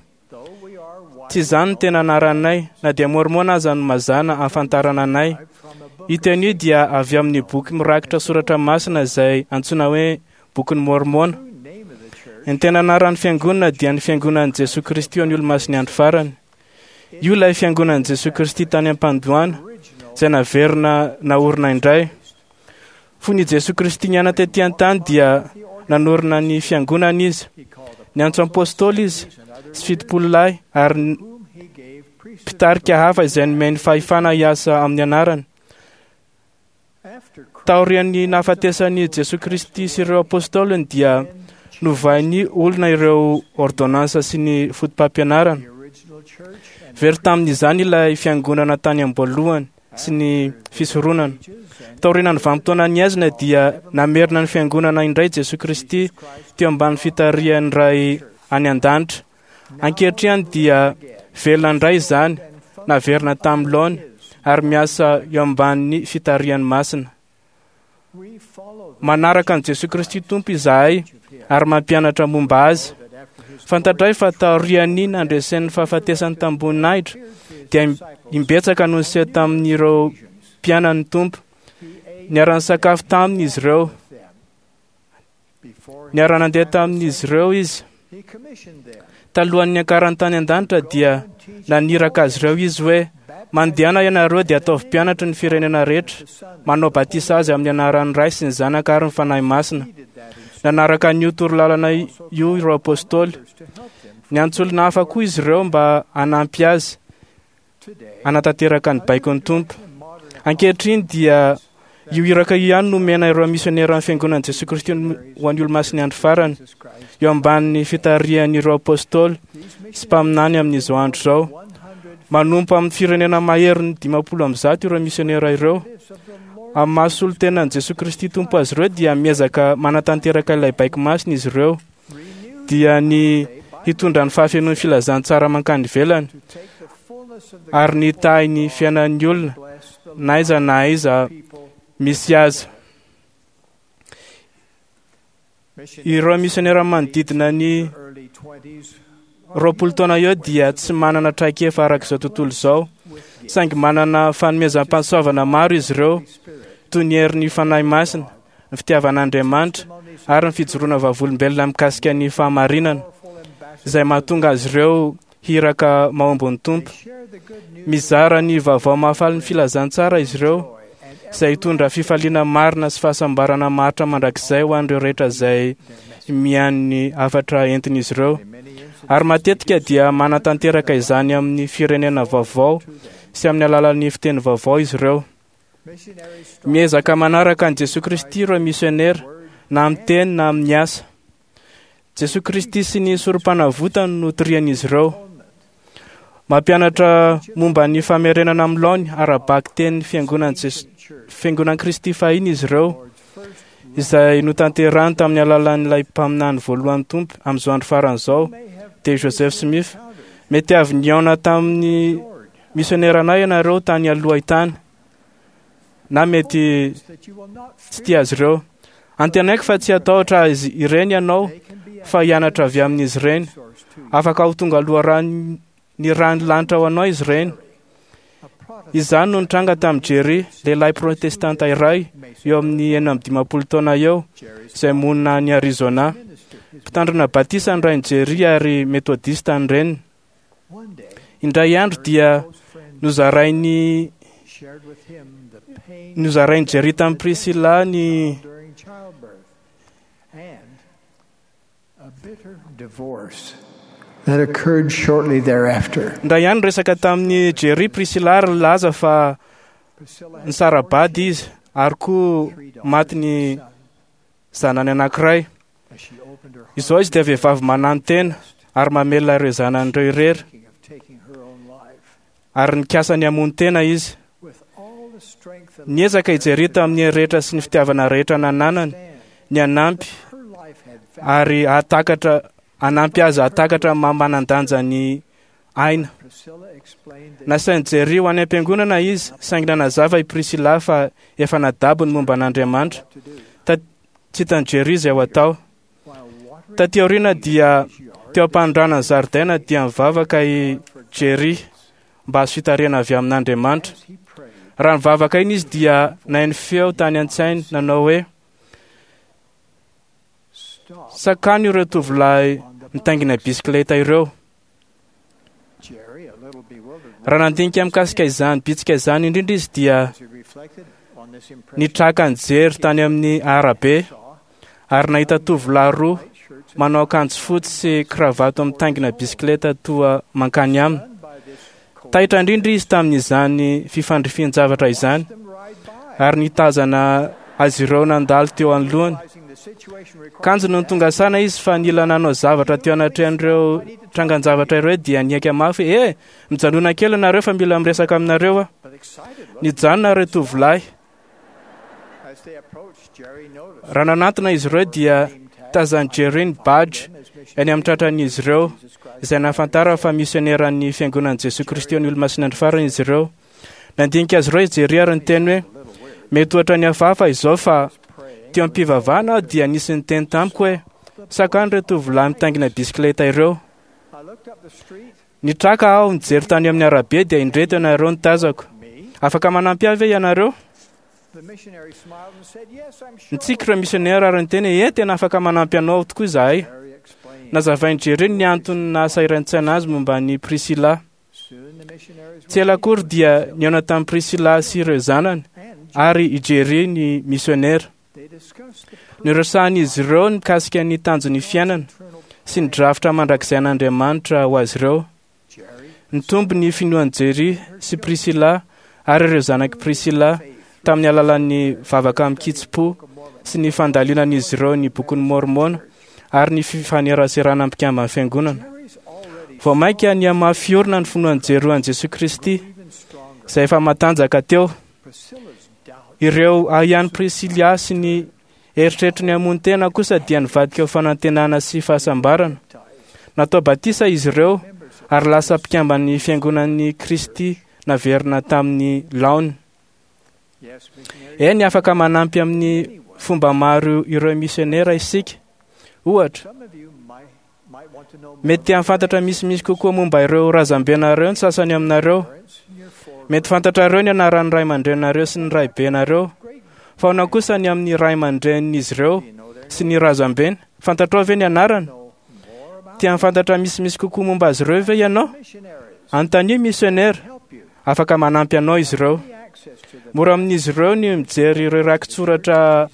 Tsy izany no tena anaranay, na dia Môrmôna aza no mazàna ahafantarana anay. Io teny io dia avy amin'ny boky mirakitra soratra masina izay antsoina hoe bokin'ny Môrmôna. Ny tena anaran'ny fiangonana dia ny fiangonan'i Jesoa Kristy ho an'ny Olomasin'ny Andro Farany. Io ilay fiangonan'i Jesoa Kristy tany am-pandohana izay naverina naorina indray. Fony i Jesoa Kristy niaina tetỳ an-tany dia nanorina ny fiangonana izy. Niantso apôstôly izy sy fitopolo lahy ary mpitarika hafa izay nomeny fahefana hiasa amin'ny anarany. Taorian'ny nahafatesan'i Jesoa Kristy sy ireo apôstôliny dia novain'ny olona ireo ordonnansa sy ny fotopampianarana. Very tamin'izany ilay fiangonana tany am-boalohany sy ny fisoronana. Taorian'ny vanim-potoanan'ny haizina dia namerina ny fiangonana indray Jesoa Kristy teo ambany fitarihan'ny Ray any an-danitra. Ankehitriny dia velona indray izany, naverina tamin'ny laony ary miasa eo ambanin'ny fitarihan'ny masina. Manaraka an'i Jesoa Kristy Tompo izahay ary mampianatra momba azy. Fantatray fa taorian'ny nandresen'ny fahafatesany tamboninahitra dia imbetsaka no niseho tamin'ireo mpianany Tompo. Niara-nisakafo taminy izy ireo. Niara-nandeha tamin'izy ireo izy. Talohan'ny niakarany tany an-danitra dia naniraka azy ireo izy hoe: mandehana ianareo dia ataovy mpianatry ny firenena rehetra, manao batisa azy amin'ny anaran'ny Ray sy ny Zanaka ary ny Fanahy Masina. Nanaraka an'io torolalana io ireo apôstôly. Niantso olona hafa koa izy ireo mba hanampy azy hanatanteraka ny baikon'ny Tompo. Ankehitriny dia io iraka io ihany no nomena ireo misioneran'ny fiangonan'i Jesoa Kristy ho an'ny Olomasin'ny Andro Farany, eo ambanin'ny fitarihan'ireo apôstôly sy mpaminany amin'izao andro izao. Manompo amin'ny firenena maherin'ny dimampolo amby zato ireo misionera ireo. Amin'ny maha solontenan'i Jesoa Kristy Tompo azy ireo dia miezaka manatanteraka ilay baiko masina izy ireo, dia ny hitondra ny fahafenoan'ny filazantsara mankany ivelany ary ny hitahy ny fiainan'ny olona na aiza na aiza misy azy. Ireo misionera manodidina ny roapolo taona eo dia tsy manana traikefa araka izao tontolo izao, saingy manana fanomezam-pahasoavana maro izy ireo, toy ny herin'ny Fanahy Masina, ny fitiavan'Andriamanitra ary ny fijoroana vavolombelona mikasika ny fahamarinana, izay mahatonga azy ireo hiraka mahomby ny Tompo. Mizara ny vaovao mahafaly ny filazantsara izy ireo, izay hitondra fifaliana marina sy fahasambarana maharitra mandrakizay ho an'ireo rehetra izay mihaino ny hafatra entin'izy ireo. Ary matetika dia manatanteraka izany amin'ny firenena vaovao sy amin'ny alalan'ny fiteny vaovao izy ireo. Miezaka manaraka an'i Jesoa Kristy ireo misionera, na amin'ny teny na amin'ny asa. Jesoa Kristy sy ny sorom-panavotany no torian'izy ireo. Mampianatra momba ny famerenana amin'ny laony ara-bakiteny fiangonan'i Kristy fahiny izy ireo, izay notanterahany tamin'ny alalan'ilay mpaminany voalohan'ny Tompo amin'izao andro farany izao, dia Joseph Smith. Mety avy nihaona tamin'ny misioneranay ianareo tany aloha tany, na mety tsy tia azy ireo. Antenaiko fa tsy hatahotra azy ireny ianao, fa hianatra avy amin'izy ireny. Afaka ho tonga loharano ny rano lanitra ho anao izy ireny. Izany no nitranga tamin'i Jerry, lehilahy protestanta iray eo amin'ny enina amby dimampolo taona eo, izay monina any Arizona. Mpitandrina batisa ny rain'i Jerry ary metodista ny reniny. Indray andro dia nozarain'i nozarain'i Jerry tamin'i Priscilla ny that occurred shortly thereafter. Indray ihany resaka tamin'i Jerry Priscilla ary nilaza fa nisara-bady izy ary koa maty ny zanany anankiray. Izao izy dia vehivavy mananotena ary mamelona ireo zanany ireo irery, ary nikasa ny hamono tena izy. Niezaka i Jerry tamin'ny rehetra sy ny fitiavana rehetra nananany ny hanampy ary hahatakatra hanampy azy hahatakatra maha manan-danja ny aina. Nasain'i Jerry ho any am-piangonana izy, saingy nanazava i Priscilla fa efa nadabo ny momba an'Andriamanitra. Tsy hitan'i Jerry izay ho atao. Taty aoriana dia teo am-panondrana ny zaridaina dia nivavaka i Jerry mba hahazo fitarihana avy amin'Andriamanitra. Raha nivavaka iny izy dia nahaino feo tany an-tsainy nanao hoe: sakano ireo tovolahy mitaingina bisikileta ireo. Raha nandinika mikasika izany bitsika izany indrindra izy dia nitraka nijery tany amin'ny arabe ary nahita tovolahy roa manao akanjo fotsy sy kravato mitaingina bisikileta toa mankany aminy. Taitra indrindra izy tamin'izany fifandrifian-javatra izany ary nitazana azy ireo nandalo teo anoloany. Kanjo nony tonga saina izy fa nila nanao zavatra teo anatrehan'ireo trangan-javatra ireo dia nihaika mafy: "Eh, mijanona kely ianareo fa mila miresaka aminareo aho." Nijanona ireo tovolahy. Raha nanantona izy ireo dia tazan'i Jerry ny badge eny amin'ny tratran'izy ireo, izay nahafantara fa misioneran'ny Fiangonan'i Jesoa Kristy ny Olomasina Andro Farany izy ireo. Nandinika azy ireo i Jerry ary niteny hoe: "Mety ohatra ny hafahafa izao fa teo am-pivavahana aho dia nisy niteny tamiko hoe sakano ireo tovolahy mitaingina bisikileta ireo. Nitraka aho nijery tany amin'ny arabe dia indreto ianareo nitazako. Afaka manampy ahy ve ianareo?" Nitsiky ireo misionera ary niteny hoe: "Eh, tena afaka manampy anao tokoa izahay." Nazavain'i Jerry ny antony nahasahiran-tsaina azy momba ny Priscilla. Tsy ela akory dia nihaona tamin'i Priscilla sy ireo zanany ary i Jerry ny misionera. Niresahan'izy ireo mikasika ny tanjon'ny fiainana sy ny drafitra mandrakizay an'Andriamanitra ho azy ireo. Nitombo ny finoan'i Jerry sy Priscilla ary ireo zanak'i Priscilla tamin'ny alalan'ny vavaka amin-kitsim-po sy ny fandalinan'izy ireo ny bokin'ny Mormona ary ny fifaneraserana mpikamban'ny fiangonana. Vao mainka nihamafy orina ny finoan'i Jerry an'i Jesoa Kristy izay efa matanjaka teo. Ireo ahiahin'i Priscilla sy ny eritreritry ny hamono tena kosa dia nivadika ho fanantenana sy fahasambarana. Natao batisa izy ireo ary lasa mpikamban'ny Fiangonan'i Kristy naverina tamin'ny laony. Eny, afaka manampy amin'ny fomba maro ireo misionera isika. Ohatra, mety te hahafantatra misimisy kokoa momba ireo razambenareo ny sasany aminareo. Mety fantatrareo ny anaran'ny ray aman-dreninareo sy ny raibenareo, fa ahoana kosa ny amin'ny ray aman-drenin'izy ireo sy ny razambeny? Fantatrao ve ny anarany? Te hahafantatra misimisy kokoa momba azy ireo ve ianao? Anontanio misionera, afaka manampy anao izy ireo. Mora amin'izy ireo ny mijery ireo rakitsoratra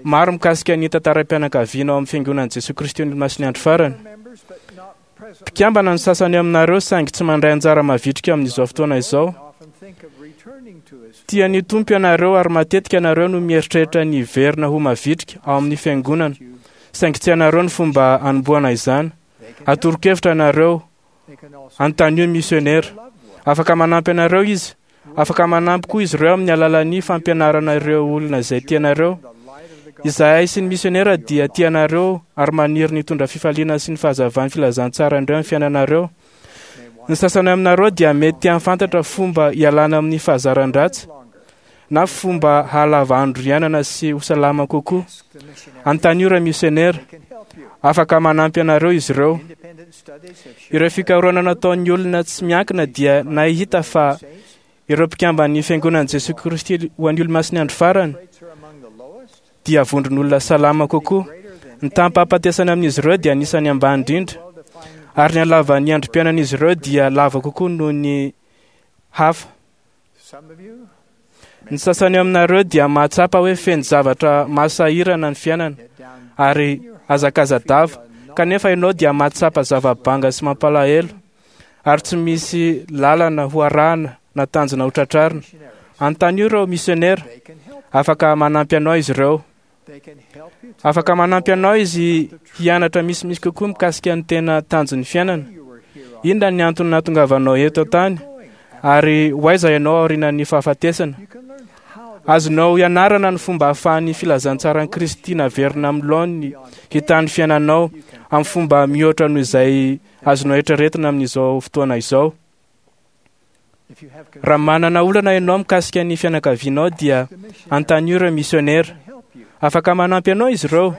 maro mikasika ny tantaram-pianakaviana ao amin'ny Fiangonan'i Jesoa Kristy ny Olomasin'ny Andro Farany. Mpikambana ny sasany aminareo saingy tsy mandray anjara mavitrika amin'izao fotoana izao. Tian'ny Tompo ianareo ary matetika ianareo no mieritreritra ny hiverina ho mavitrika ao amin'ny fiangonana, saingy tsy ianareo ny fomba hanombohana izany. Atoro-kevitra ianareo, anontanio misionera. Afaka manampy anareo izy. Afaka manampy koa izy ireo amin'ny alalan'ny fampianarana ireo olona izay tianareo. Izahay sy ny misionera dia tianareo ary maniry ny hitondra fifaliana sy ny fahazavan'ny filazantsara indreo amin'ny fiainanareo. Ny sasany aminareo dia mety te hahafantatra fomba hialana amin'ny fahazaran-dratsy na fomba hahalava andro iainana sy ho salama kokoa. Anontanio ireo misionera. Afaka manampy anareo izy ireo. Ireo fikarohana nataon'ny olona tsy miankina dia nahita fa ireo mpikamban'ny Fiangonan'i Jesoa Kristy ho an'ny Olomasin'ny Andro Farany dia vondron'olona salama kokoa. Ny taham-pahafatesana amin'izy ireo dia anisan'ny ambany indrindra, ary ny halavan'ny androm-piainan'izy ireo dia lava kokoa noho ny hafa. Ny sasany aminareo dia mahatsapa hoe feno zavatra mahasahirana ny fiainana ary hazakazadava, kanefa ianao dia mahatsapa zava-banga sy mampalahelo ary tsy misy lalana ho arahana na tanjona ho tratrarina. Anontanio ireo misionera, afaka manampy anao izy ireo. Afaka manampy anao izy hianatra misimisy kokoa mikasika ny tena tanjon'ny fiainana. Inona ny antony nahatongavanao eto an-tany ary ho aiza ianao aorian'ny fahafatesana? Azonao ianarana ny fomba ahafahan'ny filazantsaran'i Kristy naverina amin'ny laoniny hitan'ny fiainanao amin'ny fomba mihoatra noho izay azonao eritreretina amin'izao fotoana izao. Raha manana olana ianao mikasika ny fianakavianao dia anontanio ireo misionera. Afaka manampy anao izy ireo.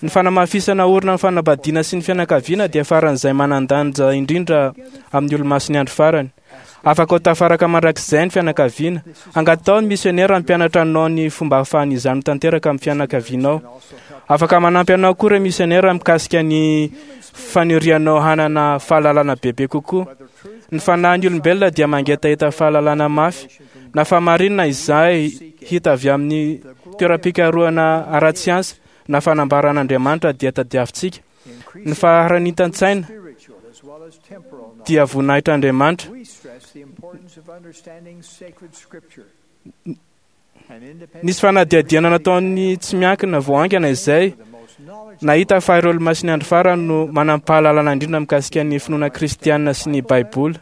Ny fanamafisana orina ny fanambadiana sy ny fianakaviana dia faran'izay manan-danja indrindra amin'ny olomasin'ny andro farany. Afaka ho tafaraka mandrakizay ny fianakaviana. Angatao ny misionera hampianatra anao ny fomba ahafahan'izany ho tanteraka amin'ny fianakavianao. Afaka manampy anao koa ireo misionera mikasika ny fanirianao hanana fahalalana bebe kokoa. Ny fanahin'ny olombelona dia mangetaheta fahalalana mafy, na fahamarinana izay hita avy amin'ny toeram-pikarohana ara-tsiansa na fanambaran'Andriamanitra dia tadiavintsika. Ny faharanitan-tsaina dia voninahitr'Andriamanitra. Nisy fanadihadiana nataon'ny tsy miankina vao haingana izay nahita fa ireo olomasin'ny andro farany no manam-pahalalana indrindra mikasika ny finoana kristianina sy ny Baiboly.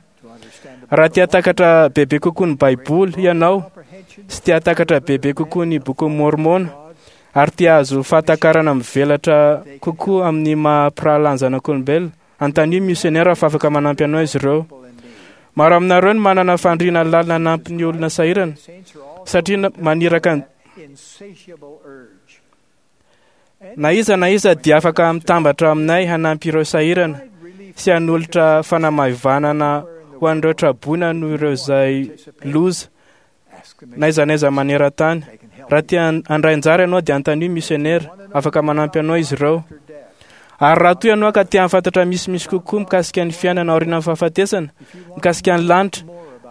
Raha te hahatakatra bebe kokoa ny Baiboly ianao sy te hahatakatra bebe kokoa ny bokin'i Môrmôna ary te hahazo fahatakarana mivelatra kokoa amin'ny maha mpirahalahy ny zanak'olombelona, anontanio misionera fa afaka manampy anao izy ireo. Maro aminareo no manana faniriana lalina hanampy ny olona sahirana satria maniraka na iza na iza dia afaka mitambatra aminay hanampy ireo sahirana sy hanolotra fanamaivanana ho an'ireo traboina noho ireo izay loza na iza na iza maneran-tany. Raha te handray anjara ianao dia anontanio misionera, afaka manampy anao izy ireo. Ary raha toa ianao ka te hahafantatra misimisy kokoa mikasika ny fiainana aorian'ny fahafatesana, mikasika ny lanitra,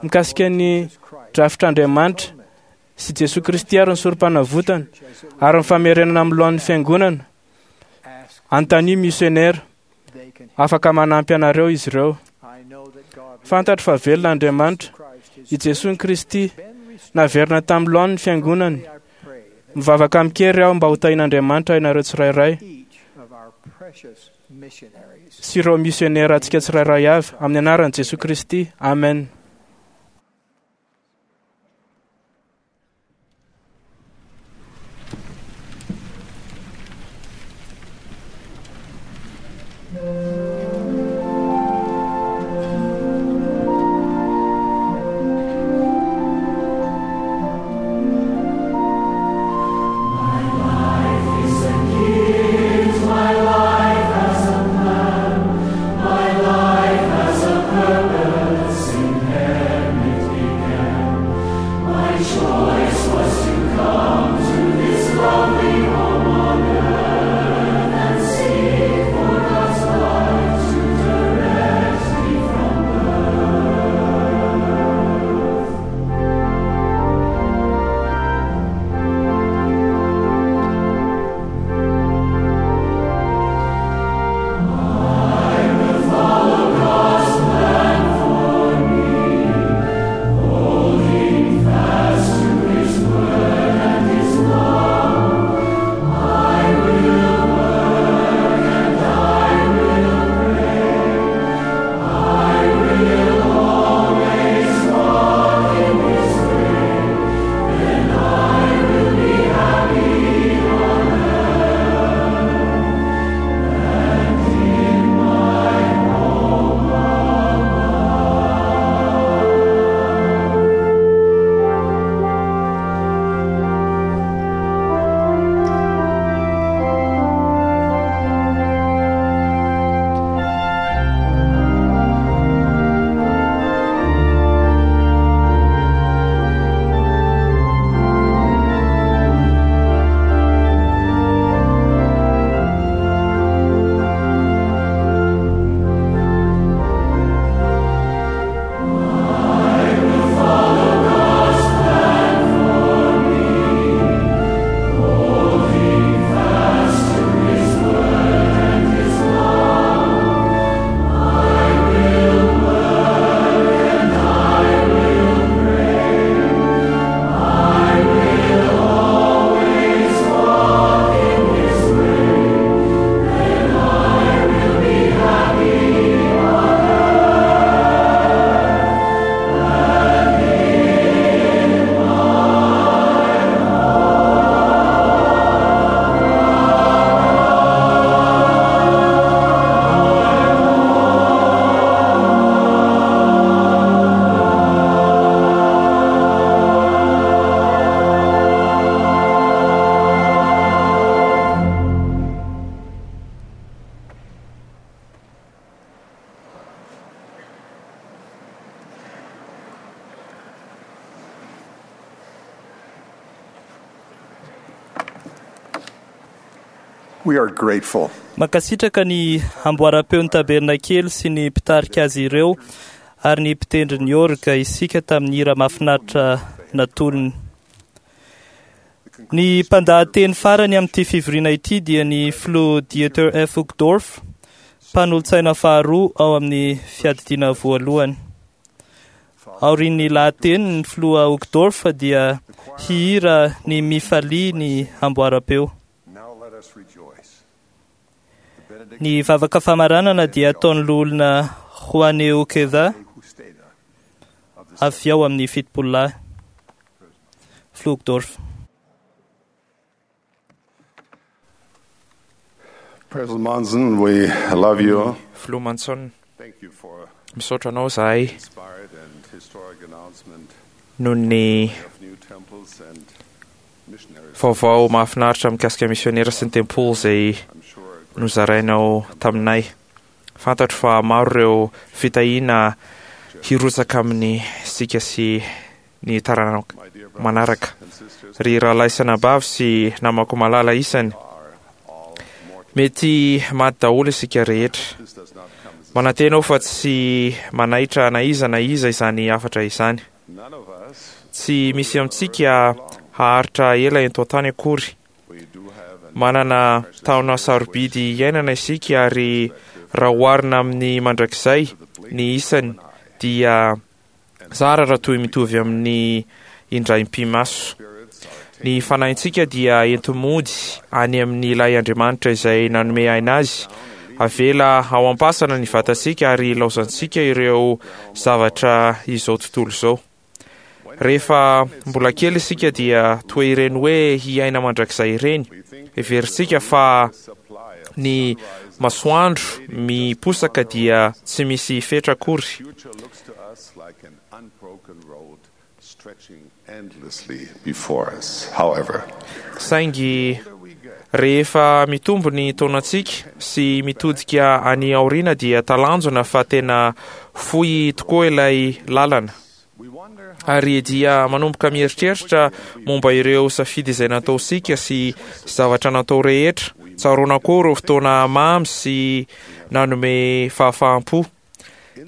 mikasika ny drafitr'Andriamanitra sy Jesoa Kristy ary ny sorom-panavotana ary ny famerenana amin'ny lohan'ny fiangonana, anontanio misionera, afaka manampy anareo izy ireo. Fantatro fa velona Andriamanitra, i Jesoa Kristy naverina tamin'ny lohan'ny fiangonany. Mivavaka amin-kery aho mba ho tahian'Andriamanitra ianareo tsirairay sy ireo misionera antsika tsirairay avy amin'ny anaran'i Jesoa Kristy. Amen. My life has a plan, my life has a purpose in We are grateful. Mankasitraka ny amboaram-peon'ny tabernakely sy ny mpitarika azy ireo ary ny mpitendry ny orga isika tamin'ny hira mahafinaritra natolony. Ny mpandahateny farany amin'ity fivoriana ity dia ny filoha Dieter F. Uchtdorf, mpanolotsaina faharoa ao amin'ny fiadidiana voalohany. Aorian'ny lahateny ny filoha Uchtdorf dia hihira ny Mifalia ny amboaram-peo. Now let us rejoice. Ny vavaka famaranana dia ataon'ny loholona Juan Ukeda avy ao amin'ny fitopolo lahy. Filoha Uchtdorf. President Monson, we love you. Filoha Monson, Thank you for misaotra anao zahay inspired and historic announcement noho ny of new temples and missionaries. vaovao mahafinaritra mikasika misionera sy ny tempoly izay nozarainao taminay. Fantatro fa maro ireo fitahiana hirotsaka amin'ny sika sy ny taranaka manaraka. Ry rahalahy sy anabavy sy namako malala isany, mety maty daholo isika rehetra. Manantena aho fa tsy manaitra na iza na iza izany hafatra izany. None of us Tsy misy amintsika haharitra ela eto an-tany akory. Manana taona sarobidy iainana isika ary raha oharina amin'ny mandrakizay ny isany dia zara raha toy mitovy amin'ny indray mipi-maso. Ny fanahintsika dia enti-mody any amin'ilay Andriamanitra izay nanome aina azy. Avela ao am-pasana ny vatantsika ary ilaozantsika ireo zavatra izao tontolo izao. Rehefa mbola kely isika dia toa ireny hoe hiaina mandrakizay ireny. Heverintsika fa ny masoandro miposaka dia tsy misy fetra akory. future looks to us like an unbroken road stretching endlessly before us. However, Saingy rehefa mitombo ny taonantsika sy mitodika any aoriana dia talanjona fa tena fohy tokoa ilay lalana. Ary dia manomboka mieritreritra momba ireo safidy izay nataontsika sy zavatra natao rehetra. Tsaroana koa ireo fotoana mamy sy nanome fahafaham-po.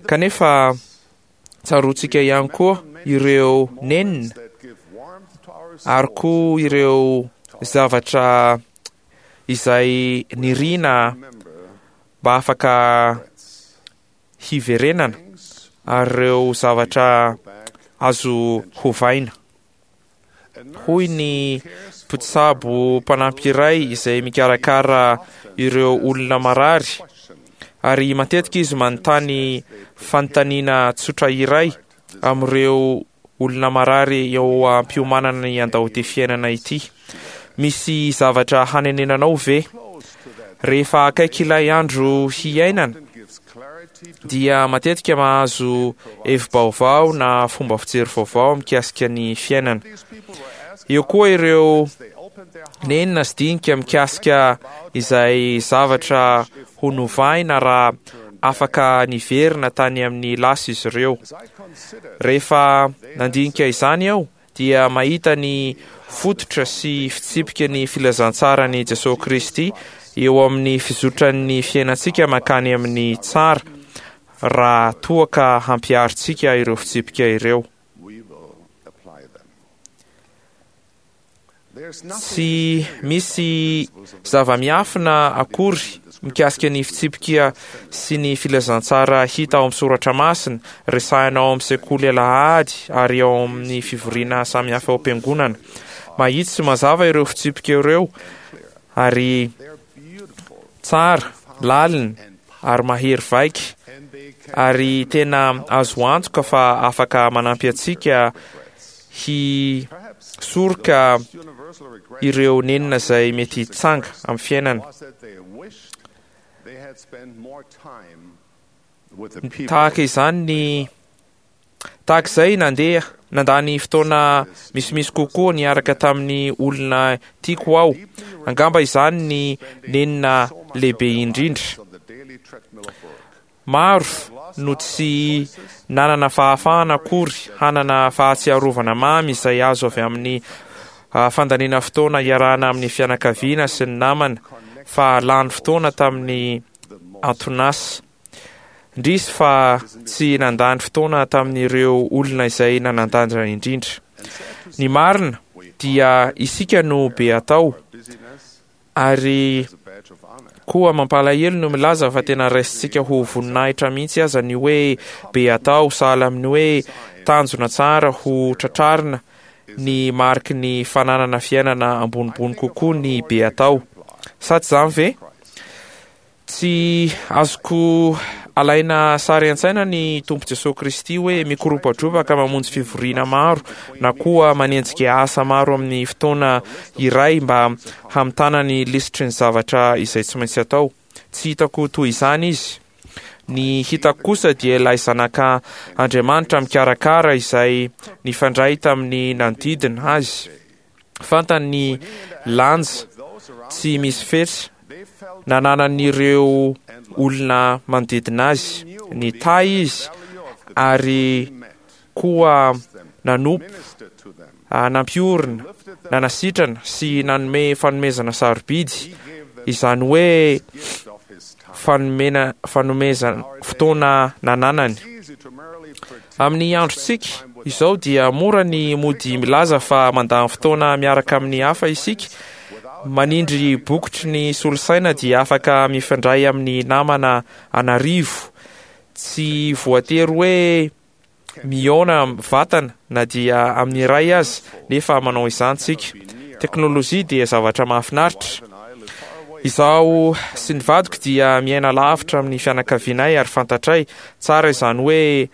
Kanefa tsaroantsika ihany koa ireo nenina ary koa ireo zavatra izay nirina mba afaka hiverenana ary ireo zavatra azo hovaina. Hoy ny mpitsabo mpanampy iray izay mikarakara ireo olona marary ary matetika izy manontany fanontaniana tsotra iray amin'ireo olona marary eo am-piomanana ny handao ity fiainana ity. Misy zavatra hanenenanao ve? Rehefa akaiky ilay andro hiainana dia matetika mahazo hevi-baovao na fomba fijery vaovao mikasika ny fiainana. Eo koa ireo nenina sy dinika mikasika izay zavatra ho novaina raha afaka niverina tany amin'ny lasa izy ireo. Rehefa nandinika izany aho dia mahita ny fototra sy fitsipika ny filazantsaran'i Jesosy Kristy eo amin'ny fizotran'ny fiainantsika mankany amin'ny tsara raha toa ka hampiharintsika ireo fitsipika ireo. we will apply them. There's Tsy misy zava-miafina akory mikasika ny fitsipika sy ny filazantsara hita ao amin'ny soratra masina, resahina ao amin'ny sekoly alahady ary ao amin'ny fivoriana samihafa ao am-piangonana. Mahitsy sy mazava ireo fitsipika ireo ary tsara, lalina ary mahery vaika ary tena azo antoka fa afaka manampy antsika hisoroka ireo nenina izay mety hitsanga amin'ny fiainana. was that they wished they had spent more time with the people Tahaka izany ny tahaka izay nandeha nandany fotoana misimisy kokoa niaraka tamin'ny olona tiako aho. Angamba izany ny nenina lehibe indrindra. Maro no tsy nanana fahafahana akory hanana fahatsiarovana mamy izay azo avy amin'ny ah, fandaniana fotoana iarahana amin'ny fianakaviana sy ny namana fa lany fotoana tamin'ny anton'asa. Indrisy fa tsy nandany fotoana tamin'ireo olona izay nanan-danja indrindra. Ny marina dia isika no be atao, ary koa mampalahelo no milaza fa tena raisintsika ho voninahitra mihitsy aza ny hoe be atao, sahala amin'ny hoe tanjona tsara ho tratrarina ny mariky ny fananana fiainana ambonimbony kokoa ny be atao. Sa tsy izany ve? Tsy azoko alaina sary an-tsaina ny Tompo Jesoa Kristy hoe mikoropadropaka mamonjy fivoriana maro na koa manenjika asa maro amin'ny fotoana iray mba hamitana ny lisitry ny zavatra izay tsy maintsy atao. Tsy hitako toy izany Izy. Ny hitako kosa dia ilay Zanaka Andriamanitra mikarakara izay nifandray tamin'ny nanodidina Azy. Fantany ny lanja tsy misy fetra nananan'ireo olona manodidina azy. Nitahy izy ary koa nanompo, nampiorina, nanasitrana sy nanome fanomezana sarobidy, izany hoe fanomena fanomezana fotoana nananany. Amin'ny androntsika izao dia mora ny mody milaza fa mandany fotoana miaraka amin'ny hafa isika. Manindry bokotry ny solosaina dia afaka mifandray amin'ny namana an'arivo. Tsy voatery hoe mihaona vatana na dia amin'ny iray aza, nefa manao izany tsika. Teknolojia dia zavatra mahafinaritra. Izaho sy ny vadiko dia miaina lavitra amin'ny fianakavianay ary fantatray tsara izany hoe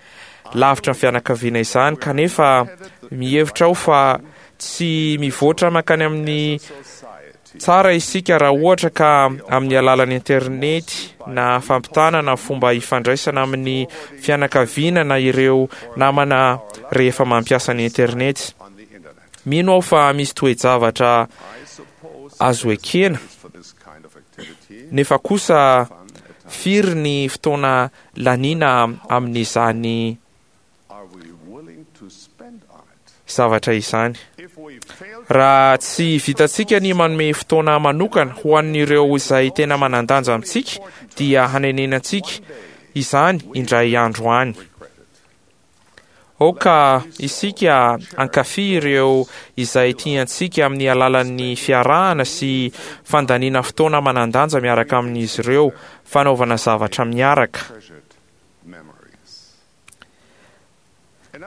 lavitra ny fianakaviana izany, kanefa mihevitra aho fa tsy mivoatra mankany amin'ny tsara isika raha ohatra ka amin'ny alalan'ny internety na fampitana na fomba ifandraisana amin'ny fianakaviana na ireo namana rehefa mampiasa ny internety. Mino aho fa misy toe-javatra azo ekena, nefa kosa firy ny fotoana laniana amin'izany zavatra izany. Raha tsy vitantsika ny manome fotoana manokana ho an'ireo izay tena manan-danja amintsika, dia hanenenantsika izany indray andro any. Aoka isika hankafy ireo izay tiantsika amin'ny alalan'ny fiarahana sy fandaniana fotoana manan-danja miaraka amin'izy ireo, fanaovana zavatra miaraka.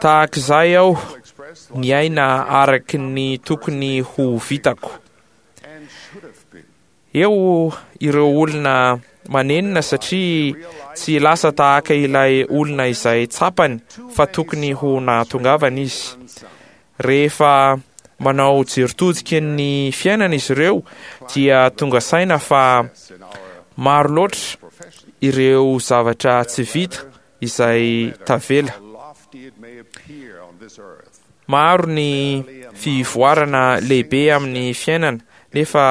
Tahak'izay aho niaina araky ny tokony ho vitako. Eo ireo olona manenina satria tsy lasa tahaka ilay olona izay tsapany fa tokony ho nahatongavana izy. Rehefa manao jery todika ny fiainana izy ireo dia tonga saina fa maro loatra ireo zavatra tsy vita izay tavela. Maro ny fivoarana lehibe amin'ny fiainana nefa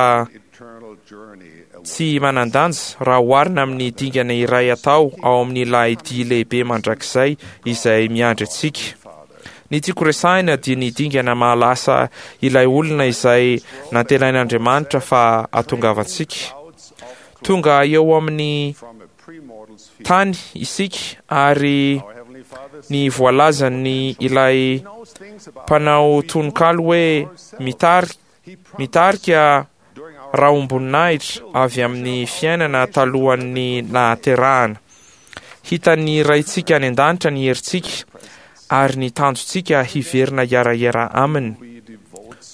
tsy manan-danja raha oharina amin'ny dingana iray atao ao amin'ilay dia lehibe mandrakizay izay miandry antsika. Ny tiako resahina dia ny dingana mahalasa ilay olona izay nantenain'Andriamanitra fa hatongavantsika. Tonga eo amin'ny tany isika ary ny voalazan'ny ilay mpanao tononkalo hoe mitari mitarika rahom-boninahitra avy amin'ny fiainana talohan'ny nahaterahana. Hitan'ny Raintsika any an-danitra ny herintsika ary ny tanjontsika hiverina hiara-hiara aminy.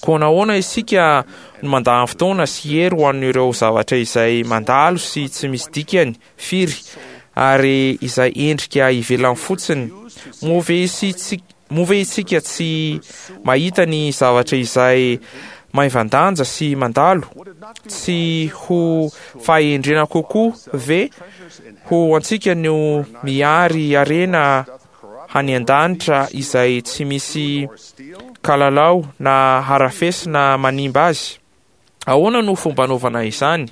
Koa nahoana isika no mandany fotoana sy hery ho an'ireo zavatra izay mandalo sy tsy misy dikany firy ary izay endrika ivelany fotsiny? Moa ve isika Moa ve isika tsy mahita ny zavatra izay maivan-danja sy mandalo? Tsy ho fahendrena kokoa ve ho antsika no mihary harena any an-danitra izay tsy misy kalalao na harafesina manimba azy? Ahoana no fomba anaovana izany?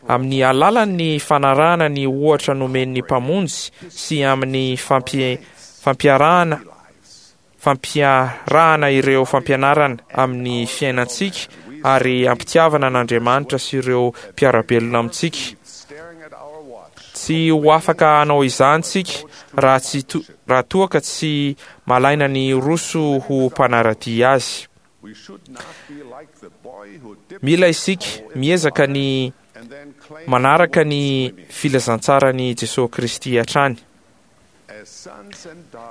Amin'ny alalan'ny fanarahana ny ohatra nomen'ny Mpamonjy sy amin'ny fampiarahana fampiarahana ireo fampianarana amin'ny fiainantsika ary am-pitiavana an'Andriamanitra sy ireo mpiara-belona amintsika. Tsy ho afaka hanao izany isika raha tsy raha toa ka tsy malaina ny hiroso ho mpanara-dia Azy. Mila isika miezaka ny manaraka ny filazantsaran'i Jesoa Kristy hatrany.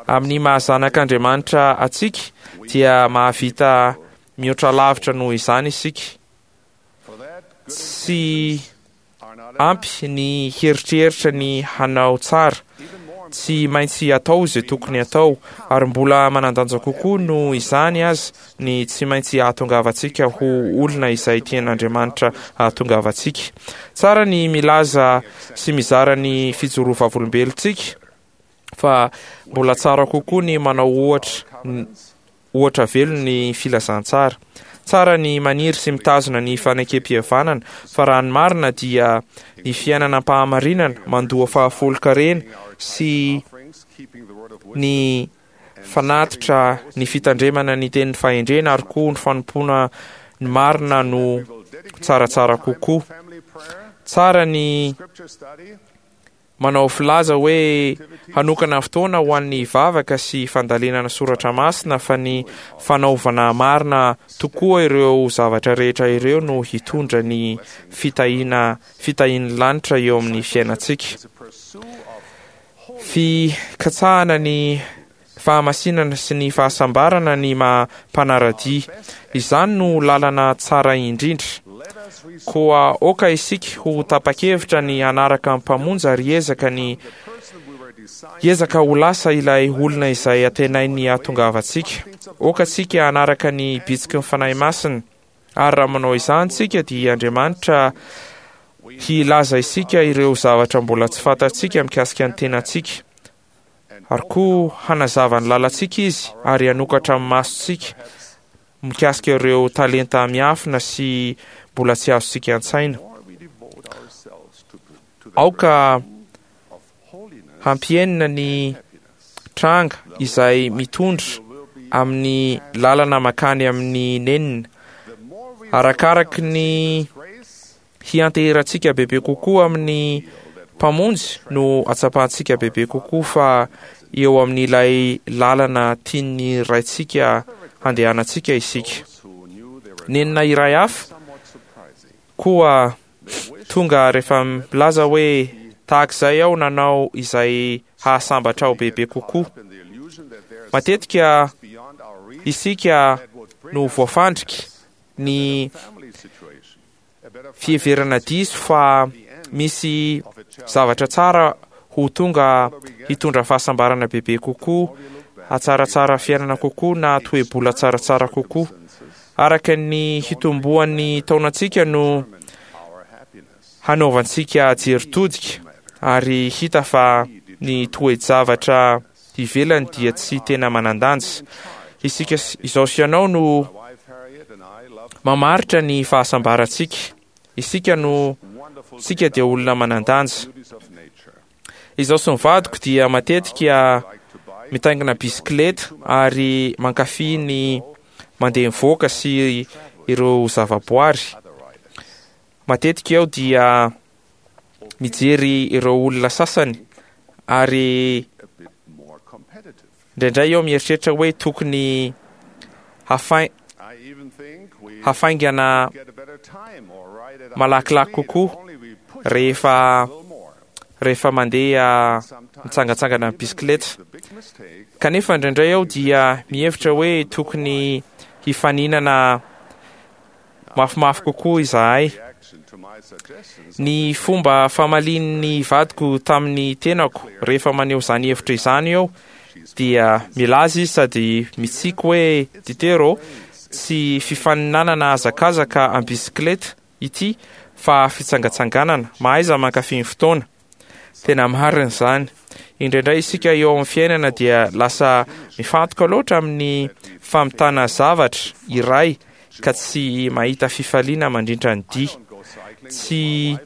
Amin'ny maha zanak'Andriamanitra antsika dia mahavita mihoatra lavitra noho izany isika. Tsy ampy ny hieritreritra ny hanao tsara, tsy maintsy atao izay tokony atao, ary mbola manan-danja kokoa noho izany aza ny tsy maintsy hahatongavantsika ho olona izay tian'Andriamanitra hahatongavantsika. Tsara ny milaza sy mizara ny fijoroa vavolombelontsika, fa mbola tsara kokoa ny manao ohatra ohatra velona ny filazantsara. Tsara ny maniry sy mitazona ny fanekem-pihavanana, fa raha ny marina dia ny fiainana am-pahamarinana mandoa fahafolon-karena sy ny fanatitra ny fitandremana ny tenin'ny fahendrena ary koa ny fanompoana ny marina no tsaratsara kokoa. Tsara ny manao filaza hoe hanokana fotoana ho an'ny vavaka sy fandalinana soratra masina fa ny fanaovana marina tokoa ireo zavatra rehetra ireo no hitondra ny fitahiana fitahian'ny lanitra eo amin'ny fiainantsika. Fikatsahana ny fahamasinana sy ny fahasambarana ny maha mpanara-dia. Izany no lalana tsara indrindra. Koa aoka isika ho tapa-kevitra ny hanaraka ny Mpamonjy ary hiezaka ny hiezaka ho lasa ilay olona izay antenainy hahatongavantsika. Aoka isika hanaraka ny bitsiky ny Fanahy Masina, ary raha manao izany isika dia Andriamanitra hilaza isika ireo zavatra mbola tsy fantatsika mikasika ny tenantsika. Ary koa hanazava ny lalantsika Izy ary hanokatra ny masontsika mikasika ireo talenta miafina sy mbola tsy azontsika an-tsaina. Aoka hampihenina ny tranga izay mitondra amin'ny lalana mankany amin'ny nenina. Arakaraky ny hianteherantsika bebe kokoa amin'ny Mpamonjy no hatsapantsika bebe kokoa fa eo amin'ilay lalana tian'ny Raintsika handehanantsika isika. Nenina iray hafa koa tonga rehefa milaza hoe tahak'izay aho nanao izay hahasambatra aho bebe kokoa. Matetika isika no voafandriky ny fiheverana diso fa misy zavatra tsara ho tonga hitondra fahasambarana bebe kokoa, hatsaratsara fiainana kokoa na toe-bola tsaratsara kokoa. Araka ny hitomboan'ny taonantsika no hanaovantsika jery todika ary hita fa ny toe-javatra ivelany dia tsy tena manan-danja. Isika izao sy ianao no mamaritra ny fahasambarantsika. Isika no isika dia olona manan-danja. Izaho sy ny vadiko dia matetika mitaingina bisikileta ary mankafy ny mandeha mivoaka sy ireo zavaboary. Matetika aho dia mijery ireo olona sasany ary indraindray aho mieritreritra hoe tokony hafa- hafaingana malakilaky kokoa rehefa rehefa mandeha mitsangantsangana amin'ny bisikileta. Kanefa indraindray aho dia mihevitra hoe tokony hifaninana mafimafy kokoa izahay. Ny fomba famalian'ny vadiko tamin'ny tenako rehefa maneho izany hevitra izany eo dia milaza izy sady mitsiky hoe Ditero, tsy fifaninanana hazakazaka am-bisikileta ity fa fitsangatsanganana, mahaiza mankafy ny fotoana. Tena marina izany. Indraindray isika eo amin'ny fiainana dia lasa mifantoka loatra amin'ny famitana zavatra iray ka tsy mahita fifaliana mandrindra ny dia. Tsy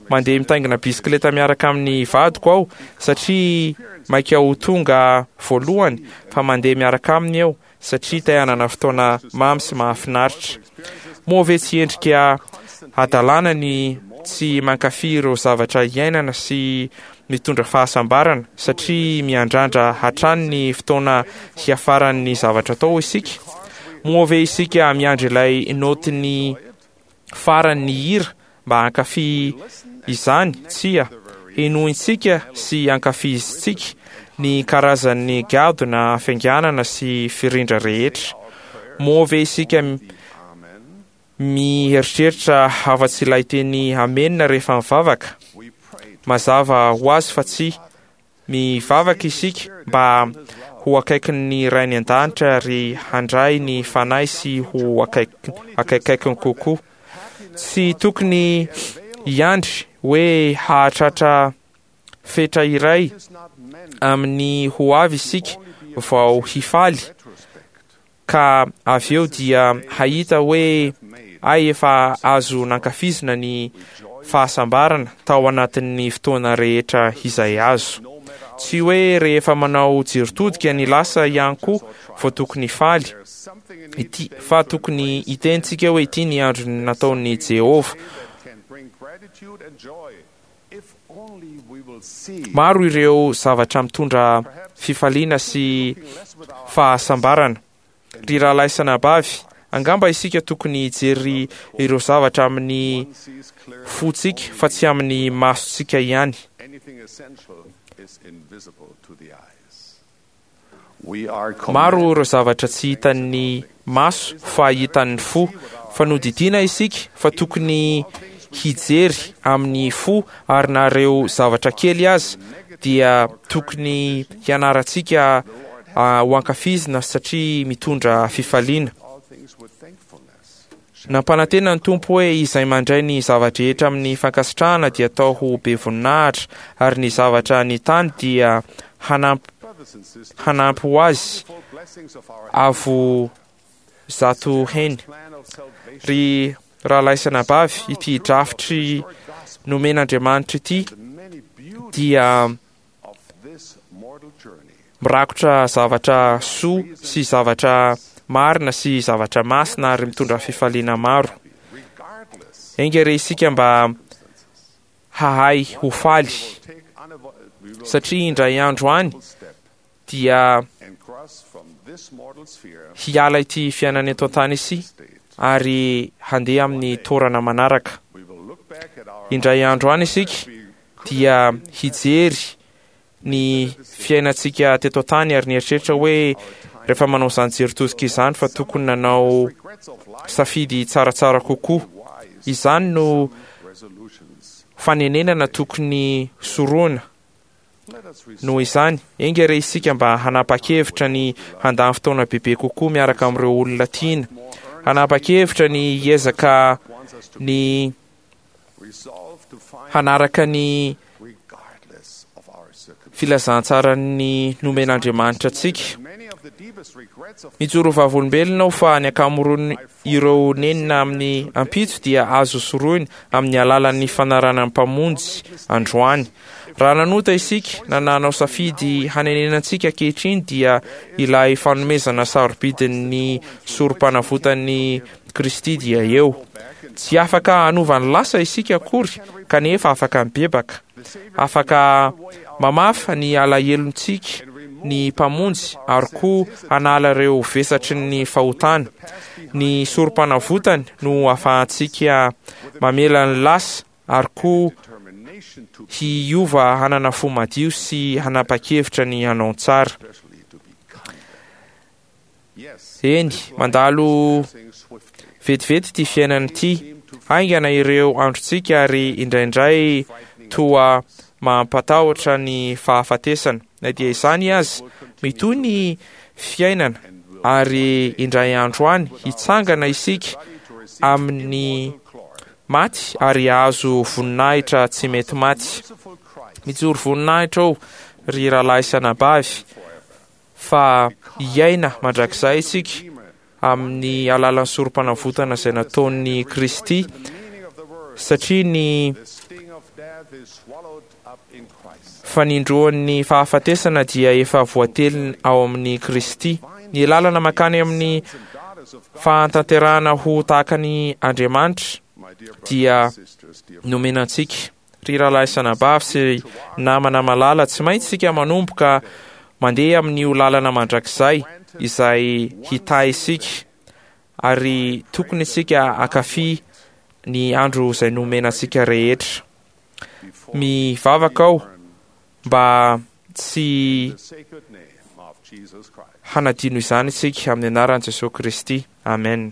mandeha mitaingina bisikileta miaraka amin'ny vadiko aho satria maika ho tonga voalohany fa mandeha miaraka aminy aho satria te hanana fotoana mamy sy mahafinaritra. Moa ve tsy endrika hadalana ny tsy mankafy ireo zavatra iainana sy mitondra fahasambarana satria miandrandra hatrany ny fotoana hiafaran'ny zavatra atao isika? Moa ve isika miandry ilay naotin'ny faran'ny hira mba hankafy izany? Tsia, henointsika sy ankafizintsika ny karazan'ny gadona fianganana sy firindra rehetra. Moa ve isika mieritreritra afa-tsy ilay teny amena rehefa mivavaka? Mazava ho azy fa tsy. Mivavaka isika mba ho akaikin'ny Ray any an-danitra ary handray ny Fanahy sy ho akaikikaikiny kokoa. Tsy tokony hiandry hoe hahatratra fetra iray amin'ny ho avy isika vao hifaly, ka avy eo dia hahita hoe ay efa azo nankafizina ny fahasambarana tao anatin'ny fotoana rehetra izay azo. Tsy hoe rehefa manao jery-todika ny lasa ihany koa vao tokony hifaly, ity, fa tokony hiteny tsika hoe ity ny andro nataon'i Jehovah. Maro ireo zavatra mitondra fifaliana sy fahasambarana. Ry rahalahy sy anabavy, angamba isika tokony hijery ireo zavatra amin'ny fontsika fa tsy amin'ny masontsika ihany. Maro ireo zavatra tsy hitan'ny maso fa hitan'ny fo. Fa nodidiana isika fa tokony hijery amin'ny fo ary na ireo zavatra kely aza dia tokony hianarantsika ho ankafizina satria mitondra fifaliana. Nampanantena ny Tompo hoe izay mandray ny zava-drehetra amin'ny fankasitrahana dia atao ho be voninahitra, ary ny zavatra ny tany dia hanampy hanampy ho azy avo zato heny. Ry rahalahy sy anabavy, ity drafitry nomen'Andriamanitra ity dia Mirakotra zavatra soa sy zavatra marina sy zavatra masina ary mitondra fifaliana maro. Enga re isika mba hahay ho faly, satria indray andro any dia hiala ity fiainana eto an-tany ity ary handeha amin'ny toerana manaraka. Indray andro any isika dia hijery ny fiainantsika teto an-tany ary nieritreritra hoe rehefa manao izany jery tosika izany fa tokony nanao safidy tsaratsara kokoa. Izany no fanenenana tokony sorohina. Noho izany, enga re isika mba hanapa-kevitra ny handany fotoana bebe kokoa miaraka amin'ireo olona tiana, hanapa-kevitra ny hiezaka ny hanaraka ny filazantsaran'ny nomen'Andriamanitra antsika. Mijoro ho vavolombelona aho fa ny ankamaroan'ireo nenina amin'ny ampitso dia azo sorohina amin'ny alalan'ny fanarahana ny Mpamonjy androany. Raha nanota isika na nanao safidy hanenenantsika ankehitriny dia ilay fanomezana sarobidin'ny sorom-panavotan'i Kristy dia eo. Tsy afaka hanova ny lasa isika akory kanefa afaka mibebaka. Afaka mamafa ny alahelontsika ny Mpamonjy ary koa hanala ireo vesatry ny fahotana. Ny sorom-panavotany no ahafahantsika mamela ny lasa ary koa hiova hanana fo madio sy hanapa-kevitra ny hanao ny tsara. Eny, mandalo vetivety ity fiainana ity. Haingana ireo androntsika ary indraindray toa mampatahotra ny fahafatesana. Na dia izany aza, mitohy ny fiainana ary indray andro any hitsangana isika amin'ny maty ary hahazo voninahitra tsy mety maty. Mijoro voninahitra aho, ry rahalahy sy anabavy, fa hiaina mandrakizay isika amin'ny alalan'ny sorom-panavotana izay nataon'i Kristy, satria ny fanindroan'ny fahafatesana dia efa voatelina ao amin'i Kristy. Ny lalana mankany amin'ny Fahatanterahana ho tahaka ny Andriamanitra dia nomena antsika. Ry rahalahy sy anabavy sy namana malala, tsy maintsy isika manomboka mandeha amin'io lalana mandrakizay izay hitahy isika, ary tokony isika hankafy ny andro izay nomena antsika rehetra. Mivavaka aho mba tsy hanadino izany isika amin'ny anaran'i Jesoa Kristy. Amen.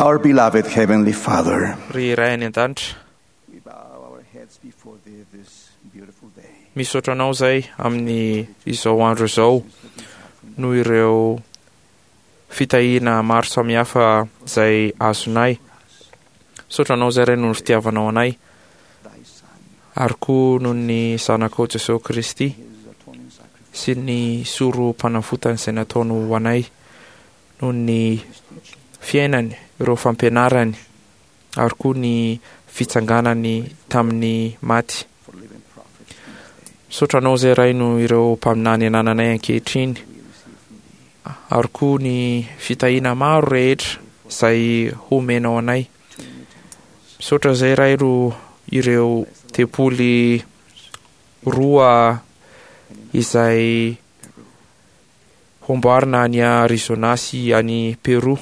Our beloved Heavenly Father, Ry Ray any an-danitra, misaotra anao izay amin'ny izao andro izao noho ireo fitahiana maro samihafa izay azonay. Misaotra anao izay Ray noho ny fitiavanao anay. Ary koa noho ny Zanakao Jesoa Kristy sy ny sorom-panavotany izay nataony ho anay, noho ny fiainany, ireo fampianarany, ary koa ny fitsanganany tamin'ny maty. Misaotra Anao izay Ray noho ireo mpaminany anananay ankehitriny, ary koa ny fitahiana maro rehetra izay homenao anay. Misaotra izay Ray ro ireo tempoly roa izay homboarina any Arizona sy any Peru.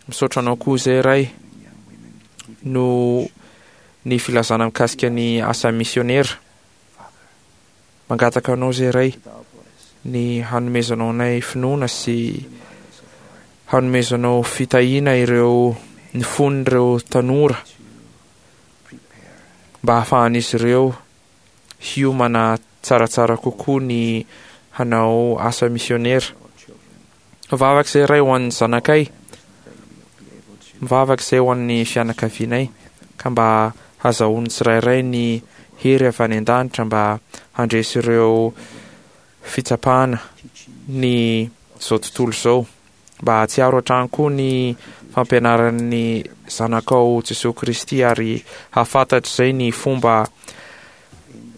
Misaotra Anao koa izay Ray noho ny filazana mikasika ny asa misionera. Mangataka Anao izay Ray ny hanomezanao anay finoana sy hanomezanao fitahiana ireo ny fon'ireo tanora mba hahafahan'izy ireo hiomana tsaratsara kokoa ny hanao asa misionera. Mivavaka izay Ray ho an'ny zanakay, mivavaka izay ho an'ny fianakavianay, ka mba hazahoan'ny tsirairay ny hery avy any an-danitra mba handresy ireo fitsapana ny izao tontolo izao. Mba hahatsiaro hatrany koa ny fampianaran'ny Zanakao Jesoa Kristy ary hahafantatra izay ny fomba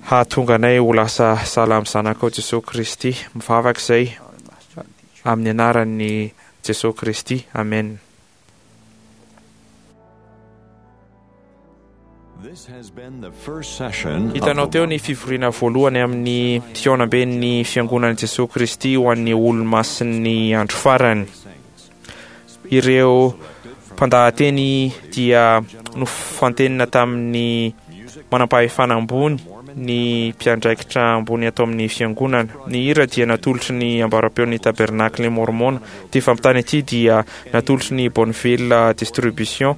hahatonga anay ho lasa sahala amin'ny Zanakao Jesoa Kristy. Mivavaka izay amin'ny anaran'i Jesoa Kristy. Amen. Hitanao teo ny fivoriana voalohany amin'ny fihaonamben'ny Fiangonan'i Jesoa Kristy ho an'ny Olomasin'ny Andro Farany. Ireo mpandahateny dia nofantenina tamin'ny manampahefana ambony ny mpiandraikitra ambony ato amin'ny Fiangonana. Ny hira dia natolotry ny Ambaram-peon'ny Tabernakle Môrmôna. Ity fampitana ity dia natolotry ny Bonneville Distribution.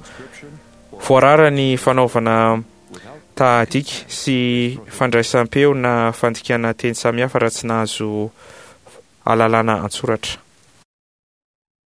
Voarara ny fanaovana tahadika sy fandraisam-peo na fandikana teny samihafa raha tsy nahazo alalana an-tsoratra.